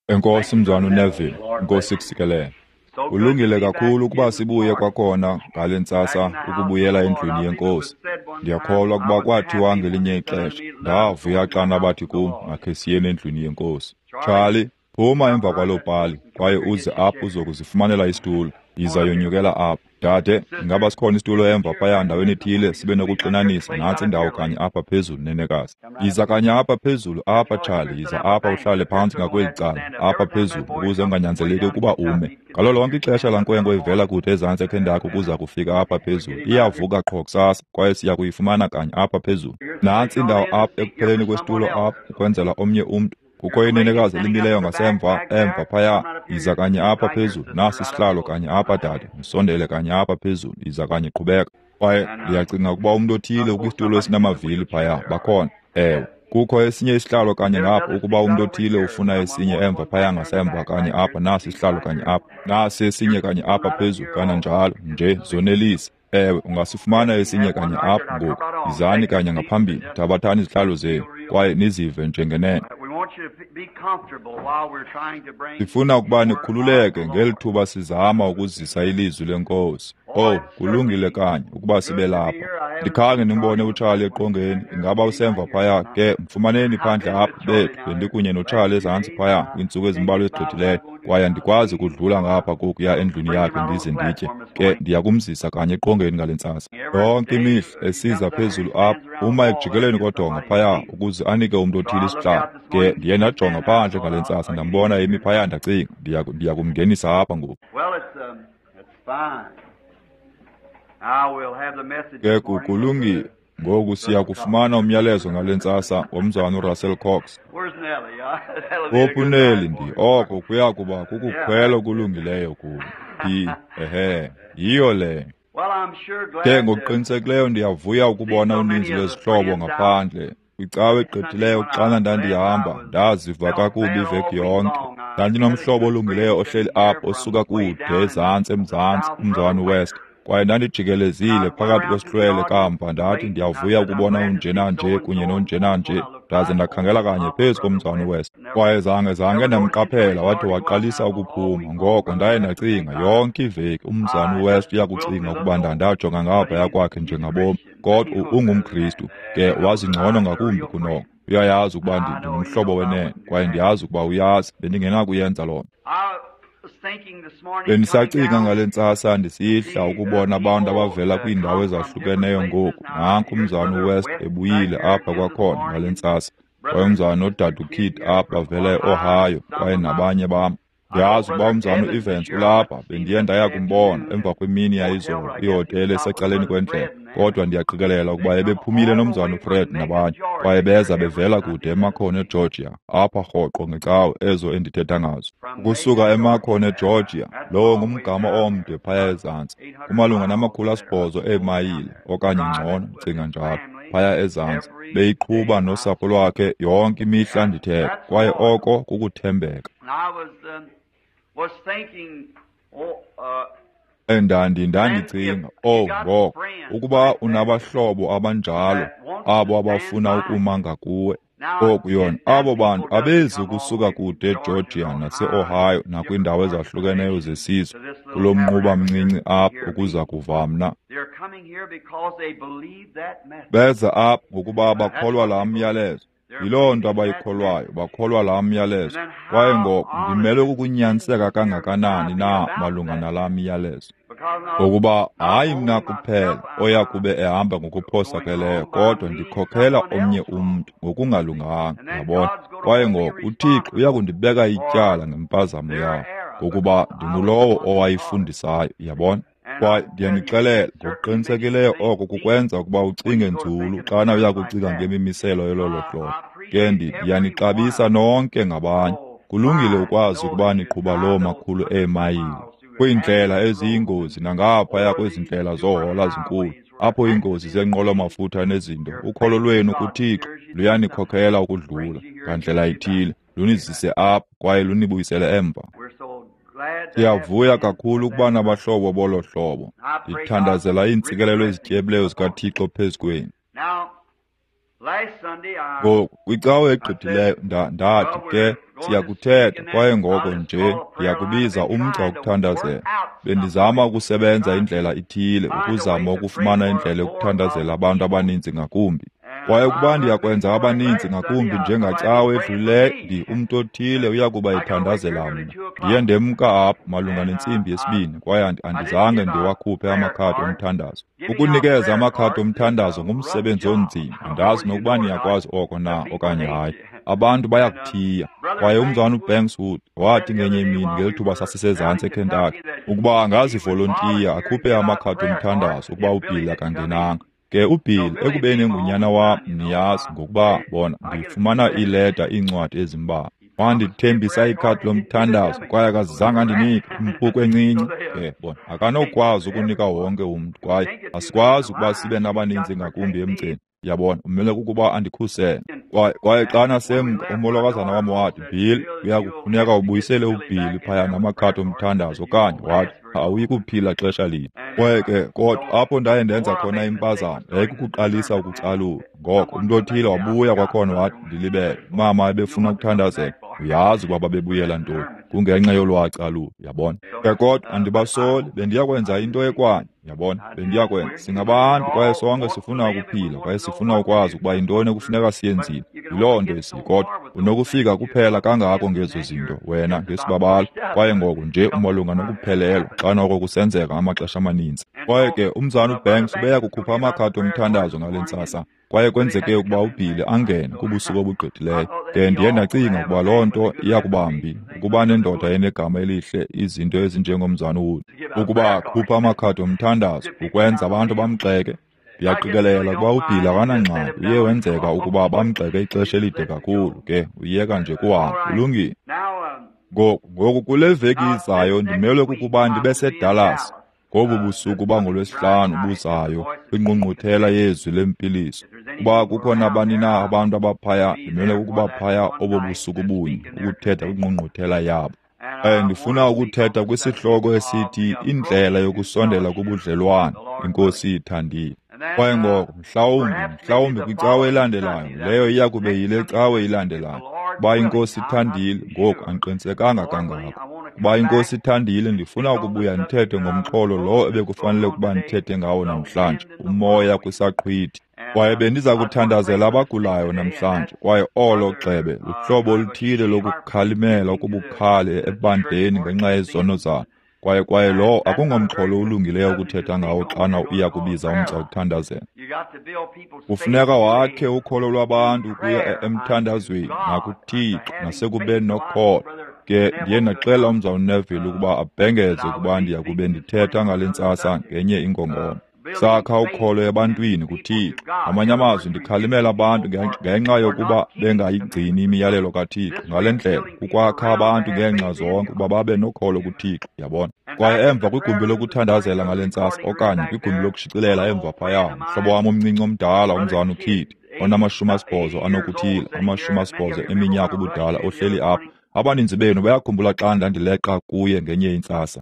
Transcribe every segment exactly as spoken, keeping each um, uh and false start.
Enkosi mzwana uNeville, Nkosi kusikelele. Kulungile kakhulu ukuba sibuye kwakhona ngale ntsasa ukubuyela endlwini yeNkosi. Ndiyakholwa ukuba kwathiwa ngelinye ixesha, ndavuya xana bathi kum makhe siyeni endlwini yeNkosi. Charlie, phuma emva kwaloo pali kwaye uze apha uzokuzifumanela isitulo. Yiza yonyukela apha. Dade, ingaba sikhona isitulo emva phaya ndaweni ethile sibe nokuxinanisa? Nantsi indawo kanye apha phezulu, nenekazi. Yiza kanye apha phezulu apha, Charlie. Yiza apha uhlale phantsi ngakweli cala, apha phezulu, ukuze unganyanzeleki ukuba ume. Ngalo lonke ixesha laa nkwenkwe ivela kude ezantsi eKentucky ukuza kufika apha phezulu. Iyavuka qho kusasa, kwaye siya kuyifumana kanye apha phezulu. Nantsi indawo apha ekupheleni kwesitulo apha, ukwenzela omnye umntu. Kukho inenekazi elimileyo ngasemva, emva phaya. Yiza kanye apha phezulu. Nasi isihlalo kanye apha, dade. Msondele kanye apha phezulu. Yiza kanye, qhubeka. Kwaye ndiyacinga ukuba umntu othile ukwisitulo esinamavili phaya. Bakhona. Ewe. Kukho esinye isihlalo kanye ngapha ukuba umntu othile ufuna esinye emva phaya ngasemva kanye apha. Nasi isihlalo kanye apha. Nasi esinye kanye apha phezulu, kananjalo. Nje zonelise. Ewe, ungasifumana esinye kanye apha ngoku. Yizani kanye ngaphambili. Thabathani izihlalo zenu kwaye nizive njengenene. Sifuna ukuba nikhululeke ngeli thuba sizama ukuzisa ilizwi leNkosi. Oh, kulungile kanye ukuba sibe lapha. Ndikhange ndimbone uCharlie eqongeni. Ingaba usemva phaya? Ke mfumaneni phandle apha bethu. Bendikunye noCharlie ezantsi phaya kwiintsuku ezimbalwa ezigqithileyo, kwaye andikwazi kudlula ngapha kokuya endlwini yakhe ndize nditye. Ke ndiya kumzisa kanye eqongeni ngale ntsasa. Yonke imihla esiza phezulu apha, uma ekujikeleni kodonga phaya ukuze anike umntu othile isihlalo. Ke ndiye ndajonga phandle ngale ntsasa, ndambona emi phaya, ndacinga ndiya ndiya kumngenisa apha ngoku. Ke kulungile. Ngoku siya kufumana umyalezo ngale ntsasa ngomzwana uRussell Cox. Uphi uNellie? Ndi oko kuya kuba kukukhwela okulungileyo kum. Ndi ehe, yiyo le. Ke ngokuqinisekileyo ndiyavuya ukubona uninzi lwezihlobo ngaphandle. Kwicawe egqithileyo xana ndandihamba, ndaziva kakubi iveki yonke. Ndandinomhlobo olungileyo ohleli apha osuka kude ezantsi eMzantsi, umzwana uWest. Kwaye ndandijikelezile phakathi kwesihlwele kamva, ndathi ndiyavuya ukubona unjenanje kunye nonjenanje, ndaze ndakhangela kanye phezu komzwana uWest. Kwaye zange zange ndamqaphela wathi waqalisa ukuphuma. Ngoko ndaye ndacinga yonke iveki umzwana uWest uyakucinga ukuba ndandajonga ngaphaya kwakhe njengabomi. Kodwa ungumKristu, ke wazi ngcono ngakumbi kunoko. Uyayazi ukuba ndingumhlobo wenene, kwaye ndiyazi ukuba uyazi bendingenakuyenza loo nto. Bendisacinga ngale ntsasa ndisihla ukubona abantu abavela kwiindawo ezahlukeneyo ngoku. Nanku umzwana uWest ebuyile apha kwakhona ngale ntsasa, kwaye umzwana nodade uKidd apha bavela eOhio, kwaye nabanye bam. Ndiyazi ukuba umzwana uEvans ulapha, bendiye ndaya kumbona emva kwemini yayizolo kwihotele esecaleni kwendlela, kodwa ndiyaqikelela ukuba ebephumile nomzwana uFred nabanye, kwaye beza bevela kude eMacon eGeorgia, apha rhoqo ngecawe ezo endithetha ngazo. Ukusuka eMacon eGeorgia, lowo ngumgama omde phaya ezantsi, kumalunga namakhulu asibhozo eemayile okanye ngcono, ndicinga njalo, phaya ezantsi, beyiqhuba nosapho lwakhe yonke imihla ndithetha, kwaye oko kukuthembeka. Endandi ndandicinga, oh ngoko, ukuba unabahlobo abanjalo, abo abafuna ukuma ngakuwe. Oku yona, abo bantu abezi kusuka kude eGeorgia nase-Ohio nakwiindawo ezahlukeneyo zesizwe kulo mnquba mncinci apha ukuza kuva mna. Beza apha ngokuba bakholwa laa myalezo. Yiloo nto abayikholwayo, bakholwa laa myalezo. Kwaye ngoko ndimelwe kukunyaniseka kangakanani na malunga nalaa myalezo? Ngokuba hayi mna kuphela oya kube ehamba ngokuphosakeleyo, kodwa ndikhokhela omnye umntu ngokungalunganga, yabona. Kwaye ngoko uThixo uya kundibeka ityala ngempazamo yabo, ngokuba ndingulowo owayifundisayo, yabona. Kwaye ndiyanixelela ngokuqinisekileyo oko kukwenza ukuba ucinge nzulu xana uya kucinga ngemimiselo yololo hlobo. Ke ndiyanixabisa nonke ngabanye. Kulungile ukwazi ukuba niqhuba loo makhulu eemayile kwiindlela eziyingozi nangaphaya kwezi ndlela zohola zinkulu, apho iingozi zeenqwelo-mafutha nezinto. Ukholo lwenu kuThixo luyanikhokhela ukudlula ngandlela ithile, lunizise apha kwaye lunibuyisele emva. Siyavuya kakhulu ukuba nabahlobo bolo hlobo. Ndithandazela iintsikelelo ezityebileyo zikaThixo phezu kwenu. Ngoku kwicawe egqithileyo ndathi ke siyakuthetha, kwaye ngoko nje ndiyakubiza umgca wokuthandazela. Bendizama ukusebenza indlela ithile, ukuzama ukufumana indlela yokuthandazela abantu abaninzi ngakumbi. Kwaye ukuba ndiyakwenza abaninzi ngakumbi njengacawe edlulileyo, ndi umntu othile uyakuba ethandazela mna. Ndiye ndemka apho malunga nentsimbi yesibini, kwaye andizange ndiwakhuphe amakhadi omthandazo. Ukunikeza amakhadi omthandazo ngumsebenzi onzima, andazi nokuba niyakwazi oko na okanye hayi. Abantu bayakuthiya. Kwaye umzana uBanks Wood wathi ngenye imini ngelithuba sasisezantsi eKentucky ukuba angazivolontiya akhuphe amakhadi omthandazo ukuba uBill akangenanga. Ke uBill ekubeni engunyana wam, niyazi ngokuba bona ndifumana iileta iincwadi ezimbalwa. Wandithembisa ikhadi lomthandazo kwaye akazange andinike impuku encinci. Ke bona akanokwazi ukunika wonke umntu, kwaye asikwazi ukuba sibe nabaninzi ngakumbi emgceni. Yabona, umele kukuba andikhusele. Kwaye kwaye xa nasemka umolokazana wam wathi, Bill, uyakufuneka ubuyisele uBill phaya namakhadi omthandazo, okanye wathi awuyi kuphila xesha lide. Kwaye ke kodwa apho ndaye ndenza khona impazamo yayikukuqalisa ukucalula. Ngoko umntu othile wabuya kwakhona wathi, ndilibele, mama ebefuna ukuthandazela. Uyazi ukuba babebuyela ntoni, kungenxa yolwacalulo, yabona. Ke kodwa andibasoli, bendiyakwenza into ekwanye, yabona, bendiyakwenza. Singabantu kwaye sonke sifuna ukuphila, kwaye sifuna ukwazi ukuba yintoni ekufuneka siyenzile. Yiloo nto esiyi, kodwa unokufika kuphela kangako ngezo zinto wena ngesibabalo, kwaye ngoko nje umalunga nokuphelelwa xa noko kusenzeka amaxesha amaninzi. Kwaye ke umzana uBanks ubeya kukhupha amakhadi omthandazo ngale ntsasa, kwaye kwenzeke ukuba uBill angene kubusuku obugqithileyo. Ke ndiye ndacinga ukuba loo nto iyakubambi ukuba nendoda enegama elihle, izinto ezinjengomzana uWood, ukuba khupha amakhadi omthandazo ukwenza abantu bamgxeke. Ndiyaqikelela ukuba uBill akanangxaki, uye wenzeka ukuba bamgxeke ixesha elide kakhulu, ke uyeka nje kuhambe. Kulungile. Ngoku ngoku kule veki izayo ndimelwe kukuba ndibe seDallas ngobu busuku bangolwesihlanu buzayo kwingqungquthela yezwi lempiliso. Kuba kukho nabani na abantu abaphaya, ndimelwe kukuba phaya obo busuku bunye ukuthetha kwingqungquthela yabo. Um ndifuna ukuthetha kwisihloko esithi indlela yokusondela kubudlelwane, iNkosi ithandile. Kwaye ngoko mhlawumbi mhlawumbi kwicawe elandelayo, leyo iya kube yile cawe ilandelayo, kuba iNkosi ithandile. Ngoku andiqinisekanga kangako. Kuba iNkosi ithandile, ndifuna ukubuya ndithethe ngomxholo lo ebekufanele ukuba ndithethe ngawo namhlanje, umoya kwisaqhwithi. Kwaye bendiza kuthandazela abagulayo namhlanje, kwaye olo gxebe luhlobo oluthile lokukhalimela okubukhali ebandleni ngenxa yezono zalo. Kwaye kwaye lo akungomxholo ulungileyo ukuthetha ngawo xana uya kubiza umgca wokuthandazela. Kufuneka wakhe ukholo lwabantu ukuya emthandazweni nakuThixo nasekubeni nokholo. Ke ndiye ndaxela umzalwana uNeville ukuba abhengeze ukuba ndiya kube ndithetha ngale ntsasa ngenye ingongoma. Sakha ukholo ebantwini kuThixo. Ngamanye amazwi ndikhalimela abantu ngenxa yokuba bengayigcini imiyalelo kaThixo. Ngale ndlela kukwakha abantu ngeenxa zonke ukuba babe nokholo kuThixo, yabona. Kwaye emva kwigumbi lokuthandazela ngale ntsasa, okanye kwigumbi lokushicilela emva phaya, mhlobo wam omncinci omdala umzalwana uKidd, onamashumi asibhozo anokuthile, amashumi asibhozo eminyaka ubudala, ohleli apha. Abaninzi benu bayakhumbula xa ndandileqa kuye ngenye intsasa.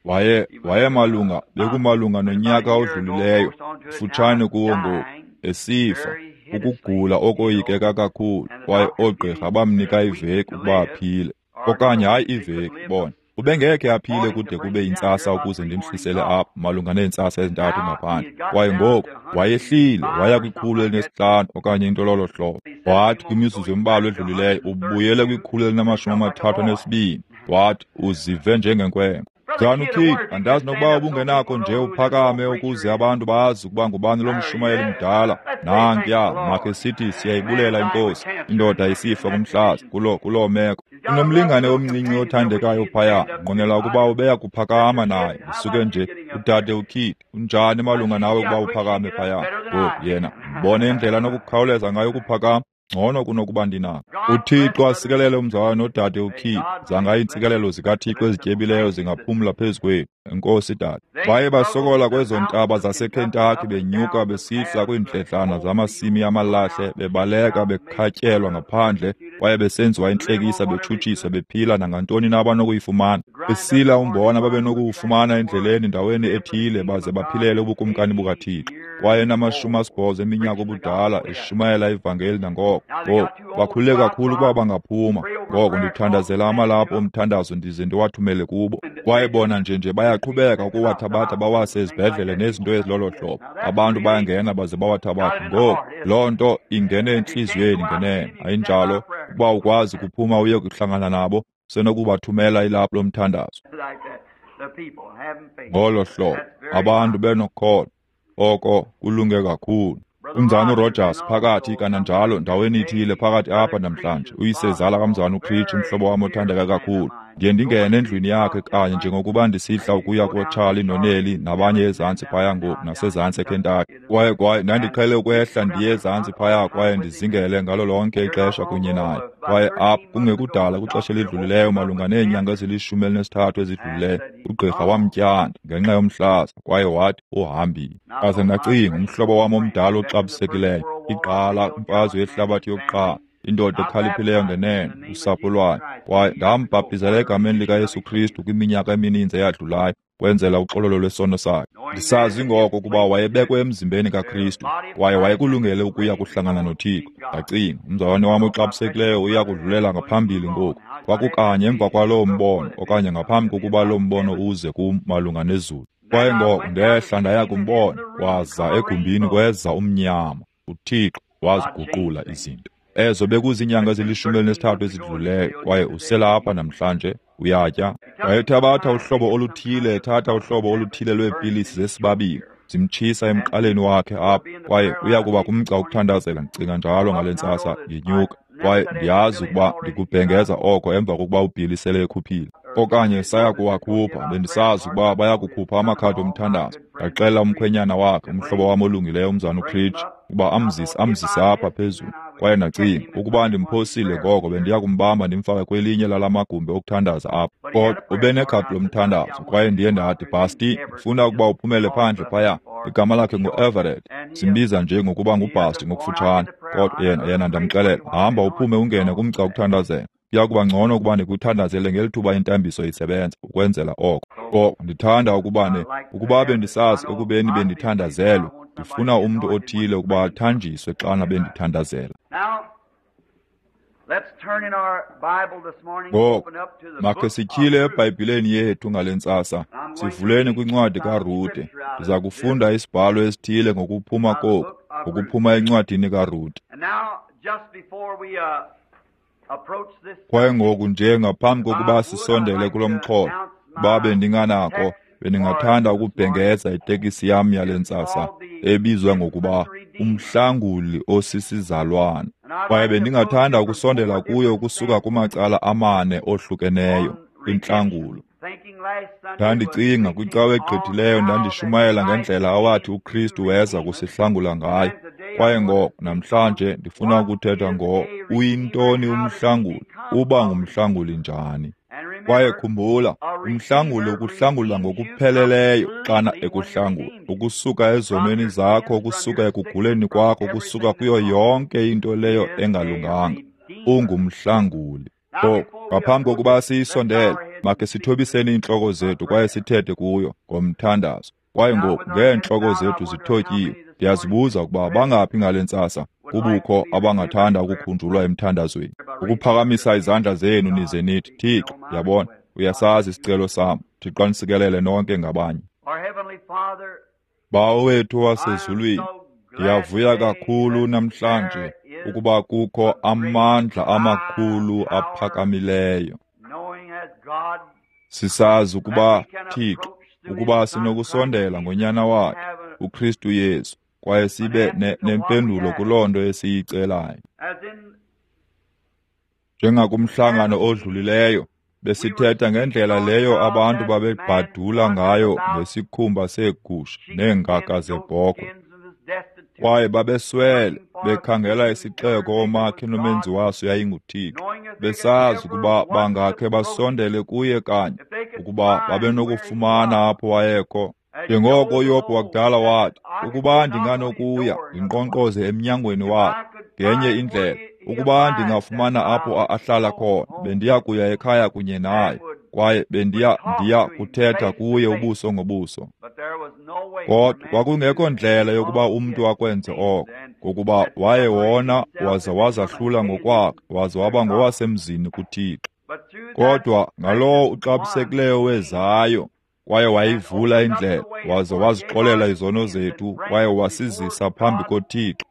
Waye wayemalunga bekumalunga nonyaka odlulileyo, kufutshane kuwo ngoku, esifa, ukugula okoyikeka kakhulu, kwaye oogqirha bamnika iveki ukuba aphile, okanye hayi iveki, bona. Ubengekhe aphile kude kube yintsasa ukuze ndimhlisele apha malunga neentsasa ezintathu ngaphandle. Kwaye ngoku wayehlile waya kwikhulu elinesihlanu okanye into lolo hlobo. Wathi kwimizuzu embalwa edlulileyo ubuyele kwikhulu elinamashumi amathathu anesibini. Wathi uzive njengenkwenkwe. Mzalwana uKidd, andazi nokuba ubungenakho nje uphakame ukuze abantu bazi ukuba ngubani lo mshumayeli mdala. Nankuya, makhe sithi siyayibulela iNkosi, indoda isifa kumhlaza kulo kuloo meko. Unomlingane omncinci othandekayo phaya, nqwenela ukuba ubeya kuphakama naye. Usuke nje udade uKidd, unjani malunga nawe ukuba uphakame phaya? Ngoku yena mbone indlela anokukhawuleza ngayo ukuphakama, ngcono kunokuba ndinako. UThixo asikelele umzalwana nodade uKidd. Zanga iintsikelelo zikaThixo ezityebileyo zingaphumla phezu kwenu. Enkosi tata. Baye basokola kwezo ntaba zaseKentucky, benyuka besihla kwiindledlana zamasimi amalahle, bebaleka bekhatyelwa ngaphandle, kwaye besenziwa intlekisa, betshutshiswa, bephila nangantoni na abanokuyifumana, besila umbona babenokuwufumana endleleni ndaweni ethile, baze baphilele ubukumkani bukaThixo. Kwaye namashumi asibhozo eminyaka obudala eshumayela ivangeli nangoko. Ngoku bakhule kakhulu ukuba bangaphuma. Ngoko ndithandazela amalaphu omthandazo ndize ndiwathumele kubo. Kwaye bona nje nje bayaqhubeka ukuwathabatha bawase ezibhedlele nezinto ezilolo hlobo. Abantu bayangena baze bawathabathe. Ngoku loo nto ingene entliziyweni ngenene, ayinjalo? Ukuba ukwazi kuphuma uye kuhlangana nabo, senokubathumela ilaphu lomthandazo. Ngolo hlobo abantu benokholo. Oko kulunge kakhulu. Umzana uRogers phakathi kananjalo ndaweni ithile phakathi apha namhlanje, uyisezala kamzana uCreech, umhlobo wam othandeka kakhulu. Ndiye ndingene endlwini yakhe kanye njengokuba ndisihla ukuya koCharlie noNelly nabanye ezantsi phaya ngoku nasezantsi eKentucky. Kwaye kwaye ndandiqhele ukwehla ndiye ezantsi phaya kwaye ndizingele ngalo lonke ixesha kunye naye. Kwaye apha kungekudala kwixesha elidlulileyo, malunga neenyanga ezilishumi elinesithathu ezidlulileyo, ugqirha wamtyanda ngenxa yomhlaza kwaye wathi uhambile. Kaze ndacinga, umhlobo wam omdala oxabisekileyo, igqala imfazwe yehlabathi yokuqala, indoda ekhaliphileyo ngenene, usapho lwayo. Kwaye ndambhaptizela egameni likaYesu Kristu kwiminyaka emininzi eyadlulayo, kwenzela uxololo lwesono sakhe. Ndisazi ngoko ukuba wayebekwe emzimbeni kaKristu, kwaye wayekulungele ukuya kuhlangana noThixo. Ndacinga, umzalwane wam oxabisekileyo uya kudlulela ngaphambili ngoku. Kwakukanye emva kwaloo mbono, okanye ngaphambi kokuba loo mbono uze kum malunga nezulu. Kwaye ngoko ndehla ndaya kumbona, waza egumbini kweza umnyama. UThixo waziguqula izinto. Ezo bekuziinyanga ezilishumi elinesithathu ezidlulileyo, kwaye uselapha namhlanje, uyatya. Wayethabatha uhlobo oluthile, ethatha uhlobo oluthile lweepilisi zesibabili, zimtshisa emqaleni wakhe apha, kwaye uya kuba kumgca wokuthandazela. Ndicinga njalo ngale ntsasa ngenyuka, kwaye ndiyazi ukuba ndikubhengeza oko emva kokuba uBilly sele ekhuphile, okanye saya kuwakhupha. Bendisazi ukuba baya kukhupha amakhadi omthandazo. Ndaxela umkhwenyana wakhe, umhlobo wam olungileyo, umzana uCreech, ukuba amzise amzise apha phezulu. Kwaye ndacinga, ukuba ndimphosile ngoko bendiya kumbamba ndimfake kwelinye lala magumbi okuthandaza apha. Kodwa ube nekhadi lomthandazo, kwaye ndiye ndathi, Basti, ndifuna ukuba uphumele phandle phaya. Igama lakhe ngu-Everett, simbiza nje ngokuba nguBasti ngokufutshane. Kodwa yena yena ndamxelela, hamba uphume ungene kumgca wokuthandazela. Kuya kuba ngcono ukuba ndikuthandazele ngeli thuba intambiso isebenza, ukwenzela oko. Ngoko ndithanda ukuba ne ukuba bendisazi ekubeni bendithandazelwe, ndifuna umntu othile ukuba athanjiswe xana bendithandazela. Ngoko makhe sityhile eBhayibhileni yethu ngale ntsasa, sivuleni kwincwadi kaRute. Ndiza kufunda isibhalo esithile ngokuphuma koku, ngokuphuma encwadini kaRute. Kwaye ngoku nje ngaphambi kokuba sisondele kulo mxholo, uba bendinganako, bendingathanda ukubhengeza itekisi yam yale ntsasa ebizwa ngokuba Umhlanguli Osisizalwana. Kwaye bendingathanda ukusondela kuyo ukusuka kumacala amane ohlukeneyo kwintlangulo. Ndandicinga kwicawa egqithileyo ndandishumayela ngendlela awathi uKristu weza kusihlangula ngayo. Kwaye ngoko namhlanje ndifuna ukuthetha ngo uyintoni umhlanguli, uba ngumhlanguli njani. Kwaye khumbula, umhlanguli ukuhlangula ngokupheleleyo xana ekuhlangula, ukusuka ezonweni zakho, ukusuka ekuguleni kwakho, ukusuka kuyo yonke into leyo engalunganga. Ungumhlanguli. Ngoku, ngaphambi kokuba siyisondele, makhe sithobiseni iintloko zethu kwaye sithethe kuyo ngomthandazo. Kwaye ngoku ngeentloko zethu zithotyiwe, ndiyazibuza ukuba bangaphi ngale ntsasa kubukho abangathanda ukukhunjulwa emthandazweni. Ukuphakamisa izandla zenu nize nithi, Thixo, yabona, uyasazi isicelo sam. Thixo anisikelele nonke ngabanye. Bawo wethu wasezulwini, ndiyavuya kakhulu namhlanje ukuba kukho amandla amakhulu aphakamileyo. Sisazi ukuba, Thixo, ukuba sinokusondela ngoNyana wakhe, uKristu Yesu, kwaye sibe nempendulo kuloo nto esiyicelayo. Njengakumhlangano odlulileyo, besithetha ngendlela leyo abantu babebhadula ngayo ngesikhumba seegusha neengaka zebhokhwe. Kwaye babeswele bekhangela isixeko omakhe nomenzi waso yayinguThixo, besazi ukuba bangakhe basondele kuye kanye, ukuba babenokufumana apho wayekho. Njengoko uYobhi wakudala wathi, ukuba ndinganokuya ndinkqonkqoze emnyangweni wakhe, ngenye indlela, ukuba ndingafumana apho ahlala khona, bendiya kuya ekhaya kunye naye, kwaye bendiya ndiya kuthetha kuye ubuso ngobuso. Kodwa kwakungekho ndlela yokuba umntu akwenze oko, ngokuba waye wona waza wazahlula ngokwakhe, waza waba ngowasemzini kuThixo. Kodwa ngalowo uxabisekileyo wezayo, kwaye wayivula indlela, waza wazixolela izono zethu, kwaye wasizisa phambi koThixo,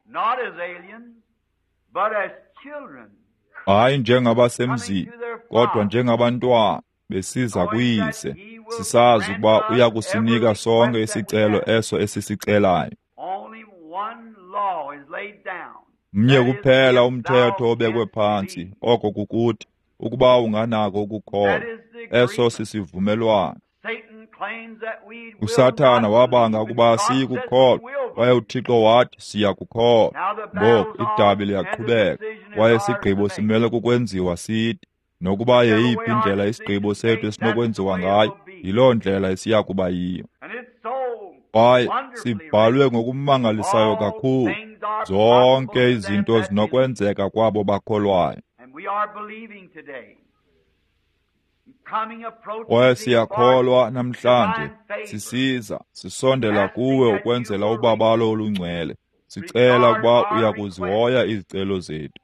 hayi njengabasemzini, kodwa njengabantwana besiza kuyise, sisazi ukuba uya kusinika sonke isicelo eso esisicelayo. Mnye kuphela umthetho obekwe phantsi, oko kukuthi, ukuba unganako ukukholwa, eso sisivumelwano. USathana wabanga ukuba siyikukholwa, kwaye uThixo wathi siyakukholwa. Ngoku idabi liyaqhubeka, kwaye isigqibo simele kukwenziwa sithi. Nokuba yeyiphi indlela isigqibo sethu esinokwenziwa ngayo, yiloo ndlela esiya kuba yiyo. Kwaye sibhalwe ngokumangalisayo kakhulu, zonke izinto zinokwenzeka kwabo bakholwayo. Kwaye siyakholwa namhlanje, sisiza, sisondela kuwe ukwenzela ubabalo olungcwele. Sicela ukuba uya kuzihoya izicelo zethu.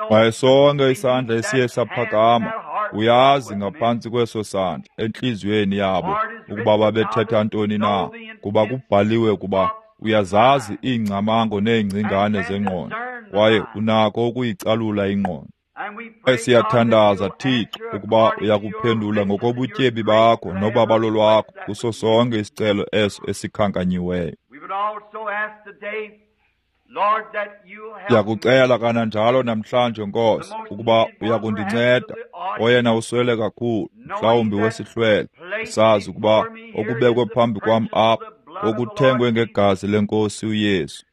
Kwaye sonke isandla esiye saphakama, uyazi ngaphantsi kweso sandla, entliziyweni yabo, ukuba babethetha ntoni na, kuba kubhaliwe ukuba uyazazi iingcamango neengcingane zengqondo, kwaye unako ukuyicalula ingqondo. Kwaye siyathandaza, Thixo, ukuba uyakuphendula ngokobutyebi bakho nobabalo lwakho kuso sonke isicelo eso esikhankanyiweyo. Ndiyakucela kananjalo namhlanje, Nkosi, ukuba uyakundinceda, oyena uswele kakhulu, mhlawumbi wesihlwele, usazi ukuba okubekwe phambi kwam apha okuthengwe ngegazi lenkosi uYesu.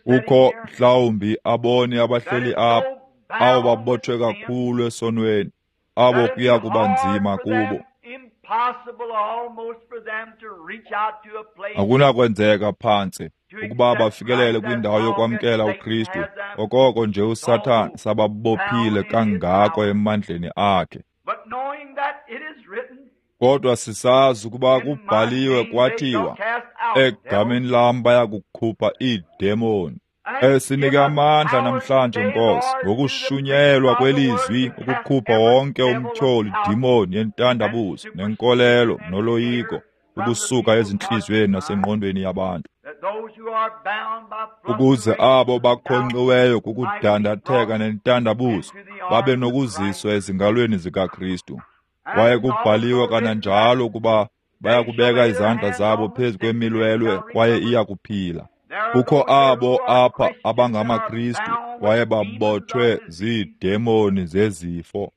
Kukho mhlawumbi aboni abahleli apha, abo babotshwe kakhulu esonweni, abo kuya kuba nzima kubo. Akunakwenzeka phantsi ukuba bafikelele kwindawo yokwamkela uKristu, okoko nje uSathana sababophile kangako emandleni akhe. Kodwa sisazi ukuba kubhaliwe kwathiwa, egameni lam baya kukhupha iidemoni. Esinike amandla namhlanje, Nkosi, ngokushunyelwa kwelizwi ukukhupha wonke umtyholi, dimoni yentandabuzo nenkolelo noloyiko ukusuka ezintliziyweni nasengqondweni yabantu, ukuze abo bakhonxiweyo kukudandatheka nentandabuzo babe nokuziswa ezingalweni zikaKristu. Kwaye kubhaliwe kananjalo ukuba baya kubeka izandla zabo phezu kwemilwelwe kwaye iya kuphila. Kukho abo apha abangamaKristu kwaye babotshwe ziidemoni zezifo.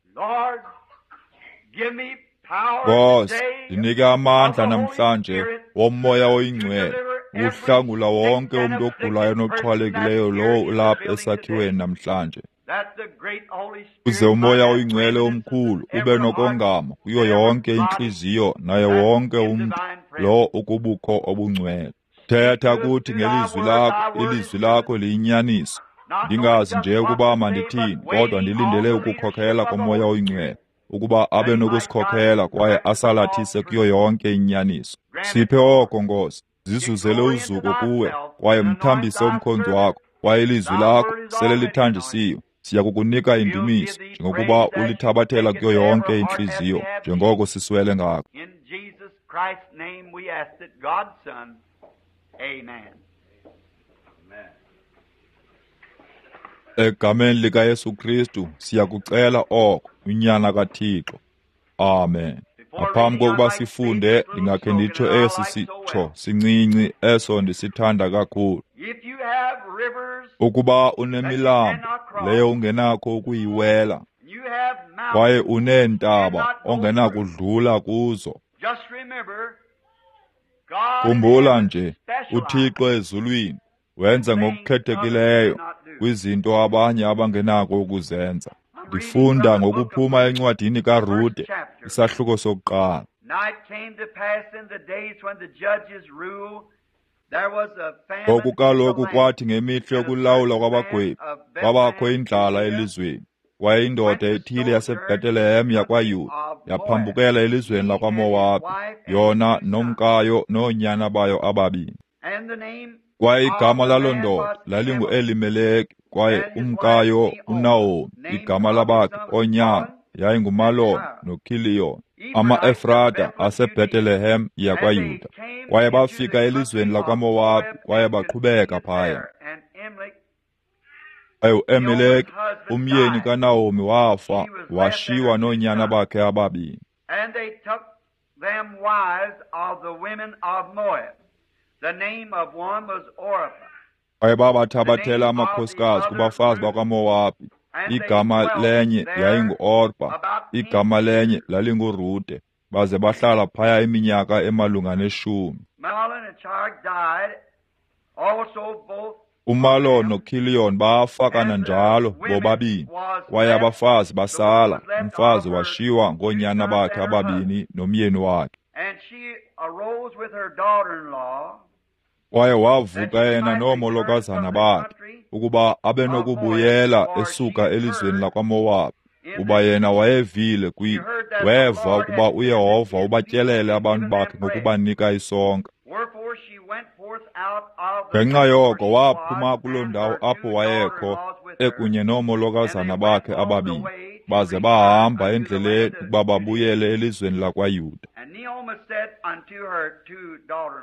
Nkosi, ndinike amandla namhlanje woMoya oyiNgcwele ukuhlangula wonke umntu ogulayo noxhwalekileyo lowo ulapha esakhiweni namhlanje. Uze uMoya oyiNgcwele omkhulu ube nokongama kuyo yonke intliziyo naye wonke umntu lo ukubukho obungcwele. Thetha kuthi ngelizwi lakho, ilizwi lakho liyinyaniso. Ndingazi nje ukuba mandithini, kodwa ndilindele ukukhokhela koMoya oyiNgcwele, ukuba abe nokusikhokhela kwaye asalathise kuyo yonke inyaniso. Siphe oko, Nkosi, zizuzele uzuko kuwe, kwaye mthambise umkhonzi wakho, kwaye ilizwi lakho sele lithanjisiwe. Siya kukunika indumiso njengokuba ulithabathela kuyo yonke intliziyo, njengoko siswele ngako. Egameni likaYesu Kristu siyakucela oko, uNyana kaThixo. Amen. Ngaphambi kokuba sifunde, ndingakhe nditsho esi sitsho sincinci eso ndisithanda kakhulu. Ukuba unemilambo leyo ungenakho ukuyiwela, kwaye uneentaba ongenakudlula kuzo, khumbula nje, uThixo ezulwini wenza ngokukhethekileyo kwizinto abanye abangenako ukuzenza. Ndifunda ngokuphuma encwadini kaRute, isahluko sokuqala. Ngoku kaloku kwathi ngemihla yokulawula kwabagwebi, kwabakho indlala elizweni. Kwaye indoda ethile yaseBhetelehem yakwaYuda yaphambukela elizweni lakwaMowabi, yona nomkayo noonyana bayo ababini. Kwaye igama laloo ndoda lalinguElimeleki, kwaye umkayo uNahomi, igama labakhe oonyana yayinguMalon noKhiliyon, amaEfrata aseBhetelehem yakwaYuda. Kwaye bafika elizweni lakwaMowabi, kwaye baqhubeka phaya. Kwaye uElimeleki, umyeni kaNahomi, wafa, washiywa noonyana bakhe ababini. Kwaye babathabathela amakhosikazi kubafazi bakwaMowabi. Igama lenye yayinguOrpa, igama lenye lalinguRute, baze bahlala phaya iminyaka emalunga neshumi. UMalon noKhiliyon bafa kananjalo bobabini, kwaye abafazi basala, umfazi washiywa ngoonyana bakhe ababini nomyeni wakhe. Kwaye wavuka yena noomolokazana bakhe, ukuba abe nokubuyela esuka elizweni lakwaMowabi, kuba yena wayevile kwi weva ukuba uYehova ubatyelele abantu bakhe ngokubanika isonka. Ngenxa yoko waphuma kuloo ndawo apho wayekho ekunye noomolokazana bakhe ababini, baze bahamba endleleni ukuba babuyele elizweni lakwaYuda.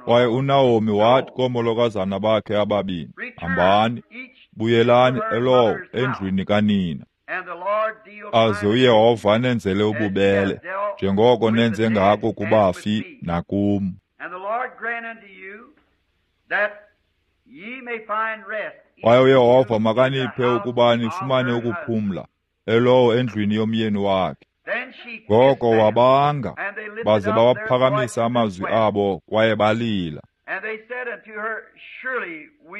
Kwaye uNahomi wathi koomolokazana bakhe ababini, hambani, buyelani elowo endlwini kanina. Aze uYehova anenzele ububele, njengoko nenze ngako kubafi nakum. Kwaye uYehova makaniphe ukuba nifumane ukuphumla, elowo endlwini yomyeni wakhe. Ngoko wabanga, baze bawaphakamisa amazwi abo, kwaye balila.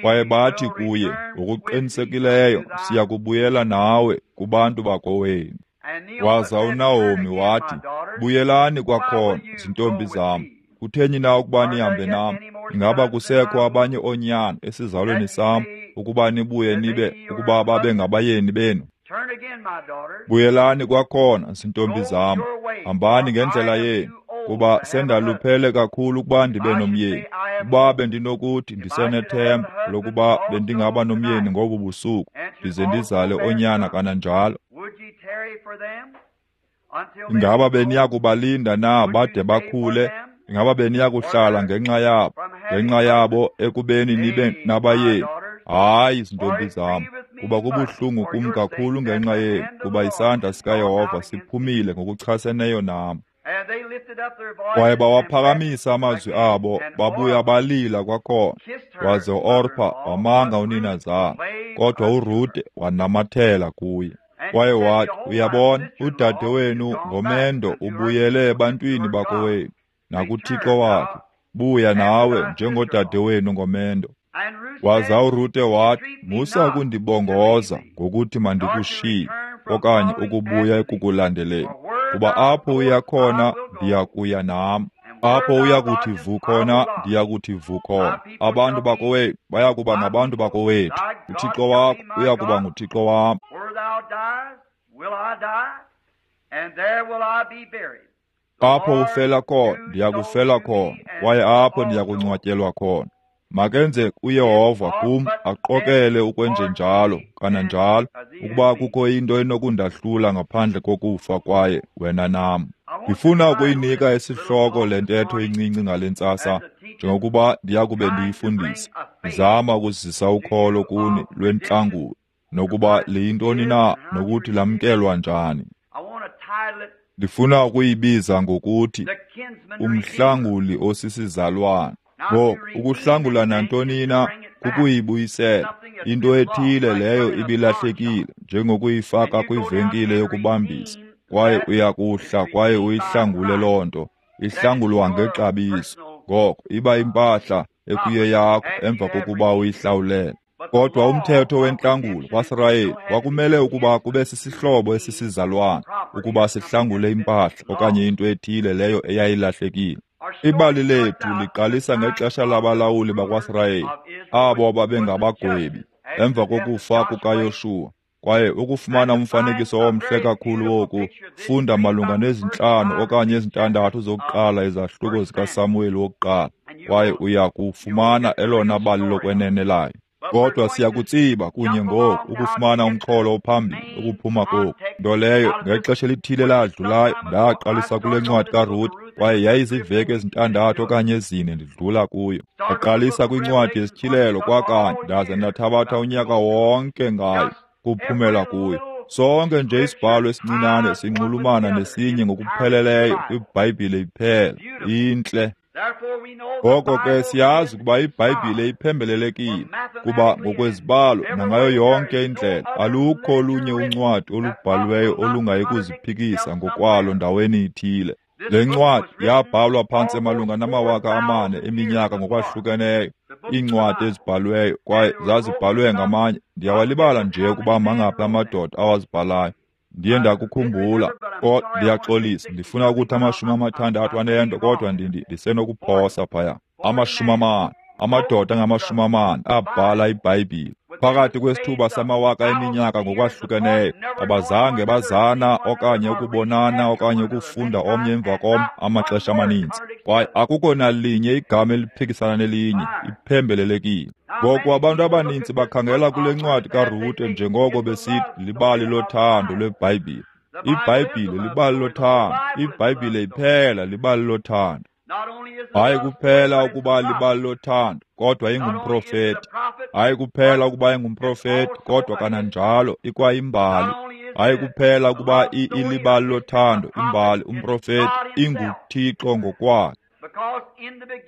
Kwaye bathi kuye, ngokuqinisekileyo siya kubuyela nawe kubantu bakowenu. Waza uNahomi wathi, buyelani kwakhona, zintombi zam. Kutheni na ukuba nihambe nam? Ingaba kusekho abanye oonyana esizalweni sam, ukuba nibuye nibe ukuba babe ngabayeni benu? Buyelani kwakhona, zintombi zam. Hambani ngendlela yenu, kuba sendaluphele kakhulu ukuba ndibe nomyeni. Ukuba bendinokuthi ndisenethemba lokuba bendingaba nomyeni ngobu busuku, ndize ndizale oonyana kananjalo. Ingaba beniya kubalinda na bade bakhule? Ingaba beniya kuhlala ngenxa yabo, ngenxa yabo ekubeni nibe nabayeni? Hayi, zintombi zam, kuba kubuhlungu kum kakhulu ngenxa yenu, kuba isandla sikaYehova siphumile ngokuchaseneyo nam. Kwaye bawaphakamisa amazwi abo, babuya balila kwakhona. Waze uOrpa wamanga uninazala, kodwa uRute wanamathela kuye. Kwaye wathi, uyabona, udade wenu ngomendo ubuyele ebantwini bakowenu nakuThixo wakhe. Buya nawe njengodade wenu ngomendo. Waza uRute wathi, musa ukundibongoza ngokuthi mandikushiye okanye ukubuya ekukulandeleni, kuba apho uya khona ndiya kuya nam, apho uya kuthi vu khona ndiya kuthi vu khona. Abantu bakowethu baya kuba ngabantu bakowethu, uThixo wakho uya kuba nguThixo wam. Apho ufela khona ndiya kufela khona, kwaye apho ndiya kungcwatyelwa khona. Makenze uYehova kum aqokele ukwenjenjalo kananjalo, ukuba kukho into enokundahlula ngaphandle kokufa kwaye wena nam. Ndifuna ukuyinika isihloko le ntetho incinci ngale ntsasa, njengokuba ndiyakube ndiyifundisa, ndizama ukuzisa ukholo kuni lwentlangulo, nokuba liyintoni na nokuthi lamkelwa njani. Ndifuna ukuyibiza ngokuthi umhlanguli osisizalwana. Ngoku, ukuhlangula nantoni na kukuyibuyisela into ethile leyo ibilahlekile, njengokuyifaka kwivenkile yokubambisa, kwaye uyakuhla kwaye uyihlangule loo nto. Ihlangulwa ngexabiso. Ngoko iba impahla ekuye yakho emva kokuba uyihlawulele. Kodwa umthetho wentlangulo kwaSirayeli kwakumele ukuba kube sisihlobo esisizalwana ukuba sihlangule impahla okanye into ethile leyo eyayilahlekile. Ibali lethu liqalisa ngexesha labalawuli bakwaSirayeli, abo babengabagwebi, emva kokufa kukaYoshuwa. Kwaye ukufumana umfanekiso omhle kakhulu woku, funda malunga nezintlanu okanye ezintandathu zokuqala izahluko zikaSamuweli wokuqala, kwaye uya kufumana elona bali lokwenene layo. Kodwa siyakutsiba kunye ngoku ukufumana umxholo ophambili ukuphuma koku. Nto leyo ngexesha elithile ladlulayo ndaqalisa kule ncwadi kaRuth, kwaye yayiziveki ezintandathu okanye ezine ndidlula kuyo. Ndaqalisa kwincwadi yesityhilelo kwakanye ndaze ndathabatha unyaka wonke ngayo kuphumela kuyo. Sonke nje isibhalo esincinane sinxulumana nesinye ngokupheleleyo kwiBhayibhile iphela. Intle. Ngoko ke siyazi ukuba iBhayibhile iphembelelekile, kuba ngokwezibalo nangayo yonke indlela alukho olunye uncwadi olubhaliweyo olungayi kuziphikisa ngokwalo ndaweni ithile. Le ncwadi yabhalwa phantse malunga namawaka amane eminyaka ngokwahlukeneyo, iincwadi ezibhaliweyo, kwaye zazibhalwe ngamanye. Ndiyawalibala nje ukuba mangaphi amadoda awazibhalayo. Ndiye ndakukhumbula, kodwa ndiyaxolisa, ndifuna ukuthi amashumi amathandathu anento, kodwa ndisenokuphosa phaya. Amashumi amane, amadoda angamashumi amane abhala iBhayibhile. Phakathi kwesithuba samawaka eminyaka ngokwahlukeneyo, abazange bazana okanye ukubonana okanye ukufunda omnye emva komnye amaxesha amaninzi. Kwaye akukho nalinye igama eliphikisana nelinye, iphembelelekile. Ngoku abantu abaninzi bakhangela kule ncwadi kaRute njengoko besithi libali lothando lweBhayibhile. IBhayibhile libali lothando, iBhayibhile iphela libali lothando. Hayi kuphela ukuba libali lothando, kodwa ingumprofeti. Hayi kuphela ukuba ingumprofeti, kodwa kananjalo ikwayimbali. Hayi kuphela ukuba ilibali lothando, imbali, umprofeti, inguThixo ngokwakhe.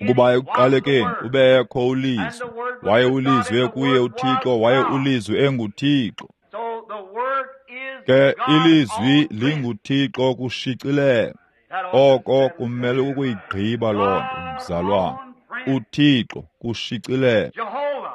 Ukuba ekuqalekeni ubekho uLizwi, waye uLizwi kuye uThixo, waye uLizwi enguThixo. Ke iLizwi linguThixo kushicilelo. Oko kumele ukuyigqiba loo nto, mzalwana. uThixo kushicilelo,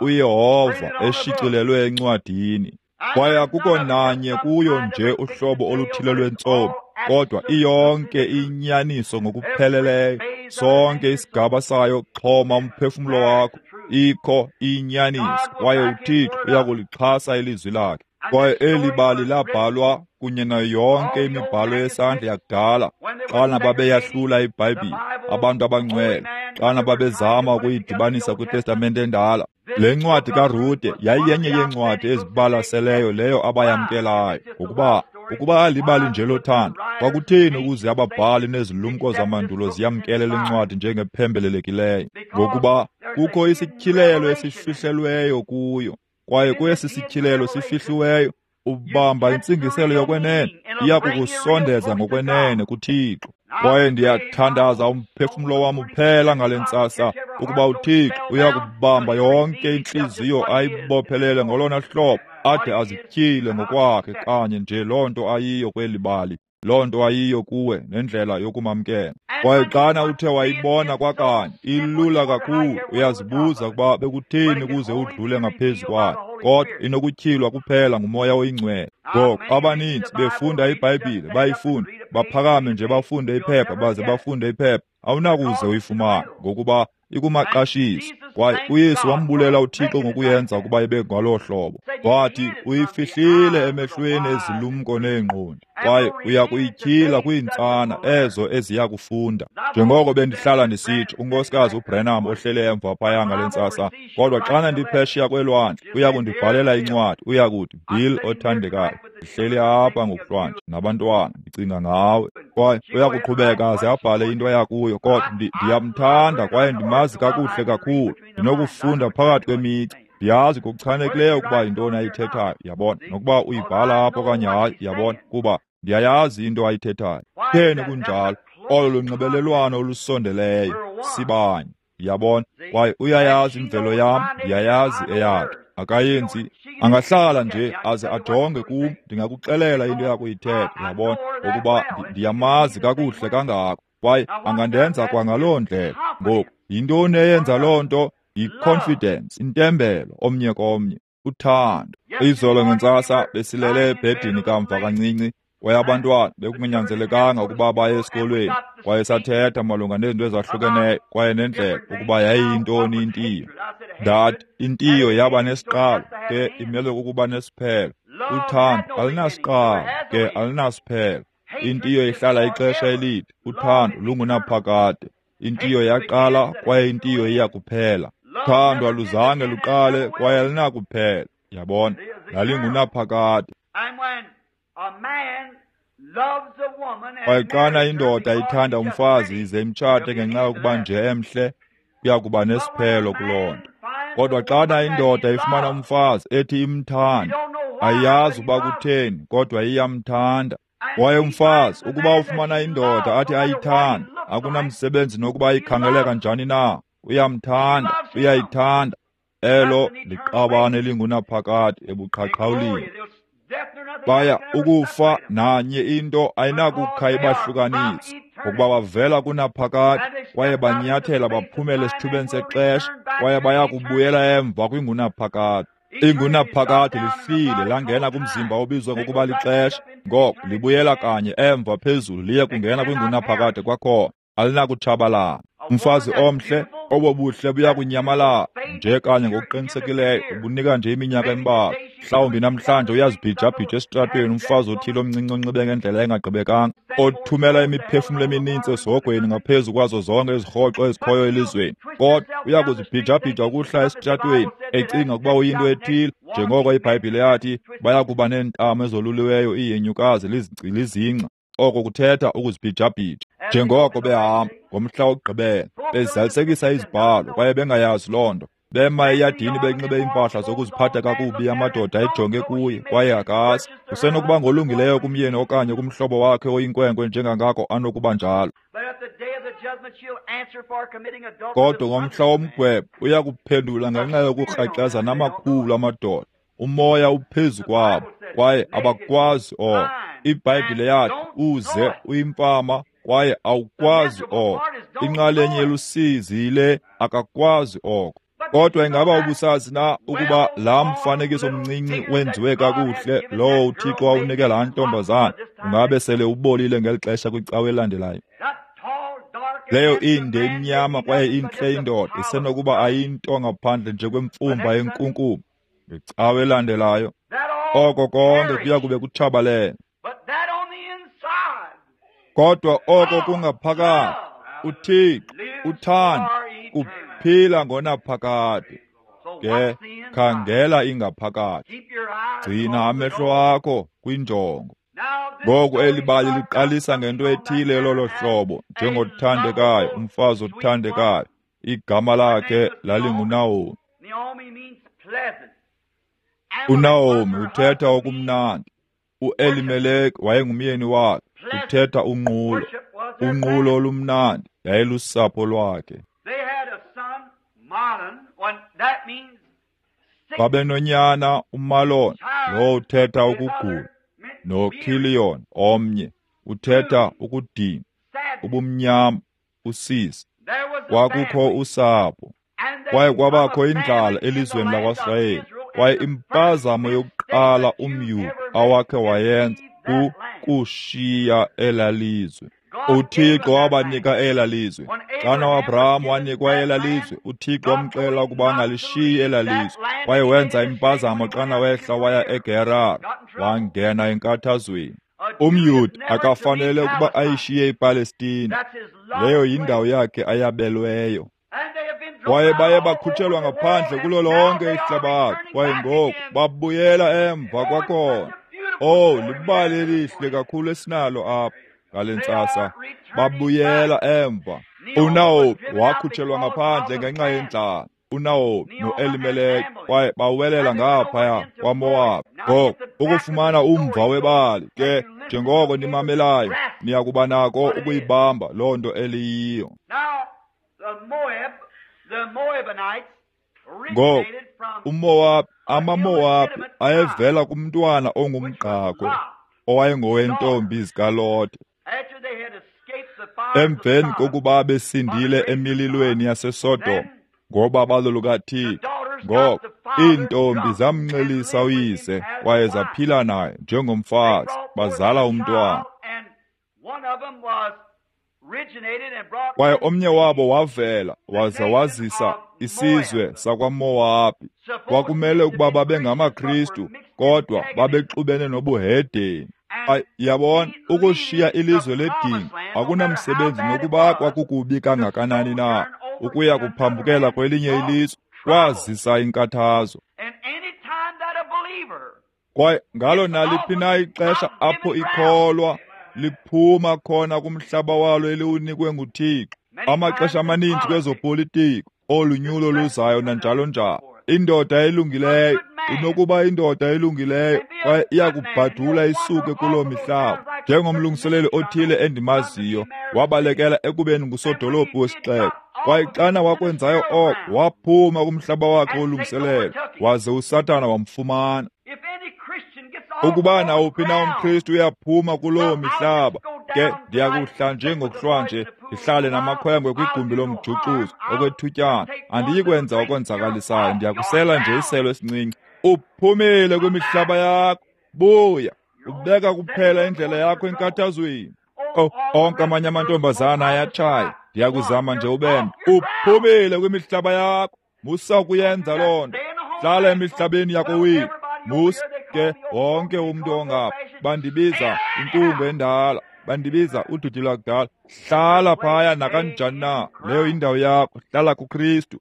uYehova eshicilelwe encwadini. Kwaye akukho nanye kuyo nje uhlobo oluthile lwentsomi, kodwa iyonke inyaniso ngokupheleleyo. Sonke isigaba sayo xhoma umphefumlo wakho, ikho inyaniso, kwaye uThixo uyakulixhasa ilizwi lakhe. Kwaye eli bali labhalwa kunye nayo yonke imibhalo yesandla yakudala, xana babeyahlula iBhayibhile, abantu abangcwele, xana babezama ukuyidibanisa kwiTestamente endala. Le ncwadi kaRute yayiyenye yeencwadi ezibalaseleyo leyo abayamkelayo, ngokuba ukuba libali nje lothando, kwakutheni ukuze ababhali nezilumko zamandulo ziyamkele le ncwadi njengephembelelekileyo? Ngokuba kukho isityhilelo esifihlelweyo kuyo, kwaye kwesi sityhilelo sifihliweyo ubamba intsingiselo yokwenene, iya kukusondeza ngokwenene kuThixo. Kwaye ndiyathandaza umphefumlo wam uphela ngale ntsasa ukuba uThixo uya kubamba yonke intliziyo ayibophelele ngolona hlobo ade azityhile ngokwakhe kanye nje loo nto ayiyo kweli bali, loo nto ayiyo kuwe nendlela yokumamkela. Kwaye xana uthe wayibona kwakanye, ilula kakhulu, uyazibuza ukuba bekutheni ukuze udlule ngaphezu kwayo, kodwa inokutyhilwa kuphela nguMoya oyiNgcwele. Ngoku abaninzi befunda iBhayibhile, bayifunda, baphakame nje bafunde iphepha baze bafunde iphepha, awunakuze uyifumane ngokuba ikumaqashiso. Kwaye uYesu wambulela uThixo ngokuyenza ukuba ibe ngaloo hlobo. Wathi uyifihlile emehlweni ezilumko neengqondi, kwaye uya kuyityhila kwiintsana ezo eziya kufunda. Njengoko bendihlala ndisitsho, unkosikazi uBrenham ohlele emva phaya ngale ntsasa, kodwa xana ndiphesheya kwelwandle uya kundibhalela incwadi, uya kuthi, Bill othandekayo, ndihleli apha ngokuhlwanje nabantwana, ndicinga ngawe. Kwaye uya kuqhubeka aze abhale into eyakuyo, kodwa ndiyamthanda kwaye ndimazi kakuhle kakhulu. Ndinokufunda phakathi kwemica, ndiyazi ngokuchanekileyo ukuba yintoni ayithethayo, yabona, nokuba uyibhala apho okanye hayi, yabona, kuba ndiyayazi into ayithethayo. Kutheni kunjalo? Olo lunxibelelwano olusondeleyo, sibanye, yabona, kwaye uyayazi imvelo yam, ndiyayazi eyakhe. Akayenzi, angahlala nje aze ajonge kum, ndingakuxelela into yakuyithetha, yabona, ngokuba ndiyamazi kakuhle kangako, kwaye angandenza kwangaloo ndlela. Ngoku, yintoni eyenza loo nto? Yi-confidence, intembelo omnye komnye. Uthando. Izolo ngentsasa besilele ebhedini kamva kancinci, kwaye abantwana bekunganyanzelekanga ukuba baye esikolweni, kwaye sathetha malunga nezinto ezahlukeneyo kwaye nendlela ukuba yayiyintoni intiyo. Ndathi intiyo yaba nesiqalo, ke imele kukuba nesiphelo. Uthando alunasiqalo, ke alunasiphelo. Intiyo ihlala ixesha elide, uthando lungunaphakade. Intiyo yaqala kwaye intiyo iya kuphela. Uthando aluzange luqale kwaye alunakuphela. Yabona, lalingunaphakade. Kwaye xana indoda ithanda umfazi ize imtshate ngenxa yokuba nje emhle, kuya kuba nesiphelo kuloo nto. Kodwa xana indoda ifumana umfazi ethi imthanda, ayiyazi ukuba kutheni, kodwa iyamthanda. Kwaye umfazi ukuba ufumana indoda athi ayithanda, akunamsebenzi nokuba ikhangeleka njani na, uyamthanda, uyayithanda. Elo liqabane elingunaphakade ebuqhaqhawulini. Baya ukufa nanye into ayinakukha ibahlukanise, ngokuba bavela kunaphakade kwaye banyathela baphumela esithubeni sexesha kwaye baya kubuyela emva kwingunaphakade. Ingunaphakade lifile langena kumzimba obizwa ngokuba lixesha, ngoko libuyela kanye emva phezulu liye kungena kwingunaphakade kwakhona, alinakutshabalala. Umfazi omhle, obo buhle buya kunyamalala nje kanye ngokuqinisekileyo, ubunika nje iminyaka embalwa. Mhlawumbi namhlanje uyazibhijabhija esitratweni umfazi othile omncinci onxibe ngendlela engagqibekanga, othumela imiphefumlo emininzi esihogweni ngaphezu kwazo zonke izirhoxo ezikhoyo elizweni. Kodwa uya kuzibhijabhija ukuhla esitratweni ecinga ukuba uyinto ethile, njengoko iBhayibhile yathi baya kuba neentamo ezoluliweyo iihenyukazi lizingca. Oko kuthetha ukuzibhijabhija. Njengoko behamba ngomhla wokugqibela bezalisekisa izibhalo kwaye bengayazi loo nto, bema eyadini benxibe iimpahla zokuziphatha kakubi, amadoda ejonge kuye kwaye akazi. Usenokuba ngolungileyo kumyeni okanye kumhlobo wakhe oyinkwenkwe njengangako anokuba njalo, kodwa ngomhla womgwebo uya kuphendula ngenxa yokukrexeza namakhulu amadoda. Umoya uphezu kwabo kwaye abakwazi oko. IBhayibhile yathi uze uyimfama kwaye awukwazi oko. Inxalenye yelusizi yile, akakwazi oko. Kodwa ingaba ubusazi na ukuba laa mfanekiso mncinci wenziwe kakuhle lowo uThixo wawunike laa ntombazana ungabe sele ubolile ngeli xesha kwicawa elandelayo? Leyo inde imnyama kwaye intle indoda isenokuba ayinto ngaphandle nje kwemfumba yenkunkuma. Ngecawa elandelayo oko konke kuya kube kutshabalele. Kodwa oko kungaphakathi, uThixo, uthando, kuphila ngonaphakade. Ke khangela ingaphakathi, gcina amehlo akho kwinjongo. Ngoku eli bali liqalisa ngento ethile lolo hlobo, njengothandekayo, umfazi othandekayo. Igama lakhe lalinguNaomi. UNaomi uthetha okumnandi. UElimeleki wayengumyeni wakhe, uthetha unqulo. Unqulo olumnandi yayilusapho lwakhe. Babenonyana uMalon, lowo uthetha ukugula, noKilion omnye, uthetha ukudinwa, ubumnyama, usizi. Kwakukho usapho, kwaye kwabakho indlala elizweni lakwaSirayeli. Kwaye impazamo yokuqala umYuda awakhe wayenza kukushiya elaa lizwe. UThixo wabanika elaa lizwe. Xana uAbraham wanikwa elaa lizwe, uThixo wamxelela ukuba angalishiyi elaa lizwe. Kwaye wenza impazamo xana wehla waya eGerar, wangena enkathazweni. UmYuda akafanele ukuba ayishiye iPalestina. Leyo yindawo yakhe ayabelweyo. Kwaye baye bakhutshelwa ngaphandle kulo lonke ihlabathi, kwaye ngoku babuyela emva kwakhona. Oh, libali elihle kakhulu esinalo apha ngale ntsasa. Babuyela emva. UNaomi wakhutshelwa ngaphandle ngenxa yendlala. uNaomi noElimeleki kwaye bawelela ngaphaya kwaMowabi. Ngoku ukufumana umva webali ke, njengoko nimamelayo, niya kuba nako ukuyibamba loo nto eliyiyo. Ngoku uMowabi, amaMowabi ayevela kumntwana ongumgqakhwe owayengowentombi zikaLote. Emveni kokuba besindile emililweni yaseSodom ngobabalo lukaThixo, Ngoko iintombi zamnxelisa uyise kwaye zaphila naye njengomfazi, bazala umntwana. Kwaye omnye wabo wavela waza wazisa isizwe sakwaMowabi. Kwakumele ukuba babe ngamaKristu, kodwa babexubene nobuhedeni. Yabona, ukushiya ilizwe ledinga akunamsebenzi nokuba kwakukubi kangakanani na, ukuya kuphambukela kwelinye ilizwe kwazisa inkathazo. Kwaye ngalo naliphi na ixesha apho ikholwa liphuma khona kumhlaba walo eliwunikwe nguThixo, amaxesha amaninzi kwezopolitiko, olunyulo luzayo nanjalo njalo, indoda elungileyo inokuba indoda elungileyo kwaye iyakubhadula isuke kuloo mihlaba. Njengomlungiseleli othile endimaziyo, wabalekela ekubeni ngusodolophu wesixeko. Kwaye xana wakwenzayo oko, waphuma kumhlaba wakhe wolungiselelo, waze uSathana wamfumana. Ukuba nawuphi na umKristu uyaphuma kuloo mihlaba, ke ndiyakuhla nje ngokuhlwa nje, ndihlale namakhwenkwe kwigumbi lomjuxuzo okwethutyana. Andiyi kwenza okonzakalisayo, ndiyakusela nje iselo esincinci. Uphumile kwimihlaba yakho, buya, ubeka kuphela indlela yakho enkathazweni. Oh, onke amanye amantombazana ayatshaya, ndiyakuzama nje ubembe. Uphumile kwimihlaba yakho, musa ukuyenza loo nto. Hlala emihlabeni yakowenu. Musa ke wonke umntu ongapha bandibiza inkungu endala, bandibiza udidi lwakudala. Hlala phaya nakanjani na, leyo indawo yakho, hlala kuKristu.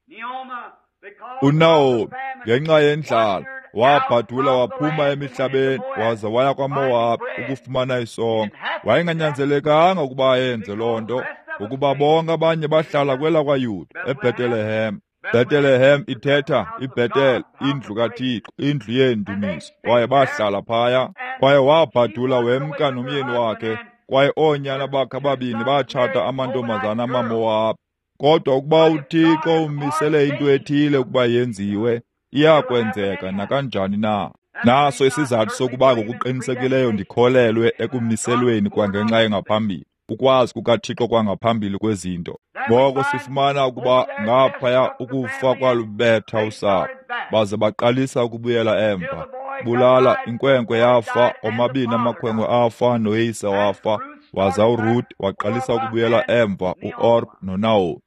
UNaomi ngenxa yendlala wabhadula waphuma emihlabeni waza waya kwaMowabi ukufumana isonka. Wayenganyanzelekanga ukuba ayenze loo nto, ngokuba bonke abanye bahlala kwelakwaYuda eBhetelehem. Bethlehem ithetha iBethel, indlu kaThixo, indlu yeendumiso. Kwaye bahlala phaya. Kwaye wabhadula wemka nomyeni wakhe, kwaye oonyana bakhe ababini batshata amantombazana amaMowabi. Kodwa ukuba uThixo umisele into ethile ukuba yenziwe, iyakwenzeka nakanjani na. Naso isizathu sokuba ngokuqinisekileyo ndikholelwe ekumiselweni kwangenxa engaphambili, ukwazi kukaThixo kwangaphambili kwezinto. Ngoko sifumana ukuba ngaphaya ukufa kwalubetha usapho, baze baqalisa ukubuyela emva. Bulala inkwenkwe yafa, omabini amakhwenkwe afa, noyise wafa, waza uRuth waqalisa ukubuyela emva, uOrpa noNaomi.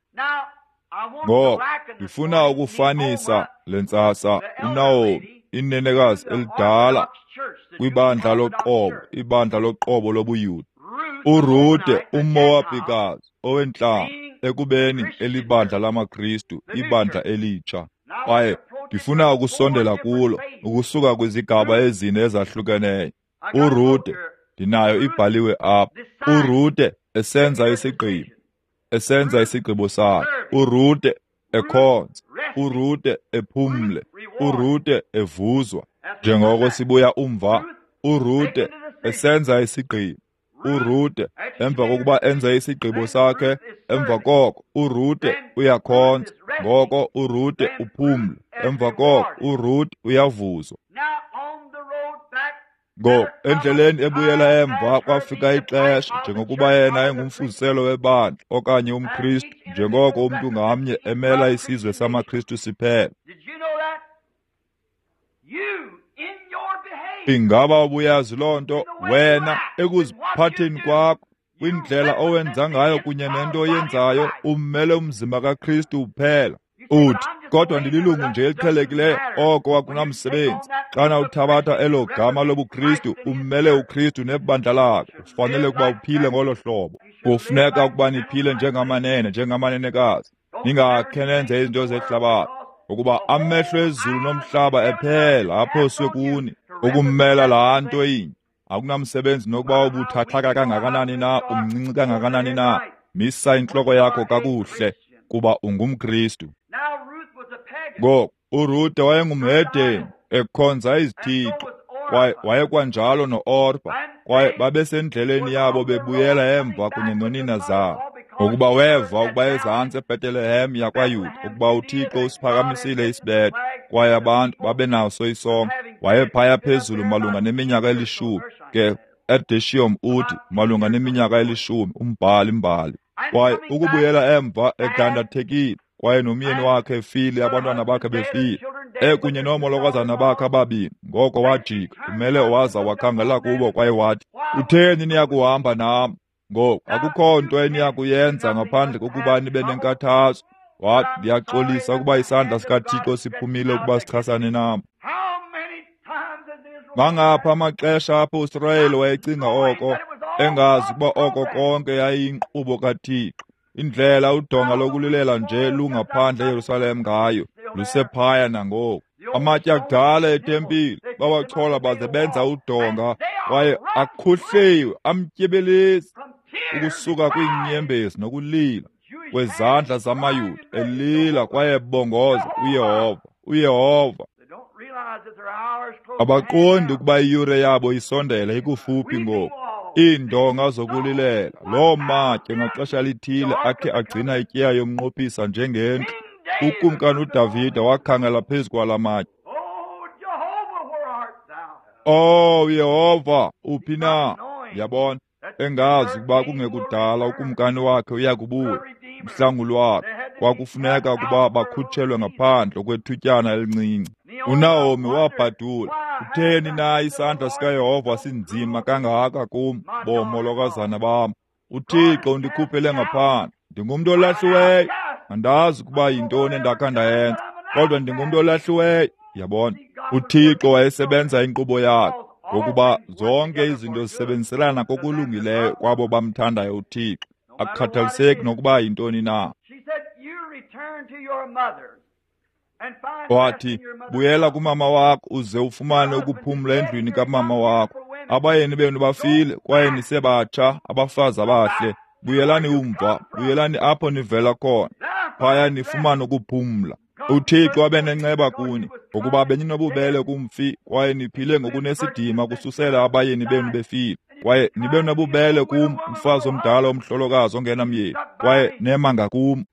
Ngoko ndifuna ukufanisa le ntsasa uNaomi, inenekazi elidala kwibandla loqobo, ibandla loqobo lobuYuda. uRute uMowabhikazi owentlanga, ekubeni elibandla lamaKristu, ibandla elitsha. Kwaye ndifuna ukusondela kulo ukusuka kwizigaba ezine ezahlukeneyo. uRute, ndinayo ibhaliwe apha. uRute esenza isigqibo, esenza isigqibo sakhe. uRute ekhonza, uRute ephumle, uRute evuzwa. Njengoko sibuya umva, uRute esenza isigqibo. uRute emva kokuba enze isigqibo sakhe, emva koko uRute uyakhonza, ngoko uRute uphumle, emva koko uRute uyavuzwa. Ngoko endleleni ebuyela emva kwafika ixesha, njengokuba yena engumfuziselo webandla okanye umKristu, njengoko umntu ngamnye emela isizwe samaKristu siphela. Ingaba ubuyazi loo nto wena ekuziphatheni kwakho, kwindlela owenza ngayo kunye nento oyenzayo, ummele umzimba kaKristu uphela. Uthi, kodwa ndililungu nje eliqhelekileyo, oko akunamsebenzi. Xana uthabatha elo gama lobuKristu, ummele uKristu nebandla lakhe. Ufanele ukuba uphile ngolo hlobo. Kufuneka ukuba niphile njengamanene, njengamanenekazi. Ningakhe nenze izinto zehlabathi, ngokuba amehlo ezulu nomhlaba ephela aphoswe kuni ukummela laa nto inye. Akunamsebenzi nokuba ubuthathaka kangakanani na, umncinci kangakanani na, misa intloko yakho kakuhle, kuba ungumKristu. Ngoko uRute wayengumhedeni ekhonza izithixo, kwaye wayekwanjalo no-Orpa, kwaye babesendleleni yabo bebuyela emva kunye nonina zabo. Ngokuba weva ukuba ezantsi eBhetelehem yakwaYuda ukuba uThixo usiphakamisile isibetho, kwaye abantu babenaso isonka. Wayephaya phezulu malunga neminyaka elishumi, ke Erdeshiyom uthi malunga neminyaka elishumi, umbhali mbali. Kwaye ukubuyela emva edandathekile, kwaye nomyeni wakhe efile, abantwana bakhe befile, ekunye noomolokazana bakhe ababini. Ngoko wajika, umele waza wakhangela kubo kwaye wathi, utheni niyakuhamba nam? Ngoku akukho nto eniyakuyenza ngaphandle kokuba nibe nenkathazo. Wathi, ndiyaxolisa ukuba isandla sikaThixo siphumile ukuba sichasane nam. Mangapha amaxesha apho uSirayeli wayecinga oko, engazi ukuba oko konke yayiyinkqubo kaThixo. Indlela udonga lokulilela nje lungaphandle eYerusalem ngayo, lusephaya nangoku. Amatye akudala etempile bawachola baze benza udonga, kwaye akhuhliwe amtyebelezi ukusuka kwiinyembezi nokulila kwezandla zamaYuda, elila kwaye ebongoza uYehova, uYehova. Abaqondi ukuba iyure yabo isondele ikufuphi ngoku. Iindonga zokulilela, loo matye ngaxesha lithile akhe agcina ityeya yomnqophisa njengendlu. Ukumkani uDavide wakhangela phezu kwala matye. Oh Yehova, uphi na? Yabona, engazi ukuba kungekudala ukumkani wakhe uyakubuya, umhlanguli wakhe. Kwakufuneka ukuba bakhutshelwe ngaphandle kwethutyana elincinci. UNaomi wabhadula, utheni na isandla sikaYehova sinzima kangaka kum, boomolokazana bam? UThixo undikhuphele ngaphandle. Ndingumntu olahliweyo, andazi ukuba yintoni endakha ndayenza, kodwa ndingumntu olahliweyo. Yabona, uThixo wayesebenza inkqubo yakhe, ngokuba zonke izinto zisebenziselana kokulungileyo kwabo bamthandayo uThixo, akukhathaliseki nokuba yintoni na. Wathi, buyela kumama wakho uze ufumane ukuphumla endlwini kamama wakho. Abayeni benu bafile kwaye nisebatsha, abafazi abahle. Buyelani umva, buyelani apho nivela khona, phaya nifumane ukuphumla. UThixo abe nenceba kuni, ngokuba beninobubele kumfi kwaye niphile ngokunesidima kususela abayeni benu befile. Kwaye nibe nobubele kum, umfazi omdala omhlolokazi ongenamyeni, kwaye nema ngakum.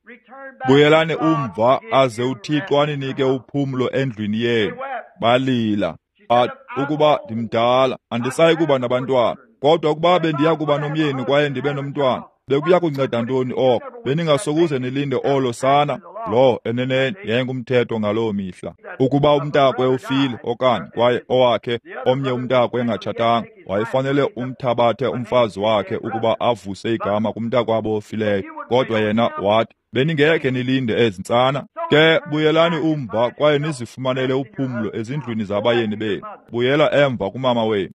Buyelani umva, aze uThixo aninike uphumlo endlwini yenu. Balila. Athi, ukuba ndimdala, andisayi kuba nabantwana, kodwa ukuba bendiya kuba nomyeni kwaye ndibe nomntwana, bekuya kunceda ntoni oko? Beningasokuze nilinde olo sana. Lo eneneni yayingumthetho ngaloo mihla. Ukuba umntakwe ufile okanye kwaye owakhe omnye umntakwe engatshatanga, wayefanele umthabathe umfazi wakhe ukuba avuse igama kumntakwabo ofileyo. Kodwa yena wathi, beningekhe nilinde ezi ntsana. Ke buyelani umva kwaye nizifumanele uphumlo ezindlwini zabayeni benu. Buyela emva kumama wenu.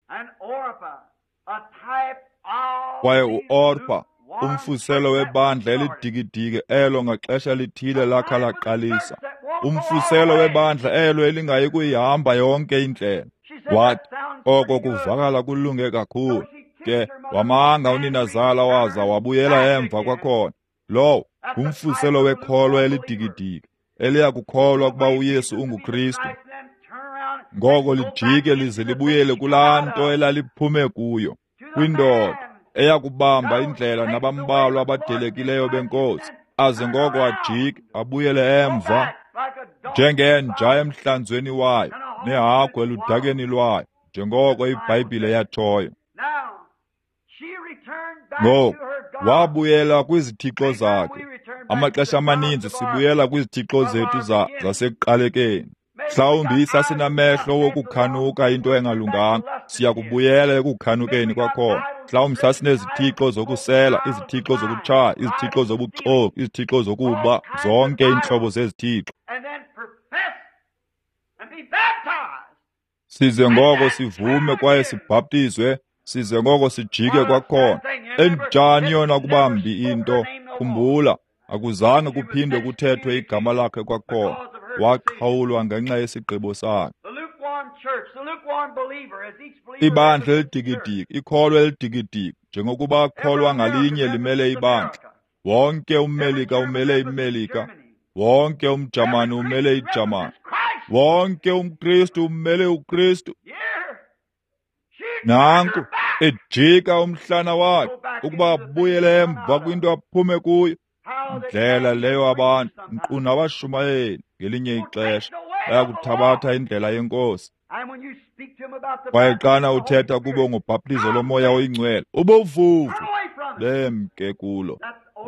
Kwaye uOrpa, umfuziselo webandla elidikidiki elo ngaxesha lithile lakha laqalisa, umfuziselo webandla elo elingayi kuyihamba yonke indlela. Wathi, oko kuvakala kulunge kakhulu. Ke wamanga uninazala waza wabuyela emva kwakhona. Lowo ngumfuziselo wekholwa elidikidiki eliya kukholwa ukuba uYesu unguKristu. Ngoko lijike lize libuyele kulaa nto elaliphume kuyo, kwindoda eyakubamba indlela nabambalwa abadelekileyo benkosi, aze ngoko ajike abuyele emva njengenja emhlanzweni wayo nehagu eludakeni lwayo, njengoko iBhayibhile yatshoyo. Ngoku wabuyela kwizithixo zakhe. Amaxesha amaninzi sibuyela kwizithixo zethu za zasekuqalekeni. Mhlawumbi sasinamehlo wokukhanuka into engalunganga, siyakubuyela ekukhanukeni kwakhona. Mhlawumbi sasinezithixo zokusela, izithixo zokutshaya, izithixo zobuxoki, izithixo zokuba, zonke iintlobo zezithixo. Size ngoko sivume kwaye sibhaptizwe, size ngoko sijike kwakhona. Enjani yona kuba mbi into? Khumbula, akuzange kuphinde kuthethwe igama lakhe kwakhona. Waqhawulwa ngenxa yesigqibo sakhe. Ibandla elidikidiki, ikholwa elidikidiki, njengokuba kholwa ngalinye limele ibandla. Wonke umMelika umele iMelika, wonke umJamani umele iJamani, wonke umKristu umele uKristu. Nanku ejika umhlana wakhe ukuba abuyele emva kwinto aphume kuyo. Indlela leyo abantu, nkqu nabashumayeli ngelinye ixesha bayakuthabatha indlela yenkosi. Kwaye xana uthetha kubo ngobhaptizo lomoya oyingcwele, ubuvuvu bemke kulo.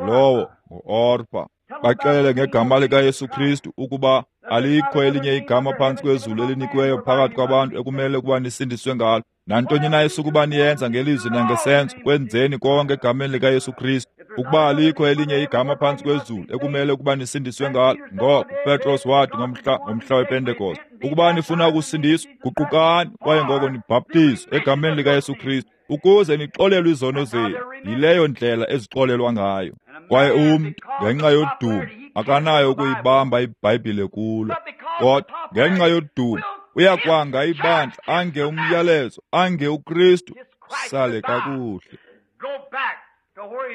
Lowo nguOrpa. Baxelele ngegama likaYesu Kristu ukuba alikho elinye igama phantsi kwezulu elinikiweyo phakathi kwabantu ekumele ukuba nisindiswe ngalo. Nantoni na esukuba niyenza ngelizwi nangesenzo, kwenzeni konke egameni likaYesu Kristu. Ukuba alikho elinye igama phantsi kwezulu ekumele ukuba nisindiswe ngalo. Ngoko uPetros wathi ngomhla ngomhla wePentekoste, ukuba nifuna ukusindiswa, guqukani kwaye ngoko nibhaptizwe egameni likaYesu Kristu ukuze nixolelwe izono zenu. Yileyo ndlela ezixolelwa ngayo. Kwaye umntu ngenxa yodumo akanayo ukuyibamba iBhayibhile kulo, kodwa ngenxa yodumo uyakwanga ibandla, ange umyalezo, ange uKristu. Sale kakuhle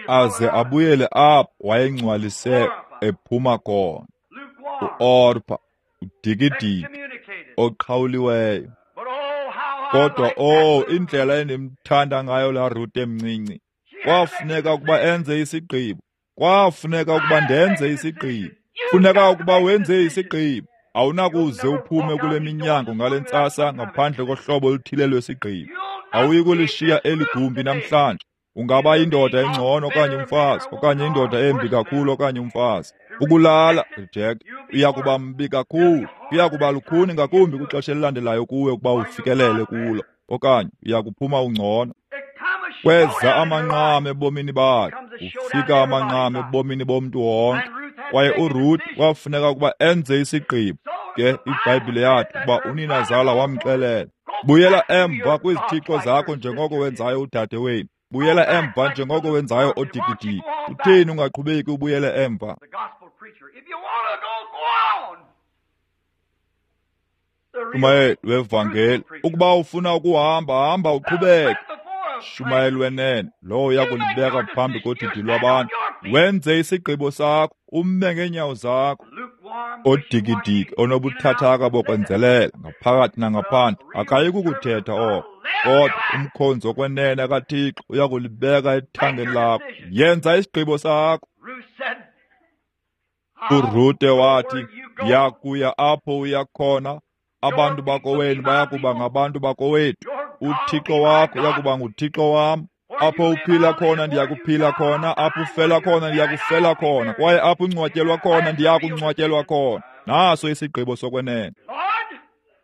aze abuyele apho wayengcwalise ephuma khona. UOrpa udikidiki oqhawuliweyo. Kodwa oh, indlela endimthanda ngayo laa Rute emncinci. Kwafuneka ukuba enze isigqibo. Kwafuneka ukuba ndenze isigqibo. Funeka ukuba wenze isigqibo. Awunakuze uphume kule minyango ngale ntsasa ngaphandle kohlobo oluthile lwesigqibo. Awuyi kulishiya eli gumbi namhlanje. Ungaba yindoda engcono okanye umfazi, okanye indoda embi kakhulu okanye umfazi. Ukulala, reject, uya kuba mbi kakhulu, uya kuba lukhuni ngakumbi kwixesha elilandelayo kuwe ukuba ufikelele kulo, okanye uya kuphuma ungcono. Kweza amanqam ebomini bakhe, ufika amanqam ebomini bomntu wonke. Kwaye uRuth kwafuneka ukuba enze isigqibo. Ke iBhayibhile yathi ukuba uninazala wamxelela, buyela emva kwizithixo zakho njengoko wenzayo udade wenu. Buyela emva njengoko wenzayo odikidiki. Utheni ungaqhubeki ubuyele emva? Shumayeli wevangeli, ukuba ufuna ukuhamba, hamba uqhubeke. Shumayeli wenene, lowo uya kulibeka phambi kodidi lwabantu. Wenze isigqibo sakho, ume ngeenyawo zakho. Odikidiki onobuthathaka bokwenzelela ngaphakathi nangaphandle akayi kukuthetha oko, kodwa umkhonzi okwenene kaThixo uya kulibeka ethangeni lakho. Yenza isigqibo sakho. URute wathi, ndiyakuya apho uya khona. Abantu bakowenu bayakuba ngabantu bakowethu. UThixo wakho uyakuba nguThixo wam. Apho uphila khona ndiyakuphila khona, apho ufela khona ndiyakufela khona, kwaye apho ungcwatyelwa khona ndiyakungcwatyelwa khona. Naso isigqibo sokwenene.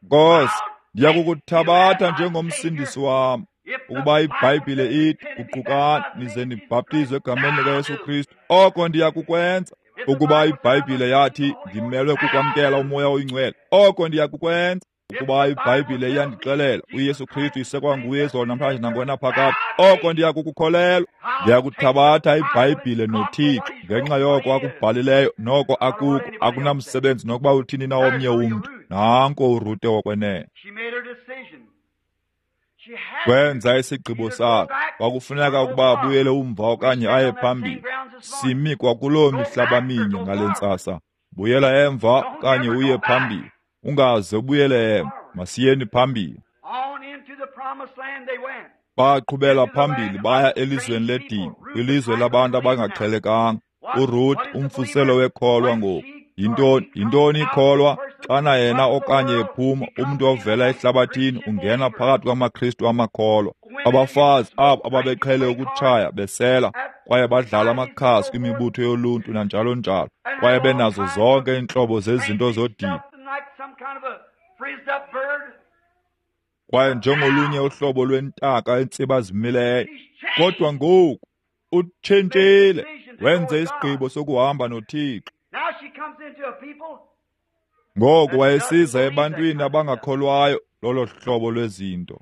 Nkosi, ndiyakukuthabatha njengomsindisi wam. Ukuba iBhayibhile ithi guqukani nize nibhaptizwe egameni likaYesu Kristu, oko ndiyakukwenza. Ukuba iBhayibhile yathi ndimelwe kukwamkela uMoya oyiNgcwele, oko ndiyakukwenza. Ukuba iBhayibhile iyandixelela uYesu Kristu isekwanguye izolo namhlanje nangonaphakade, oko ndiyakukukholelwa. Ndiyakuthabatha iBhayibhile noThixo ngenxa yoko akubhalileyo noko akuko. Akunamsebenzi nokuba uthini na omnye umntu. Nanko uRute wokwenene. Wenza isigqibo sakhe. Kwakufuneka ukuba abuyele umva okanye aye phambili. Simi kwakuloo mihlaba minye ngale ntsasa. Buyela emva okanye uye phambili. Ungaze ubuyele emva. Masiyeni phambili. Baqhubela phambili baya elizweni ledini, kwilizwe labantu abangaqhelekanga. URuth umfuselo wekholwa ngoku. Yintoni yintoni ikholwa? Xana yena okanye ephuma, umntu ovela ehlabathini ungena phakathi kwamaKristu amakholwa. Abafazi abo ababeqhele ukutshaya besela kwaye badlala amakhasi kwimibutho yoluntu nanjalo njalo, kwaye benazo zonke iintlobo zezinto zodidi. Kwaye njengolunye uhlobo lwentaka entsibazimileyo. Kodwa ngoku utshintshile, wenze isigqibo sokuhamba noThixo. Ngoku wayesiza ebantwini abangakholwayo lolo hlobo lwezinto.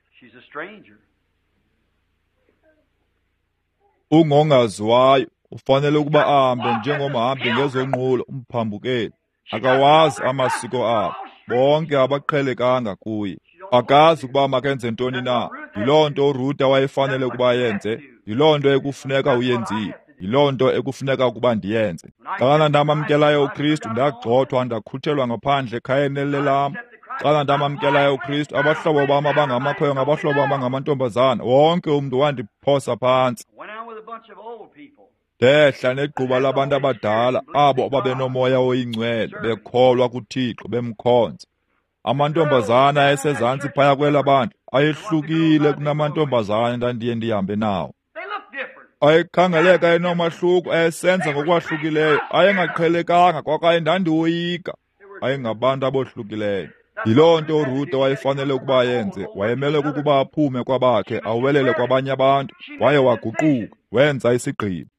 Ungongaziwayo ufanele ukuba ahambe njengomhambi ngezonqulo, umphambukeli. Akawazi amasiko abo, bonke abaqhelekanga kuye. Akazi ukuba makenze ntoni na. Yiloo nto uRuta wayefanele ukuba ayenze, yiloo nto ekufuneka uyenzile, yiloo nto ekufuneka ukuba ndiyenze. Xana ndamamkelayo uKristu, ndagxothwa ndakhutshelwa ngaphandle ekhayeni lelam. Xana ndamamkelayo uKristu, abahlobo bam abangamakhwenkwe ngabahlobo bam abangamantombazana, wonke umntu wandiphosa phantsi. Ndehla negquba labantu abadala, abo ababenomoya oyingcwele, bekholwa kuThixo, bemkhonza. Amantombazana ayesezantsi phaya kwela bandla ayehlukile kunamantombazana endandiye ndihambe nawo. Ayekhangeleka enomahluko, ayesenza ngokwahlukileyo, ayengaqhelekanga kwakaye ndandiwoyika. Ayengabantu abohlukileyo. Yiloo nto uRute wayefanele ukuba ayenze. Wayemele ukuba aphume kwabakhe, awelele kwabanye abantu. Waye waguquka, wenza isigqibo.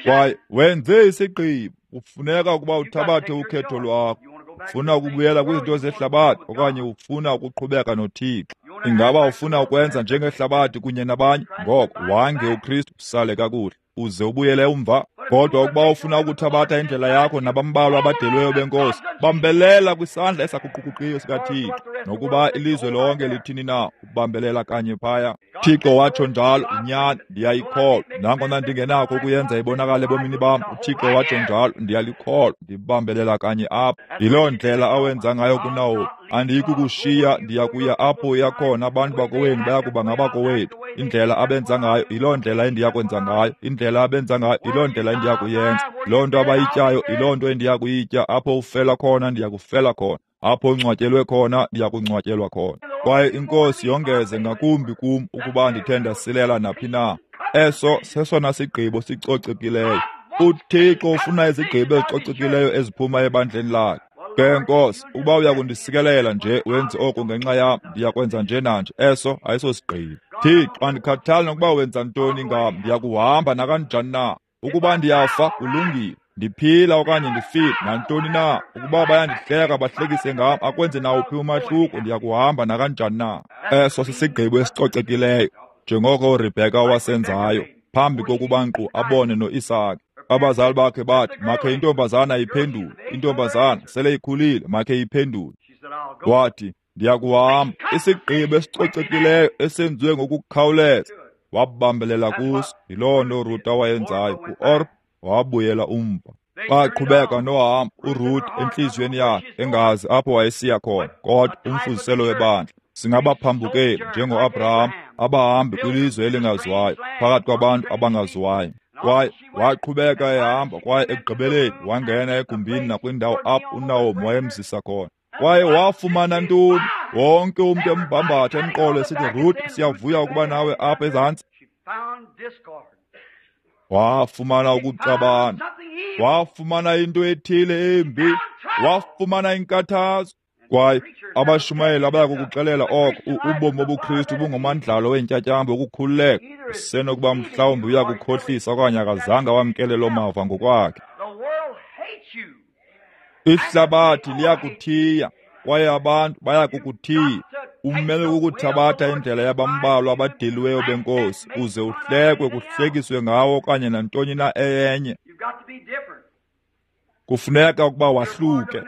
Kwaye wenze isigqibo. Kufuneka ukuba uthabathe ukhetho lwakho. Ufuna ukubuyela kwizinto zehlabathi okanye ufuna ukuqhubeka noThixo? Ingaba ufuna ukwenza njengehlabathi kunye nabanye? Ngoko wange uKristu, usale kakuhle, uze ubuyele umva. Kodwa ukuba ufuna ukuthabatha indlela yakho nabambalwa abadelweyo benkosi, bambelela kwisandla esaguquguqiyo sikaThixo. Nokuba ilizwe lonke lithini na, ubambelela kanye phaya. Thixo watsho njalo, inyani, ndiyayikholwa. Nangona ndingenakho ukuyenza ibonakale ebomini bam, uThixo watsho njalo, ndiyalikholwa, ndibambelela kanye apha. Yiloo ndlela awenza ngayo kuNawomi. Andiyikukushiya, ndiya kuya apho uya khona, abantu bakowenu bayakuba ngabakowethu. Indlela abenza ngayo, yiloo ndlela endiyakwenza ngayo. Indlela abenza ngayo, yiloo ndlela endiyakuyenza. Loo nto abayityayo, yiloo nto endiyakuyitya. Apho ufela khona, ndiyakufela khona. Apho ungcwatyelwe khona, ndiyakungcwatyelwa khona. Kwaye iNkosi yongeze ngakumbi kum ukuba ndithe ndasilela naphi na. Eso sesona sigqibo sicocekileyo. UThixo ufuna izigqibo ezicocekileyo eziphuma ebandleni lakhe. Ke Nkosi, ukuba uyakundisikelela nje wenze oku ngenxa yam, ndiyakwenza nje nanje. Eso ayisosigqibo. Thixo, andikhathali nokuba wenza ntoni ngam, ndiyakuhamba nakanjani na. Ukuba ndiyafa, kulungile. Ndiphila okanye ndifile, nantoni na. Ukuba bayandihleka bahlekise ngam, akwenze nawuphi umahluko, ndiyakuhamba nakanjani na. Eso sisigqibo esicocekileyo, njengoko uRebheka wasenzayo phambi kokuba nkqu abone noIsake. Abazali bakhe bathi, makhe intombazana iphendule. Intombazana sele ikhulile, makhe iphendule. Wathi, ndiyakuhamba. Isigqibo esicocekileyo esenziwe ngokukhawuleza. Wabambelela kuso. Yiloo nto uRuta wayenzayo. UOrpa wabuyela umva. Baqhubeka nohamba uRuth entliziyweni yakhe, engazi apho wayesiya khona, kodwa umfuziselo webandla. Singabaphambukeli njengoAbraham, abahambi kwilizwe elingaziwayo, phakathi kwabantu abangaziwayo. Kwaye waqhubeka ehamba, kwaye ekugqibeleni wangena egumbini nakwindawo apho uNawomi wayemzisa khona. Kwaye wafumana ntoni? Wonke umntu embambatha emqolo esithi, Ruth, siyavuya ukuba nawe apha ezantsi. Wafumana ukuxabana, wafumana into ethile embi, wafumana inkathazo. Kwaye abashumayeli abaya kukuxelela oko, ubomi bobuKristu bungumandlalo weentyatyambo wokukhululeka. Usenokuba mhlawumbi uya kukhohlisa okanye akazange wamkele loo mava ngokwakhe. Ihlabathi liyakuthiya, kwaye abantu baya kukuthiya. Umele ukuthabatha indlela yabambalwa abadeliweyo benkosi, uze uhlekwe, kuhlekiswe ngawo okanye nantoni na eyenye. Kufuneka ukuba wahluke,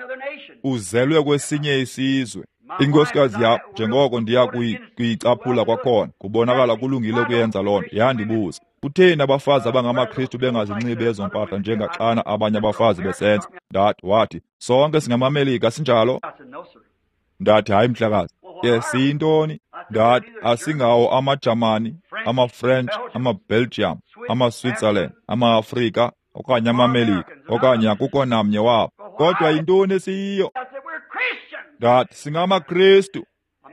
uzelwe kwesinye isizwe. Inkosikazi yam, njengoko ndiya kuyicaphula kwakhona, kubonakala kulungile ukuyenza loo nto, yandibuza, kutheni abafazi abangamaKristu bengazinxibi ezo mpahla njengaxana abanye abafazi besenza? Ndathi, wathi, sonke singamaMelika, sinjalo? Ndathi, hayi mhlekazi. Ke siyintoni? Ndathi, asingawo amaJamani, amaFrench, amaBelgium, amaSwitzerland, amaAfrika okanye amaMelika, okanye akukho namnye wabo. Kodwa yintoni esiyiyo? Ndathi, singamaKristu.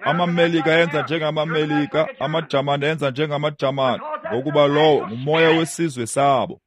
AmaMelika enza njengamaMelika, amaJamani enza njengamaJamani, ngokuba lowo ngumoya wesizwe sabo.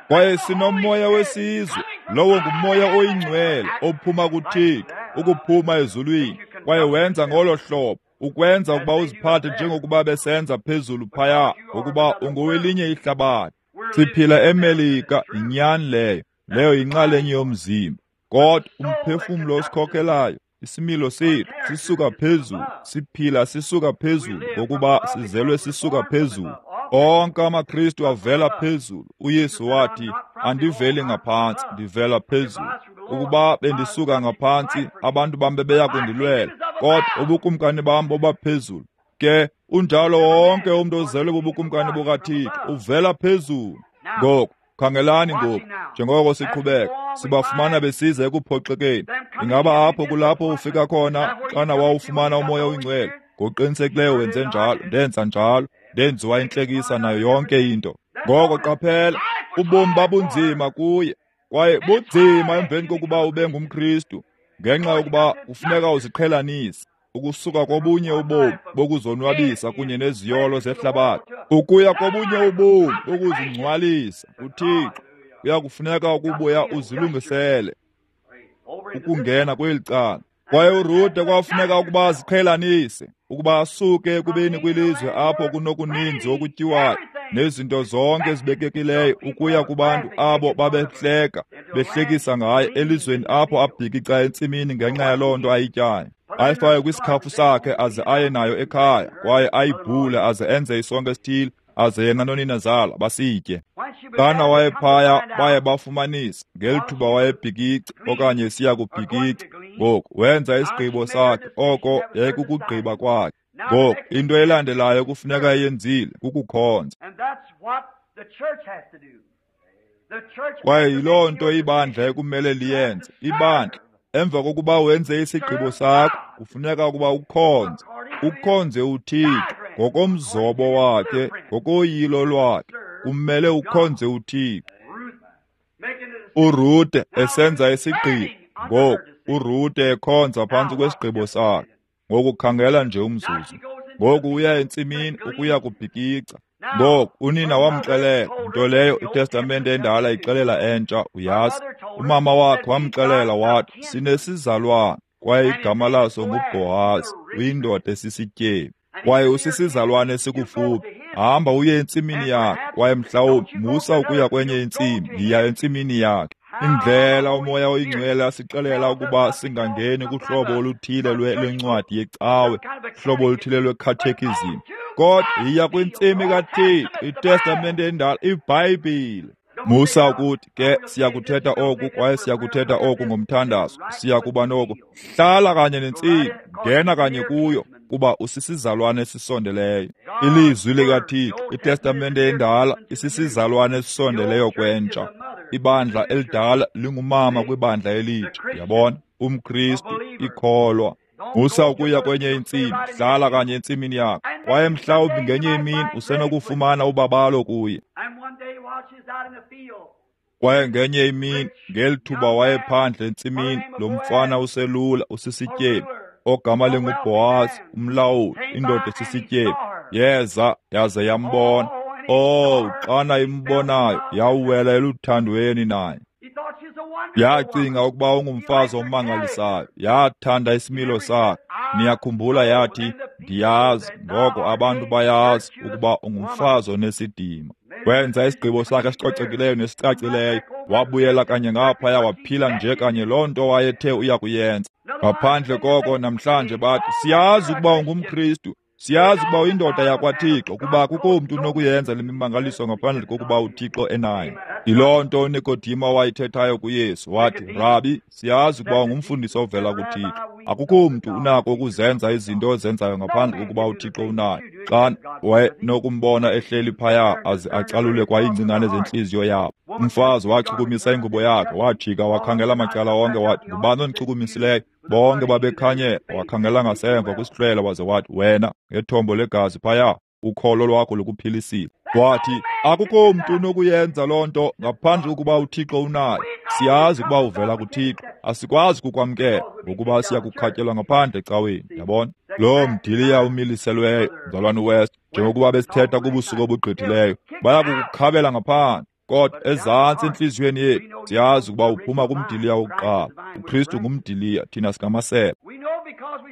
Kwaye sinomoya wesizwe, lowo ngumoya oyingcwele ophuma kuThixo, ukuphuma ezulwini. Kwaye wenza ngolo hlobo, ukwenza ukuba uziphathe njengokuba besenza phezulu phaya, ngokuba ungowelinye ihlabathi. Siphila eMelika, yinyani leyo, leyo yinxalenye yomzimba. Kodwa umphefumlo osikhokhelayo, isimilo sethu sisuka phezulu, siphila sisuka phezulu, ngokuba sizelwe sisuka phezulu. Onke amaKristu avela phezulu. uYesu wathi, andiveli ngaphantsi, ndivela phezulu. Ukuba bendisuka ngaphantsi, abantu bam bebeya kundilwela, kodwa ubukumkani bam bobaphezulu. Ke unjalo wonke umntu ozelwe bubukumkani bukaThixo, uvela phezulu. Ngoku khangelani ngoku, njengoko siqhubeka, sibafumana besiza ekuphoxekeni. Ingaba apho kulapho ufika khona xana wawufumana umoya oyingcwele? Ngokuqinisekileyo wenze njalo, ndenza njalo, ndenziwa intlekisa nayo yonke into. Ngoko qaphela, ubomi babunzima kuye, kwaye bunzima emveni kokuba ube ngumKristu, ngenxa yokuba kufuneka uziqhelanise. Ukusuka kobunye ubomi bokuzonwabisa kunye neziyolo zehlabathi ukuya kobunye ubomi bokuzingcwalisa kuThixo, kuyakufuneka ukubuya uzilungisele ukungena kweli cala. Kwaye uRute kwafuneka ukuba aziqhelanise, ukuba asuke ekubeni kwilizwe apho kunokuninzi okutyiwayo nezinto zonke ezibekekileyo ukuya kubantu abo babehleka behlekisa ngaye elizweni apho abhikica entsimini ngenxa yaloo nto ayityayo. Ayifake kwisikhafu sakhe aze aye nayo ekhaya, kwaye ayibhule aze enze isonka esithile, aze yena noninazala basitye. Xana wayephaya baye bafumanisa ngeli thuba wayebhikica okanye esiya kubhikica. Ngoku wenza isigqibo sakhe, oko yayikukugqiba kwakhe. Ngoku into elandelayo kufuneka eyenzile kukukhonza. Kwaye yiloo nto ibandla ekumele liyenze. Ibandla, emva kokuba wenze isigqibo sakho, kufuneka ukuba ukhonze. Ukhonze uThixo ngokomzobo wakhe, ngokoyilo lwakhe. Kumele ukhonze uThixo. uRute esenza isigqibo. Ngoku uRute ekhonza phantsi kwesigqibo sakhe. Ngoku khangela nje umzuzu. Ngoku uya entsimini ukuya kubhikica. Ngoku unina wamxelela, nto leyo iTestamente endala ixelela entsha, uyazi. Umama wakhe wamxelela wathi, sinesizalwane, kwaye igama laso nguBhohazi, uyindoda esisityebi, kwaye usisizalwane esikufuphi. Hamba uye entsimini yakhe, kwaye mhlawumbi musa ukuya kwenye intsimi, yiya entsimini yakhe. Indlela uMoya oyiNgcwele asixelela ukuba singangeni kuhlobo oluthile lwencwadi yecawe, hlobo oluthile lwekhathekizim, kodwa yiya kwintsimi kaThixo, iTestamente endala, iBhayibhile. Musa ukuthi ke siyakuthetha oku kwaye siyakuthetha oku ngomthandazo, siyakuba noko. Hlala kanye nentsimi, ngena kanye kuyo, kuba usisizalwane esisondeleyo. Ilizwi likaThixo, iTestamente endala, isisizalwane esisondeleyo kwentsha. Ibandla elidala lingumama kwibandla elitsha, yabona, umKristu, ikholwa. Musa ukuya kwenye intsimi, hlala kanye entsimini yakho, kwaye mhlawumbi ngenye imini usenokufumana ubabalo kuye. Kwaye ngenye imini, ngeli thuba wayephandle entsimini, lo mfana uselula usisityebi, ogama linguBhohazi, umlawuli, indoda esisityebi, yeza yaze yambona. Oh, xana imbonayo, yawela eluthandweni naye. Yacinga ukuba ungumfazi omangalisayo, yathanda isimilo sakhe. Niyakhumbula yathi, ndiyazi, ngoko abantu bayazi ukuba ungumfazi onesidima. Wenza isigqibo sakhe esicocekileyo nesicacileyo, wabuyela kanye ngaphaya waphila nje kanye loo nto wayethe uya kuyenza. Ngaphandle koko namhlanje bathi, siyazi ukuba ungumKristu, siyazi ukuba uyindoda yakwaThixo, kuba akukho mntu unokuyenza le mimangaliso ngaphandle kokuba uThixo enayo. Yiloo nto uNikodima wayithethayo kuYesu, wathi, Rabi, siyazi ukuba ungumfundisi ovela kuThixo. Akukho mntu unako ukuzenza izinto ozenzayo ngaphandle kokuba uThixo unayo. Xa wayenokumbona ehleli phaya aze acalule kwa iingcingane zentliziyo yabo. Umfazi wachukumisa ingubo yakhe, wajika wakhangela macala onke, wathi, ngubani ondichukumisileyo? Bonke babekhanyela. Wakhangela ngasemva kwisihlwele waze wathi, wena ngethombo legazi phaya, ukholo lwakho lukuphilisile. Wathi, akukho mntu unokuyenza loo nto ngaphandle kokuba uThixo unayo. Siyazi ukuba uvela kuThixo, asikwazi kukwamkela ngokuba siyakukhatyelwa ngaphandle ecaweni, yabona. Lo mdiliya umiliselweyo, mzalwane West, njengokuba besithetha kubusuku obugqithileyo, bayakukukhabela ngaphandle. Kodwa ezantsi entliziyweni yethu siyazi ukuba uphuma kumdiliya wokuqala. uKristu ngumdiliya, thina singamasebe.